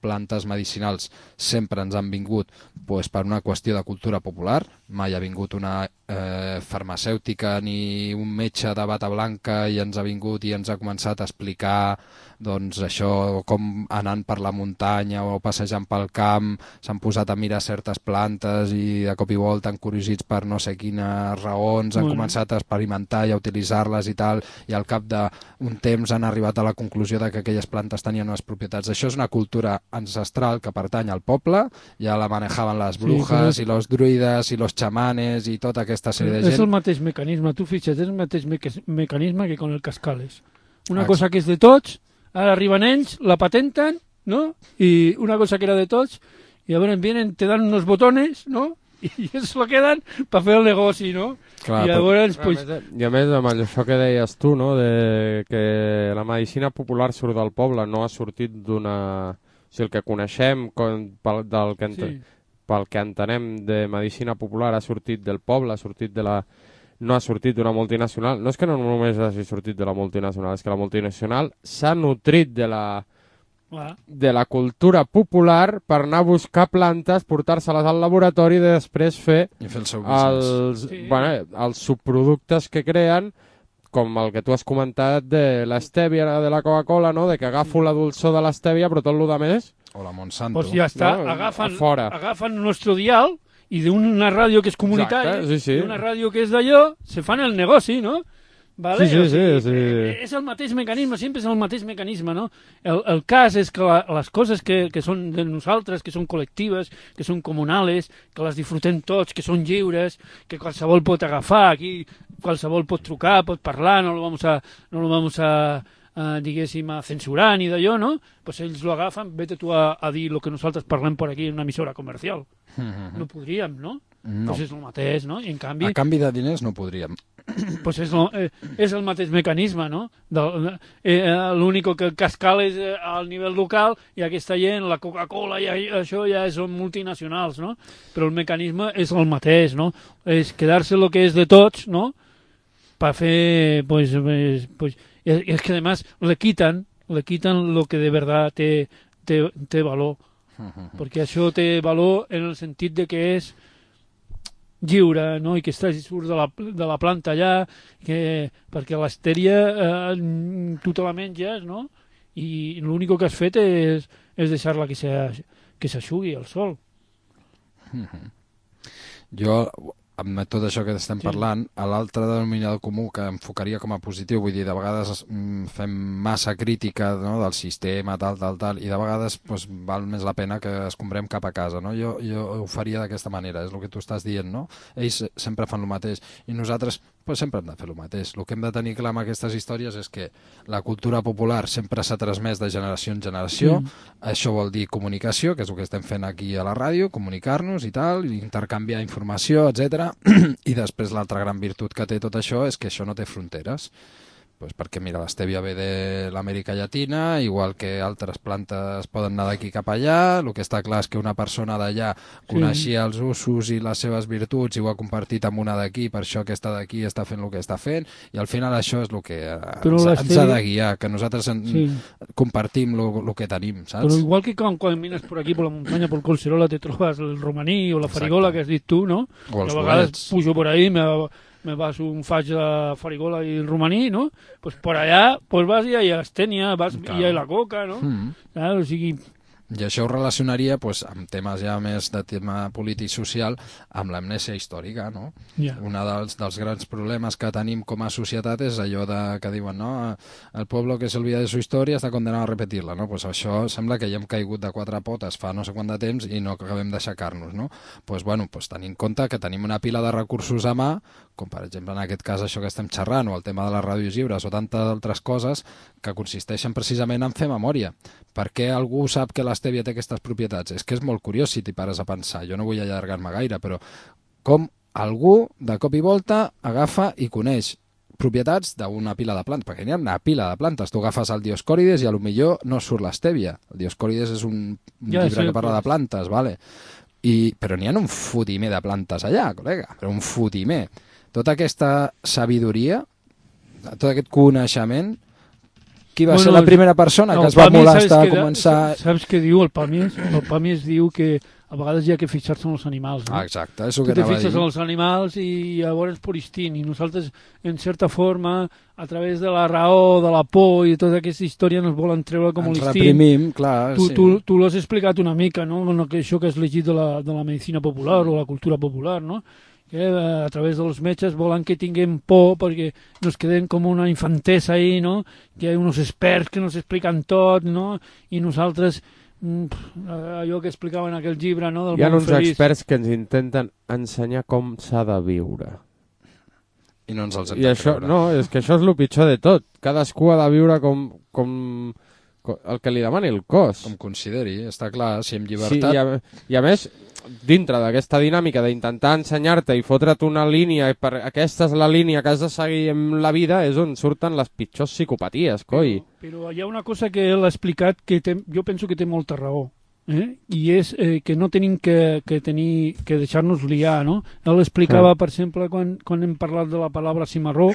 S2: plantes medicinals sempre ens han vingut pues, per una qüestió de cultura popular. Mai ha vingut una eh, farmacèutica ni un metge de bata blanca i ens ha vingut i ens ha començat a explicar doncs, això, com anant per la muntanya o passejant pel camp s'han posat a mirar certes plantes i de cop i volta encuriosits per no sé quines raons, han bueno. començat a experimentar i a utilitzar-les i tal, i al cap d'un temps han arribat a la conclusió de que aquelles plantes tenien unes propietats. Això és una cultura ancestral que pertany al poble, ja la manejaven les brujas sí, i los druides i los xamanes i tota aquesta sèrie de gent.
S5: És el mateix mecanisme, tu fixa't, és el mateix me mecanisme que con el cascales. Una ah, cosa que és de tots, ara arriben ells, la patenten, ¿no? Y una cosa que era de tots, y ahora vienen, te dan unos botones, ¿no? I es lo queden per fer el negoci, no?
S4: Clar,
S5: I llavors,
S4: però,
S5: pues...
S4: I a més, amb això que deies tu, no? De que la medicina popular surt del poble, no ha sortit d'una... O sigui, el que coneixem com, pel, del que ent... sí. pel que entenem de medicina popular ha sortit del poble, ha sortit de la... no ha sortit d'una multinacional. No és que no només hagi sortit de la multinacional, és que la multinacional s'ha nutrit de la... de la cultura popular per anar a buscar plantes, portar-se-les al laboratori i després fer,
S2: I fer el seu
S4: els, sí. bueno, els subproductes que creen, com el que tu has comentat de l'estèvia de la Coca-Cola, no? De que agafo la dolçor de l'estèvia, però tot el que més...
S2: O la Monsanto.
S5: Pues ja està,
S4: no?
S5: agafen,
S4: fora.
S5: agafen nuestro dial i d'una ràdio que és comunitària,
S4: Exacte, sí, sí.
S5: d'una ràdio que és d'allò, se fan el negoci, no? Vale?
S4: Sí, sí,
S5: o sigui,
S4: sí, sí.
S5: És el mateix mecanisme, sempre és el mateix mecanisme, no? El, el cas és que la, les coses que, que són de nosaltres, que són col·lectives, que són comunales, que les disfrutem tots, que són lliures, que qualsevol pot agafar, aquí qualsevol pot trucar, pot parlar, no lo vamos a, no lo vamos a, a diguéssim, a censurar ni d'allò, no? Pues ells lo agafen, vete tu a, a dir el que nosaltres parlem per aquí en una emissora comercial. Mm-hmm. No podríem, no?
S2: No.
S5: Pues és el mateix, no? I en canvi...
S2: A canvi de diners no podríem.
S5: Pues és, lo, eh, és el mateix mecanisme, no? Del, eh, l'únic que cascal és eh, al nivell local i aquesta gent, la Coca-Cola i això ja són multinacionals, no? Però el mecanisme és el mateix, no? És quedar-se el que és de tots, no? Per fer, pues, pues, pues és, és que además le quitan, le quitan lo que de verdad té, té, té valor. Uh-huh. Perquè això té valor en el sentit de que és lliure, no? I que està, surt de la, de la planta allà, que, perquè l'estèria eh, tu te la menges, no? I l'únic que has fet és, és deixar-la que s'aixugui al sol.
S2: Mm-hmm. Jo, amb tot això que estem sí. parlant, a l'altre denominador comú que enfocaria com a positiu, vull dir, de vegades mm, fem massa crítica, no?, del sistema, tal, tal, tal, i de vegades pues, val més la pena que es comprem cap a casa, no? Jo, jo ho faria d'aquesta manera, és el que tu estàs dient, no? Ells sempre fan el mateix, i nosaltres pues, sempre hem de fer el mateix. El que hem de tenir clar amb aquestes històries és que la cultura popular sempre s'ha transmès de generació en generació, mm. això vol dir comunicació, que és el que estem fent aquí a la ràdio, comunicar-nos i tal, intercanviar informació, etcètera. I després l'altra gran virtut que té tot això és que això no té fronteres. Pues perquè, mira, l'estèvia ve de l'Amèrica Llatina, igual que altres plantes poden anar d'aquí cap allà. El que està clar és que una persona d'allà coneixia sí. els usos i les seves virtuts i ho ha compartit amb una d'aquí, per això aquesta d'aquí està fent el que està fent, i al final això és el que ens, ens ha de guiar, que nosaltres en, sí. compartim el que tenim, saps?
S5: Però igual que quan, quan mines per aquí, per la muntanya, per Collserola, te trobes el romaní o la farigola, exacte, que has dit tu, no? O els a vegades bolets. Pujo por ahí, me... me vas un faig de farigola i el romaní, no? Pues por allá, pues vas i hi ha estènia, vas i hi ha la coca, no? Mm. Claro, o sigui...
S2: I això ho relacionaria pues, amb temes ja més de tema polític social, amb l'amnèsia històrica, no? Yeah. Un dels, dels grans problemes que tenim com a societat és allò de, que diuen, no? El poble que s'olvida de su història està condenat a repetir-la, no? Pues això sembla que ja hem caigut de quatre potes fa no sé quant de temps i no acabem d'aixecar-nos, no? Pues, bueno, pues, tenint en compte que tenim una pila de recursos a mà, com per exemple en aquest cas això que estem xerrant, o el tema de les ràdios lliures, o tantes altres coses que consisteixen precisament en fer memòria. Per què algú sap que l'estèvia té aquestes propietats? És que és molt curiós si t'hi pares a pensar. Jo no vull allargar-me gaire, però com algú de cop i volta agafa i coneix propietats d'una pila de plantes, perquè n'hi ha una pila de plantes. Tu agafes el Dioscòrides i a lo millor no surt l'estèvia. El Dioscòrides és un, un ja, llibre sí, que parla pues... de plantes, vale? I, però n'hi ha un fotimer de plantes allà, col·lega, però un fotimer. Tota aquesta sabidoria, tot aquest coneixement, qui va bueno, ser la primera persona que es va molestar a començar...
S5: Saps què diu el Pàmies? El Pàmies diu que a vegades hi ha que fixar-se en els animals. No?
S2: Ah, exacte, és el
S5: que
S2: anava a dir.
S5: Tu te fixes en els animals i llavors per instint, i nosaltres, en certa forma, a través de la raó, de la por i de tota aquesta història ens volen treure com
S2: l'instint.
S5: Ens
S2: reprimim, clar,
S5: tu,
S2: sí.
S5: Tu, tu l'has explicat una mica, no? Això que has llegit de la, de la medicina popular o la cultura popular, no? Que a través dels metges volen que tinguem por perquè nos quedem com una infantesa ahí, no? Que hi ha uns experts que nos expliquen tot, no? I nosaltres, allò que explicaven en aquell llibre, no? Del
S4: hi ha
S5: món
S4: uns
S5: feliç.
S4: Experts que ens intenten ensenyar com s'ha de viure.
S2: I no ens els hem
S4: I
S2: de
S4: això,
S2: creure.
S4: no, és que això és el pitjor de tot. Cadascú ha de viure com... com... el que li demani el cos.
S2: Com consideri, està clar, si amb llibertat...
S4: Sí, i, a, i a més, dintre d'aquesta dinàmica d'intentar ensenyar-te i fotre't una línia, i per aquesta és la línia que has de seguir en la vida, és on surten les pitjors psicopaties, coi.
S5: Però, però hi ha una cosa que ell ha explicat que té, jo penso que té molta raó. Eh? I és eh, que no tenim que, que, tenir, que deixar-nos liar, no? Ell explicava, per exemple, quan, quan hem parlat de la paraula cimarró,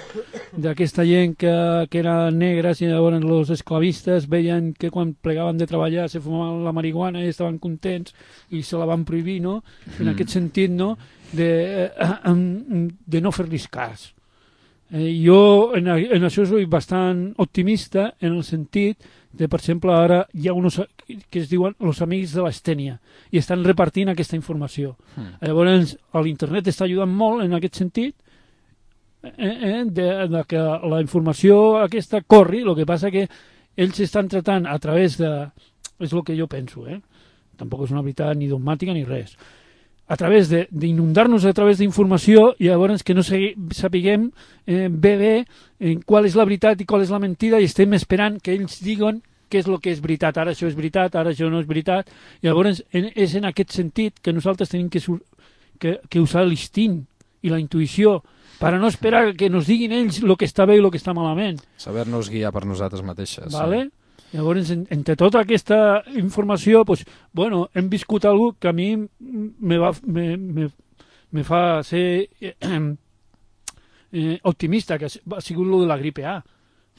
S5: d'aquesta gent que, que era negres i llavors els esclavistes veien que quan plegaven de treballar se fumaven la marihuana i estaven contents i se la van prohibir, no? En mm. aquest sentit, no? De, eh, de no fer-li cas. Eh, jo en, en això soy bastant optimista en el sentit de, per exemple, ara hi ha uns que es diuen els amics de l'Estènia i estan repartint aquesta informació. Mm. Llavors, l'internet està ajudant molt en aquest sentit eh, eh, de, de que la informació aquesta corri, el que passa que ells estan tratant a través de... És el que jo penso, eh? Tampoc és una veritat ni dogmàtica ni res. A través d'inundar-nos a través d'informació i llavors que no sapiguem eh, bé bé eh, qual és la veritat i qual és la mentida i estem esperant que ells diguen què és el que és veritat. Ara això és veritat, ara això no és veritat. I llavors en, és en aquest sentit que nosaltres tenim que, que, que usar l'instint i la intuïció per no esperar que ens diguin ells el que està bé i el que està malament.
S2: Saber-nos guiar per nosaltres mateixes.
S5: Vale?
S2: Sí.
S5: Llavors, en, entre tota aquesta informació, pues, bueno, hem viscut alguna que a mi me, va, me, me, me fa ser eh, eh, optimista, que ha sigut lo de la gripe A,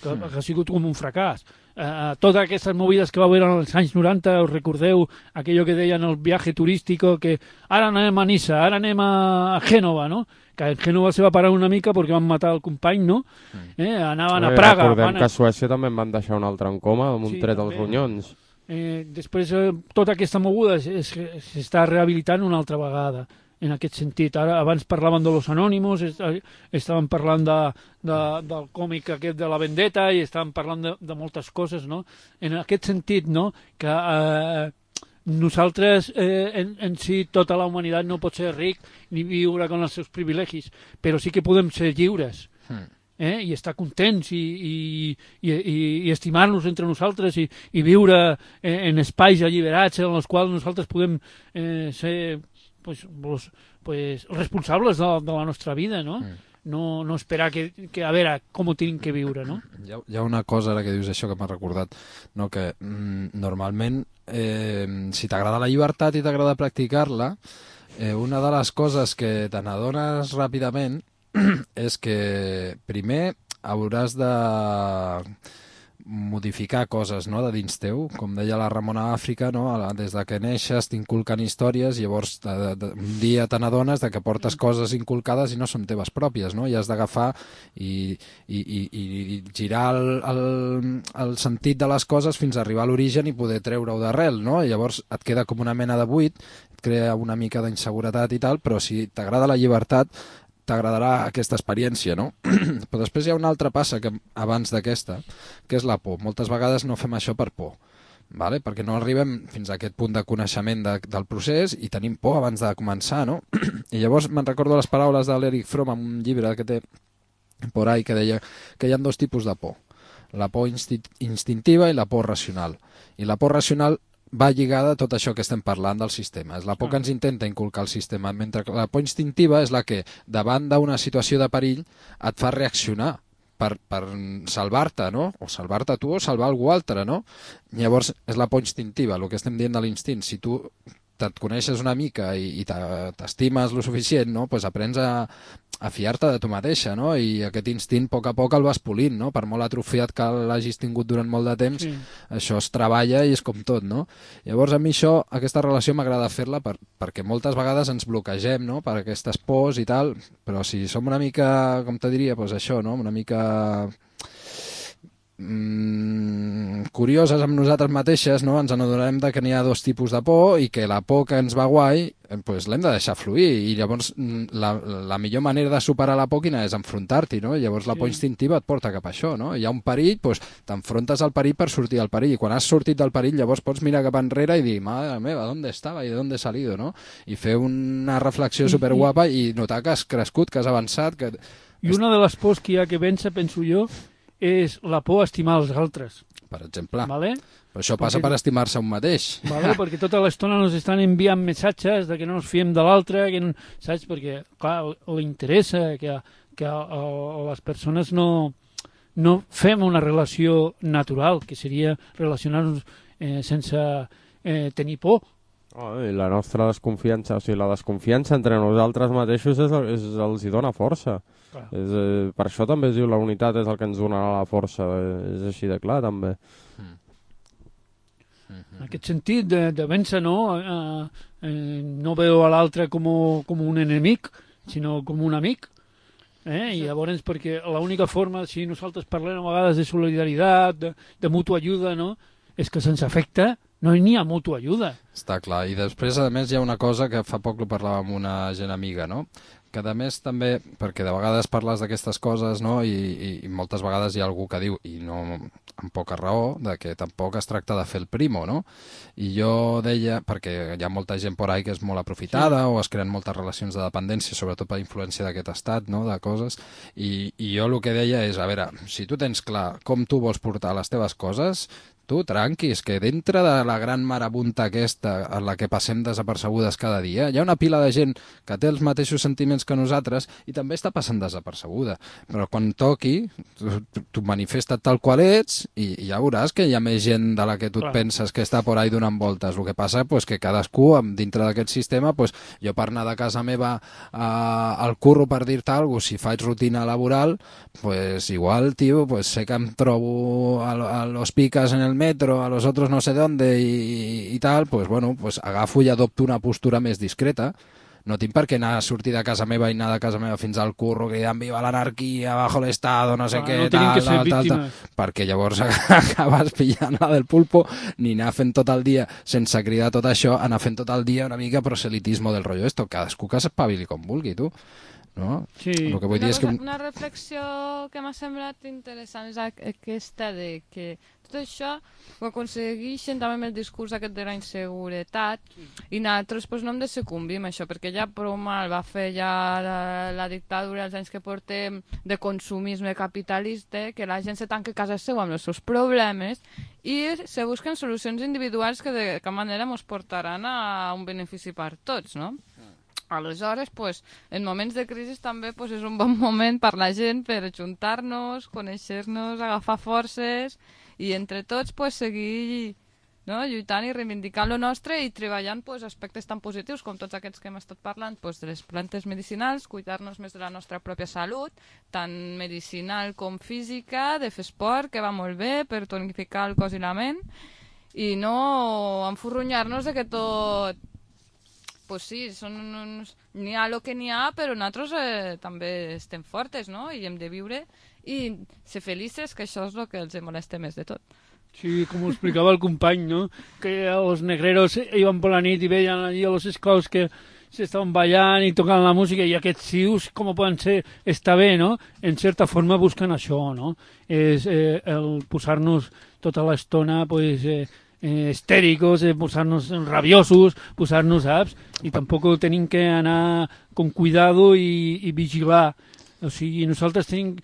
S5: que, mm. que ha sigut com un fracàs. Uh, totes aquestes movides que va haver als anys noranta, us recordeu aquello que deien el viatge turístic, que ara anem a Niça, ara anem a Gènova, no? Que en Gènova se va parar una mica perquè van matar el company, no? Eh, anaven a Praga.
S4: Recordem
S5: van a...
S4: que a Suècia també em van deixar un altre en coma amb un sí, tret als ronyons.
S5: Eh, després, eh, tota aquesta moguda s'està rehabilitant una altra vegada, en aquest sentit. Ara, abans parlaven de los anònimos, est estaven parlant de, de, del còmic aquest de la vendetta i estaven parlant de, de moltes coses, no? En aquest sentit, no?, que eh, nosaltres, eh, en, en si, tota la humanitat no pot ser ric ni viure amb els seus privilegis, però sí que podem ser lliures. Mm. Eh? I estar contents i, i, i, i estimar-nos entre nosaltres i, i viure eh, en espais alliberats en els quals nosaltres podem eh, ser pues, pues, pues, responsables de, de la nostra vida, no? Mm. No, no esperar que, que a veure com ho tenim que viure, no?
S2: Hi ha, hi ha una cosa ara que dius això que m'ha recordat, no? Que mm, normalment eh, si t'agrada la llibertat i t'agrada practicar-la, eh, una de les coses que te n'adones ràpidament és que primer hauràs de modificar coses, no?, de dins teu. Com deia la Ramona Àfrica, no?, des de que neixes t'inculquen històries i llavors de, de, de, un dia te n'adones de que portes coses inculcades i no són teves pròpies, no? I has d'agafar i, i, i, i girar el, el, el sentit de les coses fins a arribar a l'origen i poder treure-ho d'arrel, no? I llavors et queda com una mena de buit, et crea una mica d'inseguretat i tal, però si t'agrada la llibertat t'agradarà aquesta experiència, no? Però després hi ha una altra passa que abans d'aquesta, que és la por. Moltes vegades no fem això per por, vale? Perquè no arribem fins a aquest punt de coneixement de, del procés i tenim por abans de començar, no? I llavors me'n recordo les paraules de l'Eric Fromm en un llibre que té por ahí que deia que hi ha dos tipus de por, la por insti instintiva i la por racional. I la por racional va lligada a tot això que estem parlant del sistema. És la por que ens intenta inculcar el sistema, mentre que la por instintiva és la que, davant d'una situació de perill, et fa reaccionar per, per salvar-te, no? O salvar-te tu o salvar algú altre, no? Llavors, és la por instintiva, el que estem dient de l'instint. Si tu et coneixes una mica i, i t'estimes lo suficient, no? Pues aprens a, a fiar-te de tu mateixa, no? I aquest instint a poc a poc el vas polint, no? Per molt atrofiat que l'hagis tingut durant molt de temps, sí. Això es treballa i és com tot, no? Llavors a mi això, aquesta relació m'agrada fer-la per, perquè moltes vegades ens bloquegem, no? Per aquestes pors i tal, però si som una mica, com te diria, pues això, no? Una mica Mm, curioses amb nosaltres mateixes, no? Ens adonarem de que n'hi ha dos tipus de por i que la por que ens va guai pues, l'hem de deixar fluir i llavors la, la millor manera de superar la por quina és enfrontar-t'hi, no? Llavors la por instintiva et porta cap a això, no? Hi ha un perill, pues, t'enfrontes al perill per sortir del perill i quan has sortit del perill llavors pots mirar cap enrere i dir, madre meva, ¿dónde estava i de dónde he salido, no? I fer una reflexió superguapa i notar que has crescut, que has avançat que...
S5: I una de les pors que hi ha que vèncer, penso jo, és la por a estimar els altres.
S2: Per exemple.
S5: Vale?
S2: Però això passa perquè... per estimar-se un mateix.
S5: Vale? Perquè tota l'estona ens estan enviant missatges de que no ens fiem de l'altre, que no... saps? Perquè, clar, li interessa que, que a, a les persones no, no fem una relació natural, que seria relacionar-nos eh, sense eh, tenir por.
S4: Oh, i la nostra desconfiança, o sigui, la desconfiança entre nosaltres mateixos és, és, els hi dona força. És, eh, per això també es diu la unitat és el que ens donarà la força, eh, és així de clar també.
S5: Mm. En aquest sentit de, de vèncer, no? Eh, eh, no veu a l'altre com, com un enemic, sinó com un amic. Eh? I llavors, perquè l'única forma, si nosaltres parlem a vegades de solidaritat, de, de mutua ajuda, no? És que se'ns afecta no n'hi ha mutua ajuda.
S2: Està clar, i després a més hi ha una cosa que fa poc ho parlava amb una gent amiga, no? Que a més també, perquè de vegades parles d'aquestes coses, no? I, i, i moltes vegades hi ha algú que diu, i no amb poca raó, de que tampoc es tracta de fer el primo, no? I jo deia, perquè hi ha molta gent por ahí que és molt aprofitada, sí, o es creen moltes relacions de dependència, sobretot per influència d'aquest estat, no? De coses, i, i jo el que deia és, a veure, si tu tens clar com tu vols portar les teves coses, tu, tranquis, que dintre de la gran marabunta aquesta en la que passem desapercebudes cada dia, hi ha una pila de gent que té els mateixos sentiments que nosaltres i també està passant desapercebuda. Però quan toqui, tu, tu manifesta't tal qual ets i, i ja veuràs que hi ha més gent de la que tu et penses que està por ahí donant voltes. El que passa pues, que cadascú, dintre d'aquest sistema, pues, jo per anar de casa meva a, al curro, per dir-te alguna cosa, si faig rutina laboral, pues igual, tio, pues sé que em trobo a, a los picas en el metro, a los otros no sé dónde y, y tal, pues bueno, pues agafo i adopto una postura més discreta. No tinc per què anar a sortir de casa meva i anar de casa meva fins al curro, que ja viva l'anarquia, bajo l'estado, no sé ah, què,
S5: no
S2: tal, tal, tal, tal, perquè llavors acabes pillant la del pulpo, ni anar fent tot el dia, sense cridar tot això, anar fent tot el dia una mica proselitismo del rollo esto, cadascú que s'espavili com vulgui, tu. No?
S3: Sí.
S2: El que vull
S3: una,
S2: dir és que...
S3: una reflexió que m'ha semblat interessant és aquesta de que tot això ho aconsegueixen també amb el discurs aquest de la inseguretat i nosaltres pues, no hem de sucumbir amb això perquè ja prou mal va fer ja la, la dictadura els anys que portem de consumisme capitalista que la gent se tanca a casa seva amb els seus problemes i se busquen solucions individuals que de cap manera ens portaran a un benefici per tots, no? Aleshores, pues, en moments de crisi també pues, és un bon moment per la gent per ajuntar-nos, conèixer-nos, agafar forces i entre tots pues, seguir no? lluitant i reivindicant lo nostre i treballant pues, aspectes tan positius com tots aquests que hem estat parlant pues, de les plantes medicinals, cuidar-nos més de la nostra pròpia salut, tant medicinal com física, de fer esport, que va molt bé per tonificar el cos i la ment i no enfurrunyar-nos de que tot pues sí, són uns... n'hi ha el que n'hi ha, però nosaltres eh, també estem fortes, no? I hem de viure i ser felices, que això és el que els molesta més de tot.
S5: Sí, com ho explicava el company, no? Que els negreros iban per la nit i veien allí a los scouts que s'estaven ballant i tocant la música i aquests cius, com poden ser, està bé, no? En certa forma busquen això, no? És eh, el posar-nos tota l'estona, pues... Eh, Eh, estèricos, eh, posar-nos rabiosos, posar-nos saps, i tampoc tenim que anar con cuidado i, i vigilar. O sigui, nosaltres tenim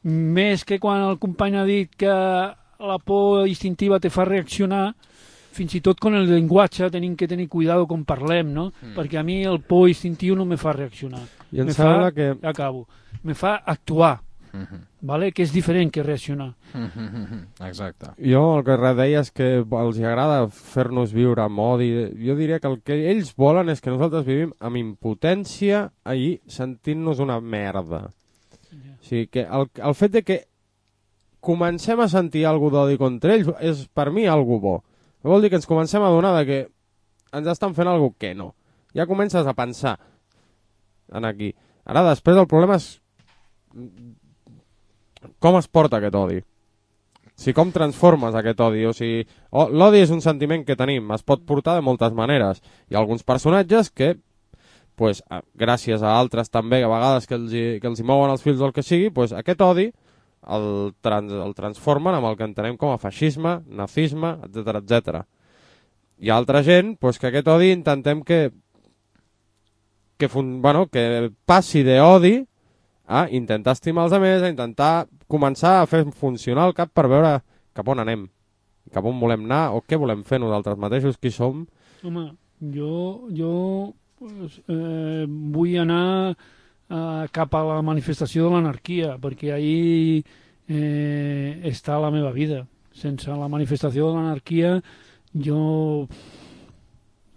S5: més que quan el company ha dit que la por instintiva te fa reaccionar, fins i tot con el llenguatge tenim que tenir cuidado com parlem, no? Mm. Perquè a mi el por instintiu no me fa reaccionar.
S4: I em
S5: me
S4: sembla
S5: fa,
S4: que...
S5: Acabo. Me fa actuar. Uh-huh. Vale? Que és diferent que reaccionar.
S2: Uh-huh. Exacte.
S4: Jo el que deia és que els agrada fer-nos viure amb odi. Jo diria que el que ells volen és que nosaltres vivim amb impotència i sentint-nos una merda. Yeah. O sigui, que el, el fet de que comencem a sentir alguna d'odi contra ells és per mi algo bo. Vol dir que ens comencem a donar de que ens estan fent alguna que no. Ja comences a pensar en aquí. Ara després el problema és com es porta aquest odi? O sigui, com transformes aquest odi? O sigui, oh, l'odi és un sentiment que tenim, es pot portar de moltes maneres. Hi ha alguns personatges que, pues, gràcies a altres també, a vegades que els, hi, que els hi mouen els fils del que sigui, pues, aquest odi el, trans, el transformen amb el que entenem com a feixisme, nazisme, etcètera, etcètera. Hi ha altra gent pues, que aquest odi intentem que, que, fun, bueno, que passi d'odi a intentar estimar els altres, a intentar començar a fer funcionar el cap per veure cap on anem, cap on volem anar o què volem fer nosaltres mateixos, qui som.
S5: Home, jo, jo pues, eh, vull anar eh, cap a la manifestació de l'anarquia, perquè ahí eh, està la meva vida. Sense la manifestació de l'anarquia jo...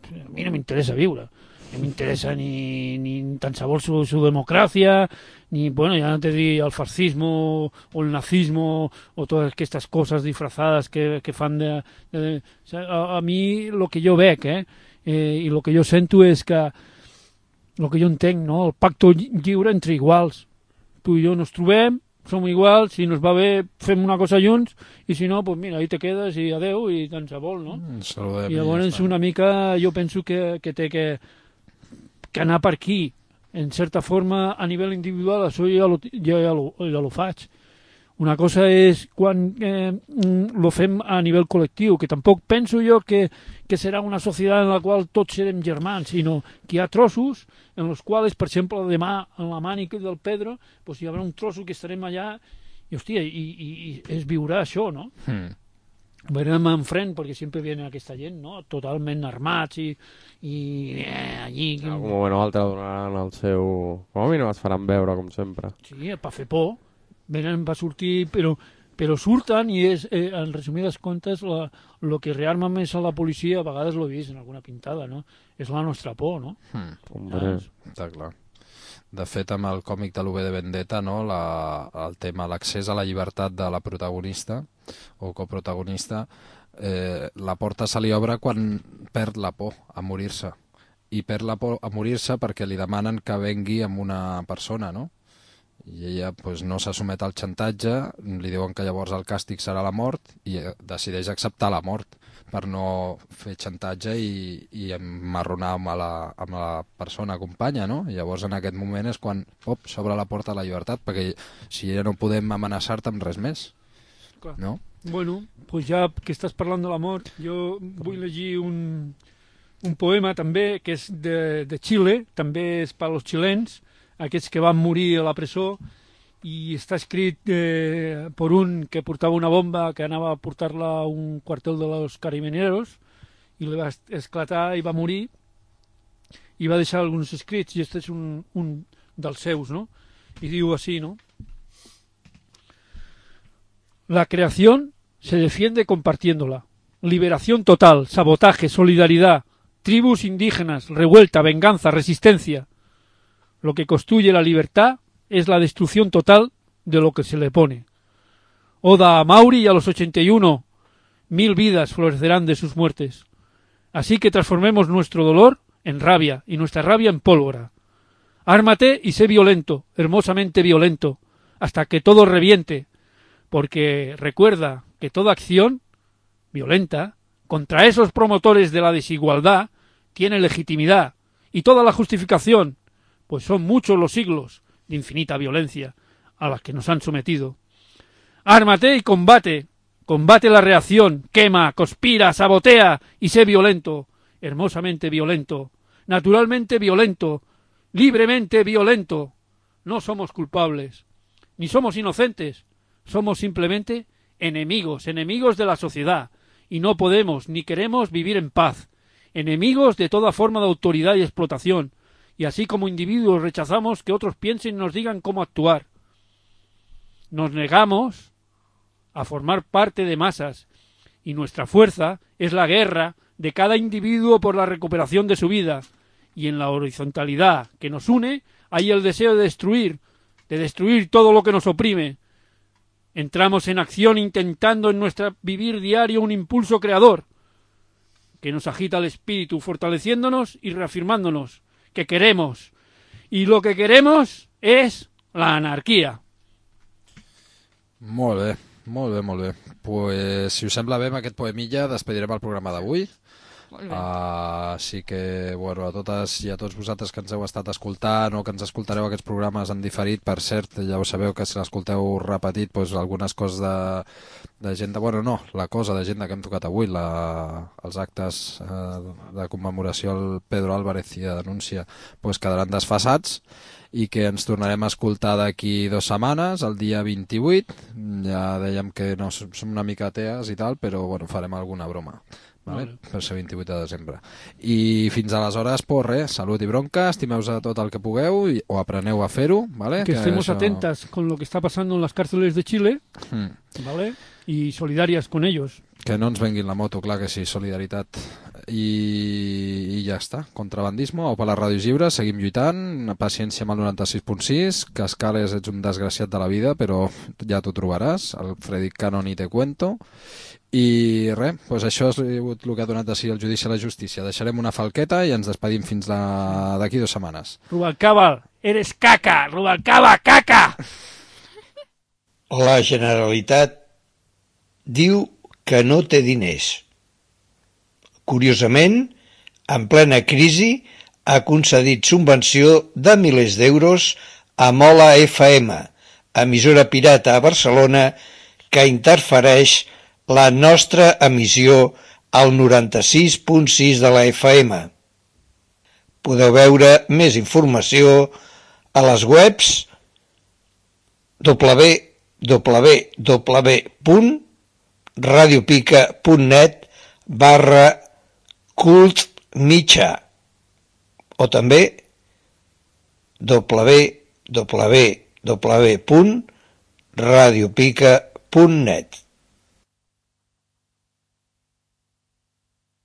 S5: a mi no m'interessa viure. No m'interessa ni, ni tan sabor su, su democracia, ni, bueno, ya no te di el fascismo o el nazismo o todas estas cosas disfrazadas que, que fan de... de, de o sea, a, a mi lo que jo veig, eh, eh, i lo que jo sento és que lo que jo entenc, no?, el pacte lliure entre iguals. Tu i jo nos trobem, som iguals, si nos va bé fem una cosa junts, i si no, pues mira, ahí te quedes i adeu, i tant se vol, no?
S2: Mm, saludem
S5: I llavors una mica jo penso que, que té que, que anar per aquí, en certa forma, a nivell individual, això ja lo, ja, ja lo, ja lo faig. Una cosa és quan eh, lo fem a nivell col·lectiu, que tampoc penso jo que, que serà una societat en la qual tots serem germans, sinó que hi ha trossos en els quals, per exemple, demà en la mànica del Pedro, pues hi haurà un trosso que estarem allà i, hòstia, i, i, i es viurà això, no?
S2: Mm.
S5: Verem enfront, perquè sempre viene aquesta gent, no? Totalment armats i, i eh, allí...
S4: En algun moment o altre donaran el seu... Com a mínim es faran veure, com sempre.
S5: Sí, per fer por. Venen, va sortir, però, però surten i és, eh, en resumides comptes, el que rearma més a la policia, a vegades l'he vist en alguna pintada, no? És la nostra por, no?
S2: Hmm.
S5: Ah,
S2: Està clar. De fet, amb el còmic de l'U V de Vendetta, no, la, el tema, l'accés a la llibertat de la protagonista o coprotagonista, eh, la porta se li obre quan perd la por a morir-se. I perd la por a morir-se perquè li demanen que vengui amb una persona, no? I ella pues, no s'assumet al xantatge, li diuen que llavors el càstig serà la mort i decideix acceptar la mort per no fer xantatge i, i emmarronar amb la, amb la persona companya, no? I llavors en aquest moment és quan op, s'obre la porta a la llibertat, perquè si ja no podem amenaçar-te amb res més,
S5: clar.
S2: No?
S5: Bueno, pues ja que estàs parlant de la mort, jo vull llegir un, un poema també, que és de, de Xile, també és per als xilens, aquests que van morir a la presó, i està escrit eh, per un que portava una bomba que anava a portar-la a un quartel de los carabineros i li va esclatar i va morir i va deixar alguns escrits i este és un, un dels seus, no? Y digo así, ¿no? La creación se defiende compartiéndola. Liberación total, sabotaje, solidaridad, tribus indígenas, revuelta, venganza, resistencia. Lo que construye la libertad es la destrucción total de lo que se le pone. Oda a Mauri y a los ochenta y uno. Mil vidas florecerán de sus muertes. Así que transformemos nuestro dolor en rabia y nuestra rabia en pólvora. Ármate y sé violento, hermosamente violento, hasta que todo reviente, porque recuerda que toda acción violenta contra esos promotores de la desigualdad tiene legitimidad y toda la justificación, pues son muchos los siglos de infinita violencia a las que nos han sometido. Ármate y combate, combate la reacción, quema, conspira, sabotea y sé violento, hermosamente violento, naturalmente violento, libremente violento. No somos culpables, ni somos inocentes, somos simplemente enemigos, enemigos de la sociedad, y no podemos ni queremos vivir en paz, enemigos de toda forma de autoridad y explotación, y así como individuos rechazamos que otros piensen y nos digan cómo actuar. Nos negamos a formar parte de masas, y nuestra fuerza es la guerra de cada individuo por la recuperación de su vida, y en la horizontalidad que nos une hay el deseo de destruir, de destruir todo lo que nos oprime. Entramos en acción intentando en nuestro vivir diario un impulso creador que nos agita el espíritu, fortaleciéndonos y reafirmándonos que queremos. Y lo que queremos es la anarquia.
S2: Molt bé, molt bé, molt bé. Pues, si us sembla bé, amb aquest poemilla despedirem el programa d'avui. Uh, així que, bueno, a totes i a tots vosaltres que ens heu estat escoltant o que ens escoltareu aquests programes en diferit, per cert, ja ho sabeu que si l'escolteu repetit, pues, algunes coses de, de gent de... Bueno, no, la cosa de gent que hem tocat avui, la, els actes uh, de commemoració al Pedro Álvarez i de denúncia, pues, quedaran desfasats i que ens tornarem a escoltar d'aquí dues setmanes, el dia vint-i-vuit. Ja dèiem que no som una mica atees i tal, però bueno, farem alguna broma. Vale? Per ser vint-i-vuit de desembre. I fins aleshores, pues res, salut i bronca, estimeu a tot el que pugueu i, o apreneu a fer-ho, ¿vale?
S5: Que, que estemos
S2: eso...
S5: atentas con lo que está pasando en las cárceles de Chile, mm. ¿vale? Y solidarias con ellos.
S2: Que no ens venguin la moto, clar que sí, solidaritat. I, i ja està, contrabandisme, o per les ràdios lliures, seguim lluitant, paciència amb el noranta-sis punt sis, que Escales ets un desgraciat de la vida, però ja t'ho trobaràs, el Freddy Cannon i te cuento. I res, doncs això és el que ha donat de si el judici a la justícia. Deixarem una falqueta i ens despedim fins d'aquí dues setmanes.
S5: Rubalcaba, eres caca! Rubalcaba, caca!
S1: La Generalitat diu que no té diners. Curiosament, en plena crisi, ha concedit subvenció de milers d'euros a Mola F M, emissora pirata a Barcelona que interfereix la nostra emissió al noranta-sis punt sis de la F M. Podeu veure més informació a les webs w w w punt radiopica punt net barra cult mitjà o també w w w punt radiopica punt net.